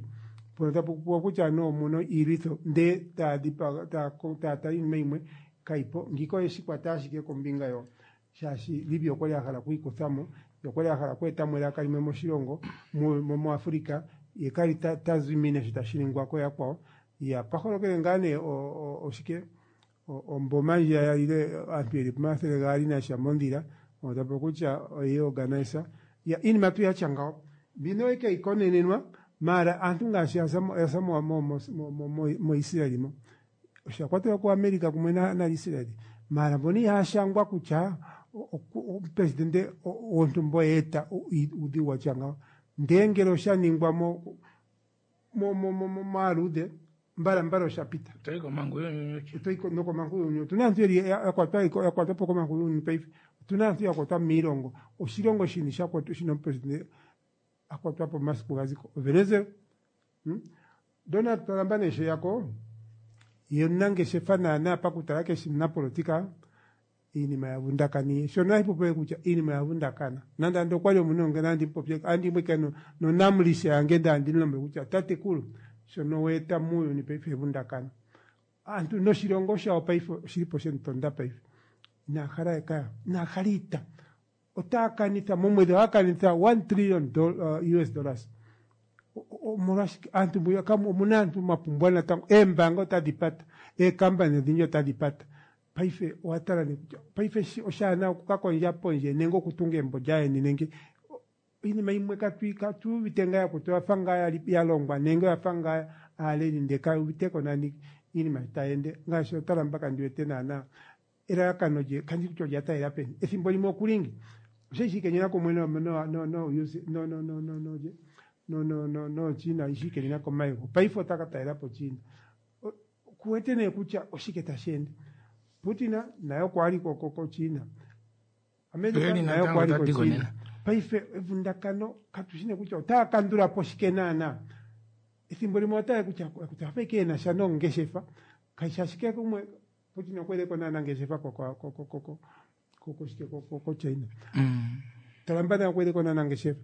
mpono ta popiwa kutya anuwa omuna iilwitho ndee taya dhipaga taya tala iinima yimwe kayipo. Ngiika oye shi kwata ashike kombinga yo shaashi Libya okwali a hala okwiikuthamo ye okwali a hala okweetamo elaka limwe moshilongo muAfrica ye kali ta zimine sho tashi ningwa kooyakwawo. Ya pwaholokele ngaa nee oshike omboma ndjiya yalile aantu yeli pomathele gaali nasha mondhila ta popi kutya oye organiser. Ya iinima tuu yatya ngawo mbino oye keyi konenenwa maala aantu ngaashi ya za moIsrael mo osha kwatelwa kuAmerica kumwe naIsrael maala mbono ihaya shangwa kutya omupresidente wontumba oye eta uudhigu watya ngawo ndee ngele osha ningwa mo maaluudhe. Mbalambala osha pita. Otoyi komhangu younyuni. Otoyi nokomhangu younyuni. Otuna aantu yeli ya kwatwa ya kwatwa po komhangu younyuni paife. Otuna aantu ya kwatwa miilongo. Oshilongo shini sha kwatwa shina omupresidente a kwatwa po omasiku ga zi ko? Venezuela. Donald Trump nee sho eyako, ye omunangeshefa naanaa pakutala keshi omunapolotika, iinima ya vundakaniye. Shono ohashi popiwa kutya iinima oya vundakana. Nande ando okwali omunhu ngeno andi mupopye, andi mu ike nonamlisha yange ndee andi mulombwele kutya tatekulu, shono wa eta muuyuni paife evundakano. Aantu noshilongo shawo paife oshili po shemu tonda paife. Inaa hala ekaya, inaa hala iita. Otaa kanitha, momwedhi ohaya kanitha 1 trillion US dollars. Omolwashike aantu mbuya kamu omuna aantu mwa pumbwa natango eembaanga otadhi pata, eekampani odhindji otadhi pata. Paife owa tala nee kutya paife eshi oshaana oku ka kondja pondje nenge okutunga eembo lyayeni nenge iinima imwe katu katu uvite ngaa yakwetu oya fa ngaa yali ya longwa nenge oya fa ngaa aaleli ndee kaye uviteko nani iinima sho tayi ende ngaashi otala mpaka ndi wete naana elalakano lye kandi kutya olya talela peni ethimbo limwe okulingi osha shi kenyena kumwe no no no no no no no no no no no no no China ishi kenyena komayego paife ota ka talela po China kuwete nee kutya oshike tashi ende Putin naye okwa li ko ko China America naye okwa li ko China paife evundakano katu shi nee kutya otaya kandula po shike naana ethimbo limwe otaya kutya kutya afa ike ena sha nongeshefa kashi ashike kumwe Putin okwa ile ko naana ngeshefa ko ko ko ko ko ko ko shike ko ko ko China. Trump naye okwa ile ko naana ngeshefa.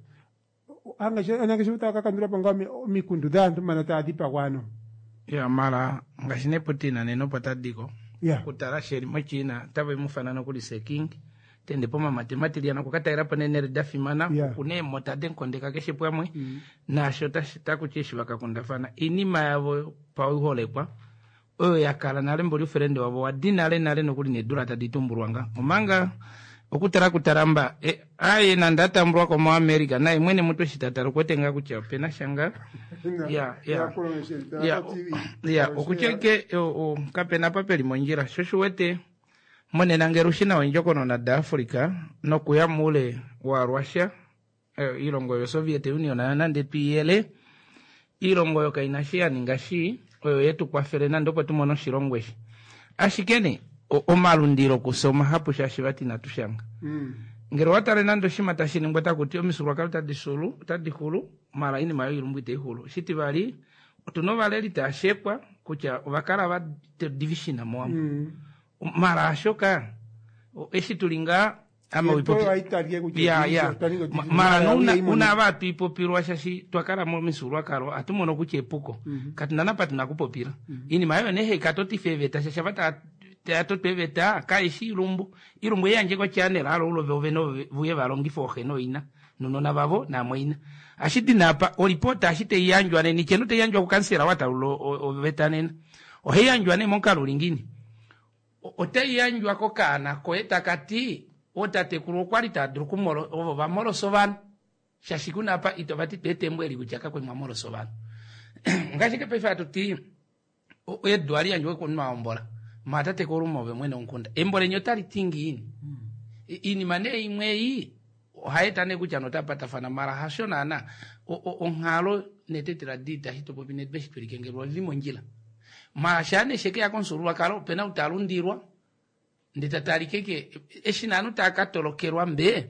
Aanangeshefa otaya ka kandula po ngaa omikundu dhaantu mano taya dhipagwa ano. Ya mara ngaashi nee Putin nena opo ta diko. Ya. Okutala shi eli moChina otave mu fana nokuli se king. Ta ende pomamate matilyana okwa ka talela po neenhele da fimana. Ya. Okuna eemota denkondeka keshe pwamwe. Naasho otashi taku ti eshi va ka kundafana oinima yavo pauholekwa oyo ya kala nale mboli oufelende wavo wa di nale nale nokuli needula tadi tumbulwa nga omanga okutala kutaramba e, aye nande a tambulwa ko moAmerica naye mwene mutu eshi ta tala okuwete ngaa kutya opena sha ngaa ya ya ya ya okutya ke kapena apa peli mondjila sho shi wete monena ngele ushi nawa ondjokonona daAfrica nokuya muule waRussia eh, iilongo yoSoviet Union nayo nande twiiyele iilongo oyo kaina shi ya ninga shi oyo yetu kwafele nande opo tu mone oshilongo eshi ashike ne omalundilo kufye omahapu shaashi vati inatu shanga ngele owa tale nande oshinima tashi ningwa taku ti omifyuululwakalo otadi xulu otadi xulu mala oinima yoilumbu itai xulu shitivali otuna ovaleli tava shekwa kutya ova kala va division mowambo mala hashoka eshi tuli ngaa ame ya ya mara nouna una ava hatu shashi twa kala momifyuululwakalo ohatu mono kutya epuko mhm. katu na napa tuna kupopila mhm. iinima oyo nee haikatotifa eeveta shashi ava taya toto eeveta kaishi ilumbu ilumbu eyandje kochannel alo ulo vovene vuye valongifa ooxe nooina nonona vavo naamwaina ashidi napa olipota ashi taiyandjwa nena icheno taiyandjwa kukansela watalula oveta nena ohaiyandjwa nee momukalo uli ngiini Otai yandjwa kokaana koye taka ti, Ootatekulu okwa li tava dulu okumolo, ovo va molosa ovanhu. Shaashi ku na apa ito va ti twa eta embo eli kutya kakwa li mwa molosa ovanhu. Ngaashi ke paife hatu ti, edu ohali yandjwa komunhu a hombola. Mwa tatekulu ove mwene womukunda. Embo leni otali ti ngiini? Iinima nee imwe ei ohai eta nee kutya notapatafana mara hasho naana onghalo netetela diita eshi to popi nedu eshi tweli kengelwa olili mondjila. Mara shaa nee shekeya komufyuululwakalo opena ou ta lundilwa ndee ta talike ke eshi nee ovanhu tava ka tolokelwa mbee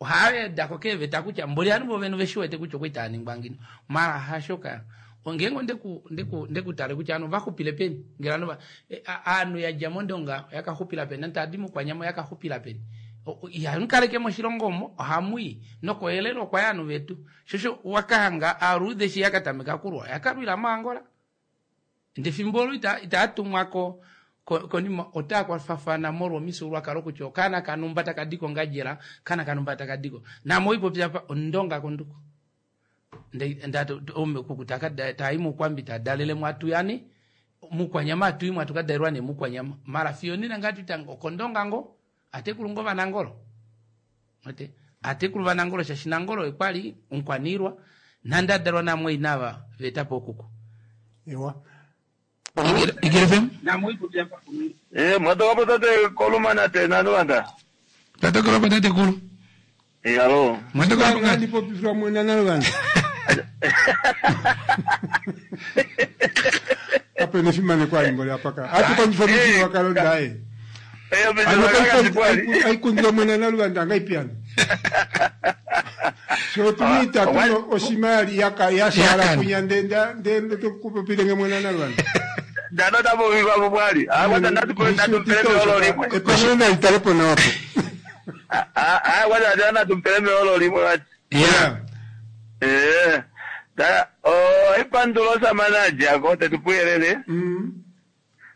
ohava wedako keeveta kutya mboli ovanhu vovene ove shi wete kutya okwali tava ningwa ngino mara hasho ka ngeenge ondeku ndeku ndekutale kutya ovanhu ovaxupile peni ngele ovanhu ovanhu yadja mondonga oyaka xupila peni nande tavadi mokwanyama oyaka xupila peni ihamu kaleke moshilongo omo ohamuyi nokoyelele okwaya ovanhu vetu shosho wakahanga aaluudhe eshi yakatameka okulwa oyakalwila moangola Ndee efimbo olo ita, itaa tumwa ko, ko, konima otaa kwafafana molwa omifyuululwakalo kutya okaana kanumba taka di kOngadjela, okaana kanumba taka di ko. Naame oipopi apa Ondonga konduko. Nde, nda, kuku taka, taa i mUukwambi taa dalele mo atuyani, mUukwanyama atu i mo atu ka dalelwa nee mUukwanyama. Mara fiyo onena ngaa atu itanga okOndonga ngoo, atekulu ngoo vaNangolo. Wete? Atekulu vaNangolo shaashi Nangolo oye kwa li omukwaniilwa nande a dalwa namwaina ava va eta po okuku. Ewa. Igele FM. Eh, mwatoka po tate Koluma na te Naluvanda. Tate Koluma tate Kulu. Eh, alo. Mwatoka po ngati popifwa mwena Naluvanda. Kape na efimaneko ali mboli apa ka. Atu kondjifa omifyuululwakalo daye. Ano aikundile mwene Naluvanda angaipi hano? Sho otuna itatu oshima ya shaala kunya nde kupopilenge mwene Naluvanda. Ndano tapopiwa po pwali. Ah, kwanza natumpele meolo limwe. Epangelo nali tale po nawa po. Ah, ah, kwanza natumpele meolo limwe vati. Yeah. Eh. Ta oh ipandulo samana jako tetupuyelele.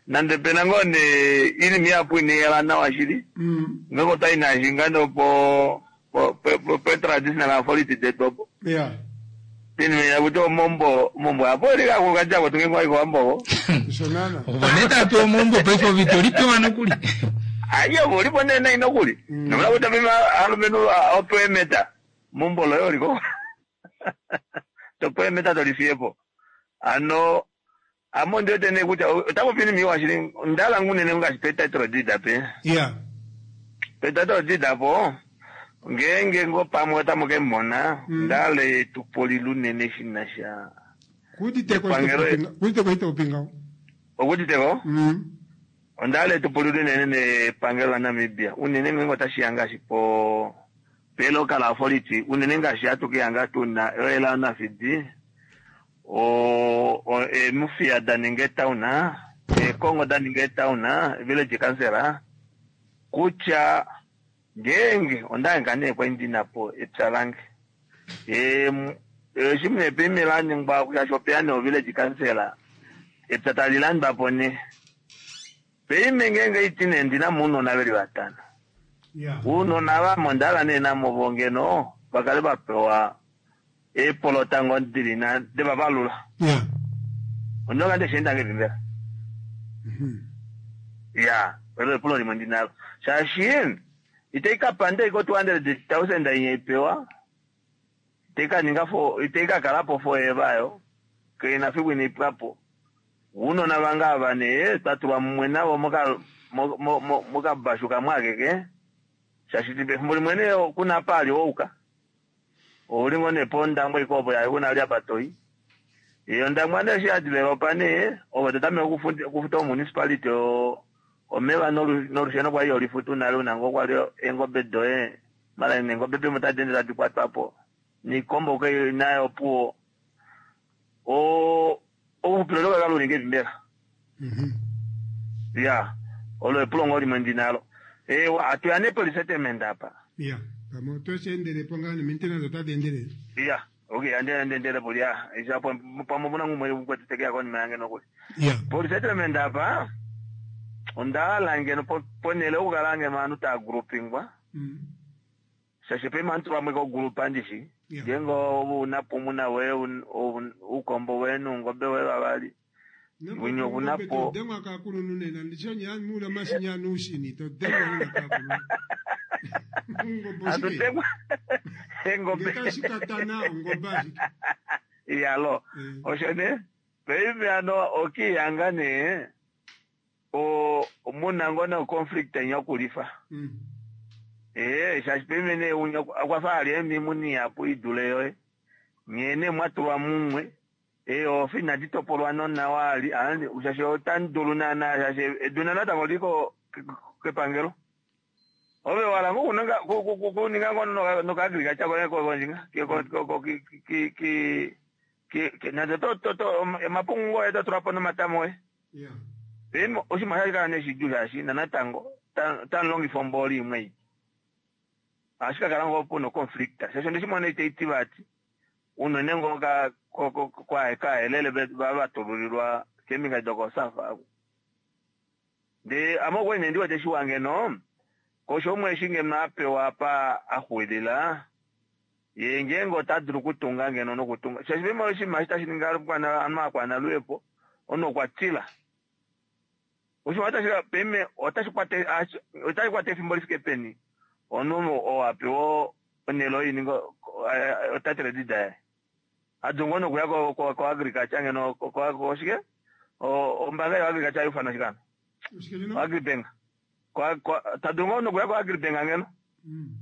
Nande pena ngoo nee ilimi yapu ineyela nawa shili. Ngeko otai naashi ngano po po po po traditional authority detu opo. Yeah. Pinime yakuti omombo omombo apo ili kakukajako tunge kwa iko Shonana. Ovo nee tapewa omombo paife ove ito lipewa nokuli. Aye ulipo nena inokuli. Nomla kuti mimi alumenhu opewe emeta. Mombo loye oliko. Topewa emeta tolifiyepo. Ano amo ndiwete nee kutya otapopi nimiwa shili ndala ngunene ngaashi pe title deed ape. Yeah. Pe title deed apo ngeenge ngo pamwe otamu ke mona ndale tupolila unene shina sha Kuditeko Epangelo- kuditeko itopinga. okutiteko ondale tupolila unene nepangelo laNamibia unene ngenge otashiya ngaashi po pe local authority unene ngaashi hatukiyanga tuna oela nafidi o emufiya daninga etown ekongo daninga etown village councillor kutya ngeenge ondange nee kwali ndinapo epya lange eshi mune laningwa kutya shopeya nee village councillor epya tali landwapo ne peime ngeenge iti nee ndina muunona veli vatano Yeah. uunona vamo ndala nee namovo ngeno vakale vapewa eepolota ngo dili na devavalula Yeah. ondonga ndeshiendange vimbela ya elo epulo limwe ndinalo shaashi itaikapanda iko 200,000 inye ipewa itaikaninga fo itaikakalapo forever yo keina fiku inaipwapo uunona vanga ava nee twatulwa mumwe navo moka mokabashu kamwe akeke shaashi pefimbo limwe nee kuna apa ali ouka ouli ngo nee pondangwa ikopo yaye kuna ali apa toi iyo ndangwa nee eshi yadevelopa nee ove totameke okufuta omunicipality omeva nolusheno kwali yolifutu nale una ngo kwali eengobe doye mala neengobe pimo tadi ende tadi kwatwapo niikombo ke nayo opuwo ouxupilo lokakala ulinga evi mbela ya olo epulo ngo limwe ndinalo ewa atuya nee polisettlement apa Yeah. Pamwe otoshiendelepo ngaa ne-maintenance otadi endelele. ya okay ande endelepo lya ishapo pamwe puna ngumwe kukwetetekea konima yange nokuli Yeah. polisettlement apa ondahala ngeno ponele okukala ngeno ovanhu tava groupingwa shaashi pema antu vamwe kogroupa ndishi ngeenge unapo muna we uukombo we nuungobe we vavali winye okunapo Todengwa kakulunhu nena ndishonya mula mashinya nuushini todengwa nena kakulunhu. Ongombe oshike? atutengwa engombe Ngekashikatana ongombe ashike. iyalo osho ne paife ano okiyanga nee muna ngo no conflict enyokulifa ee shaashi paife nee unya okwafa ali emimuni yapu idule yoye nghene mwatulwa mumwe eeofi inadi topolwa nonawa ali shaashi otandulu naana shaashi eduna natango liko kepangelo ove wala ngo kuninga ngo nokaagriculture konjinga nande omapungu ngoye totulapo nomatama oye Yeah. paife oshinima shashi kala neshidjuu shaashi nanatango tamulongifa ombooli imwe ei ohashi kakala ngoo puna oconflict shaashi ondeshimona itaiti vati unene ngoo kaelele vatululilwa keembinga dokosafa aku ndee ame okwali nee ndiwete shiwa ngeno kosho umwe eshi ngeno apewa apa axuwilila ye ngeenge ota dulu okutunga ngeno nokutunga shaashi pema oshinima eshi tashi ningi anu akwanaluhepo omunhu okwa tila oshinima otashi peme otashi kwata efimbo lifike peni omunhu oo apewa onhele oyo ininga otitle deed yaye adulu ngoo nokuya ko agriculture ngeno koshike ombaanga yo agriculture ayuufana shikano agribank tadulu ngoo nokuya ko agribank ngeno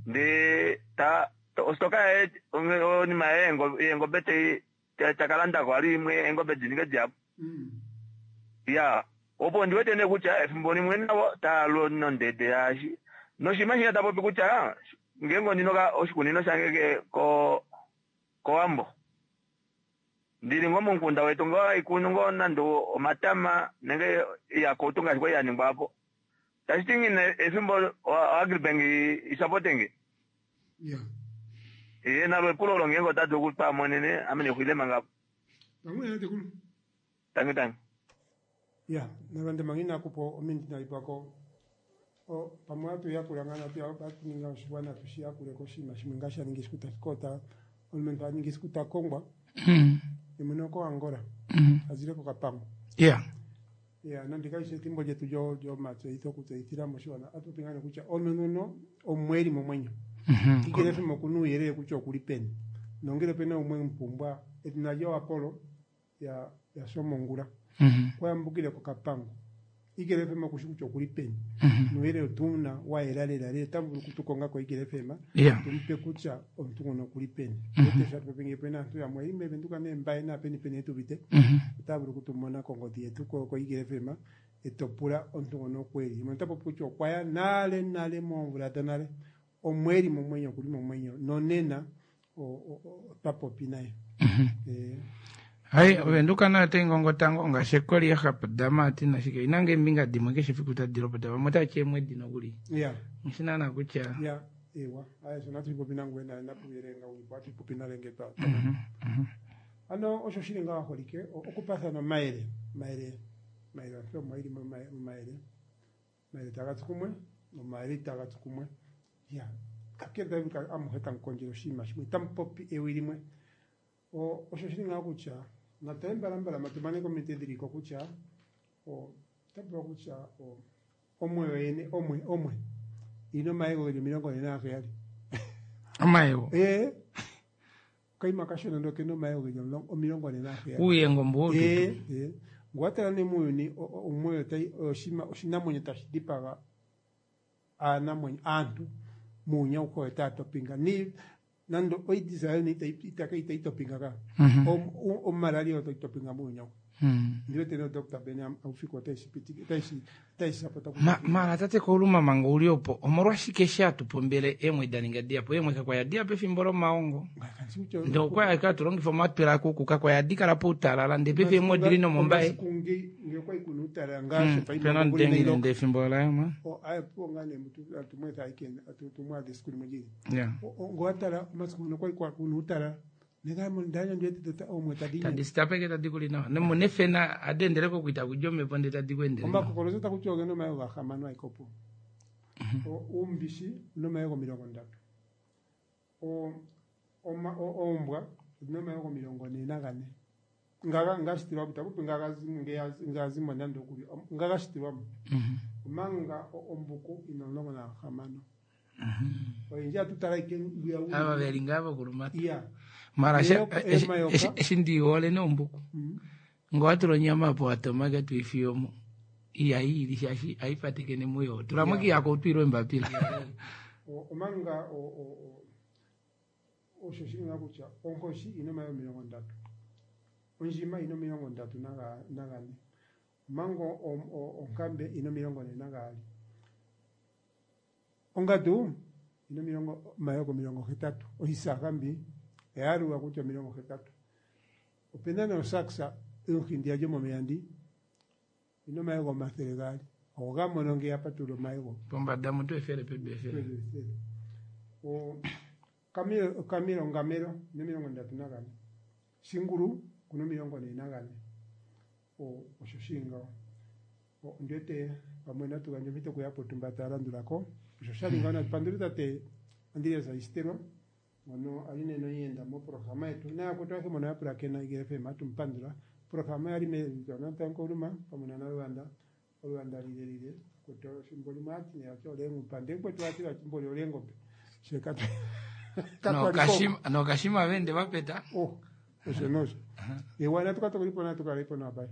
ndee ta ositoka yaye onima yaye yeengobe takalandako ali imwe eengobe dininge dihapu. Ya, opo ndi wete nee kutya efimbo limwe navo tava lu nondede yaashi. Noshinima shinya ta popi kutya ngeenge ondi na oshikunino shange ke ko kOwambo, ndili ngoo momukunda wetu ngoo haikunu ngoo nande omatama nenge iyakutu ngaashi kwali ya ningwa apo. Tashi ti ngine efimbo oAgribank i sapote nge. Ya. Ye nalo epulo olo ngeenge ota dulu okupa monene ame nexwile manga apo. Pamwe na tekulu. Tangi tangi. Ya, nalande manga inakupa ominute inali pwako pamwe ohatu yakula ngaa natu hatu ninga oshiwana tushi yakule koshinima shimwe ngaashi sha ninga esiku tashi kota omulumentu a ninga esiku ta kongwa ye mwene okoAngola a zile kOkapango. Ya, nande kali shi ethimbo lyetu lyomatseyitho okutseyithila moshigwana ohatu popi ngaa nee kutya omulumentu nguno omwe eli momwenyo. Kikele FM okuna uuyelele kutya okuli peni nongele opena umwe emupumbwa edhina lye oApollo ya ya Shomongula. Okwa yambukile kOkapango. Eagle FM oku shi kutya okuli peni. Nuuyelele otu na wa yela lela lela. Otamu vulu okutu konga koEagle FM tu mu pe kutya omuntu ngono okuli peni. Wete sho hatu popi ngeyi opena aantu yamwe yeli meVenduka neeMbaye naapeni peni yetu uvite. Otaya vulu okutu mona kongodhi yetu koEagle FM eto pula omuntu ngono oku eli. Yemwe ota popi kutya okwa ya nale nale moomvula dhonale. Omwe eli momwenyo okuli momwenyo nonena otwa popi naye. Hai, Ovenduka nayo otai ngongota ngoo ngaashi ekoli yaHapdama ati nashike ina nge eembinga dimwe keshe efiku tadi lopota vamwe otava ti eemwedi nokuli. Nghi shi naana kutya. Ya, ewa. Aye, osho natu popi nangoye nale napuyele nga ulipo atu popi nale nge twa. Ano osho shili ngaho aholike okupathana omayele, omayele, omayele omuntu omo eli momayele. Omayele taga tsu kumwe nomayele itaga tsu kumwe. Ya, kakele tamu kala amuhe tamu kondjele oshinima shimwe, tamu popi ewi limwe. Osho shili ngaho kutya natale mbalambala mba tu mane kominute dhili ko kutya ota pulwa kutya omwe yoyene omwe omwe ina omayego geli 47. Omayego? Ee. Okaima kashona ndele okena omayego geli 47. Uuyengo mbu woututu. Ee, ee. Nge owa tala nee muuyuni omwe otai oyo oshinima oshinamwenyo tashi dipaga aanamwenyo aantu muuyuni auhe oyo taya topinga. Ni nande oAIDS hayo nee itayi itaka itayi topinga ka. Omalaria oyo tayi topinga muuyuni auhe. Ndi wete nee Doctor Ben Haufiku otayi shi pitike otayi shi otayi shi sapota kutya Mara tate Kauluma manga uli opo omolwashike eshi hatu pombele eemwe da ninga dihapu eemwe kakwa ya dihapu efimbo lomaongo ndee okwa ashike hatu longifa omatwela akuku kakwa ya kala poutalala ndee paife eemwe odili nomombaye Omasiku nge nge okwali kuna uutalala ngaashi Hmm, pena omutenge nende efimbo layo aye opuwo ngaa nee mutu atu mwetha ashike atu tumwaadha esiku limwe lili Yeah. Nge owa tala omasiku ngono okwali kuna uutalala Tadi sitapeke tadi kuli nawa nomunefena adi endele kokuita kudja omhepo ndee tadi ku endele nawa. Omakokolozi ota kutiwa ogena omayego gahamano ashike opuwo. Uumbishi una omayego 30. Oombwa odhina omayego 44. Nga nga shitilwamo ita popi nga nga zimo nande okuli nga ga shitilwamo. Omanga ombuku ina 16. Oyendji ohatu tala ike ngwiya wu Ava veli ngaa vokulumata. Iya. Mara eshi- Eyoka- eshi- emayoka. eshi- eshi ndi hole nee ombuku. Ngo watula onyama apo watoma ke tuifiye omo. Ihai ili shaashi hai patekene muyo. Tulamo Iya. kiyako utwile embapila. Omanga osho shili ngaa kutya onkoshi ina omayego 30. Ondjima ina 34. Omanga onkambe ina 42. Ongadu ina omilongo omayego 80. Ohisaga mbi oya yalulwa kutya 80. Opena nee osaksa omuhindiya lyomomeya ndi ina omayego 200. Oho ga mono nge ya patulula omayego. Pombada mutu efele pedu efele. Pedu efele. O kamelo okamelo ongamelo ina 34. Shingulu okuna 44. O osho shili ngaho. Ondi wete pamwe natu gandje ompito kuya potumba taya landula ko. Osho sha li ngaho natu pandule tate Andreas Aisitelwa ngono a li nena omuyenda moprograma yetu nayakwetu ayehe mbono ya pulakena Eagle FM atu mu pandula. Oprograma oya li mewiliko Nkuluma pamwe na Naluvanda oluvanda lile lile kwetu efimbo limwe ohati nee vati oleengupa ndee mukwetu ohati vati mboli oleengobe she Nokashima nokashima vende vapeta. Oh, osho nosho. Ewa natu ka tokolipo natu kalepo nawa bye.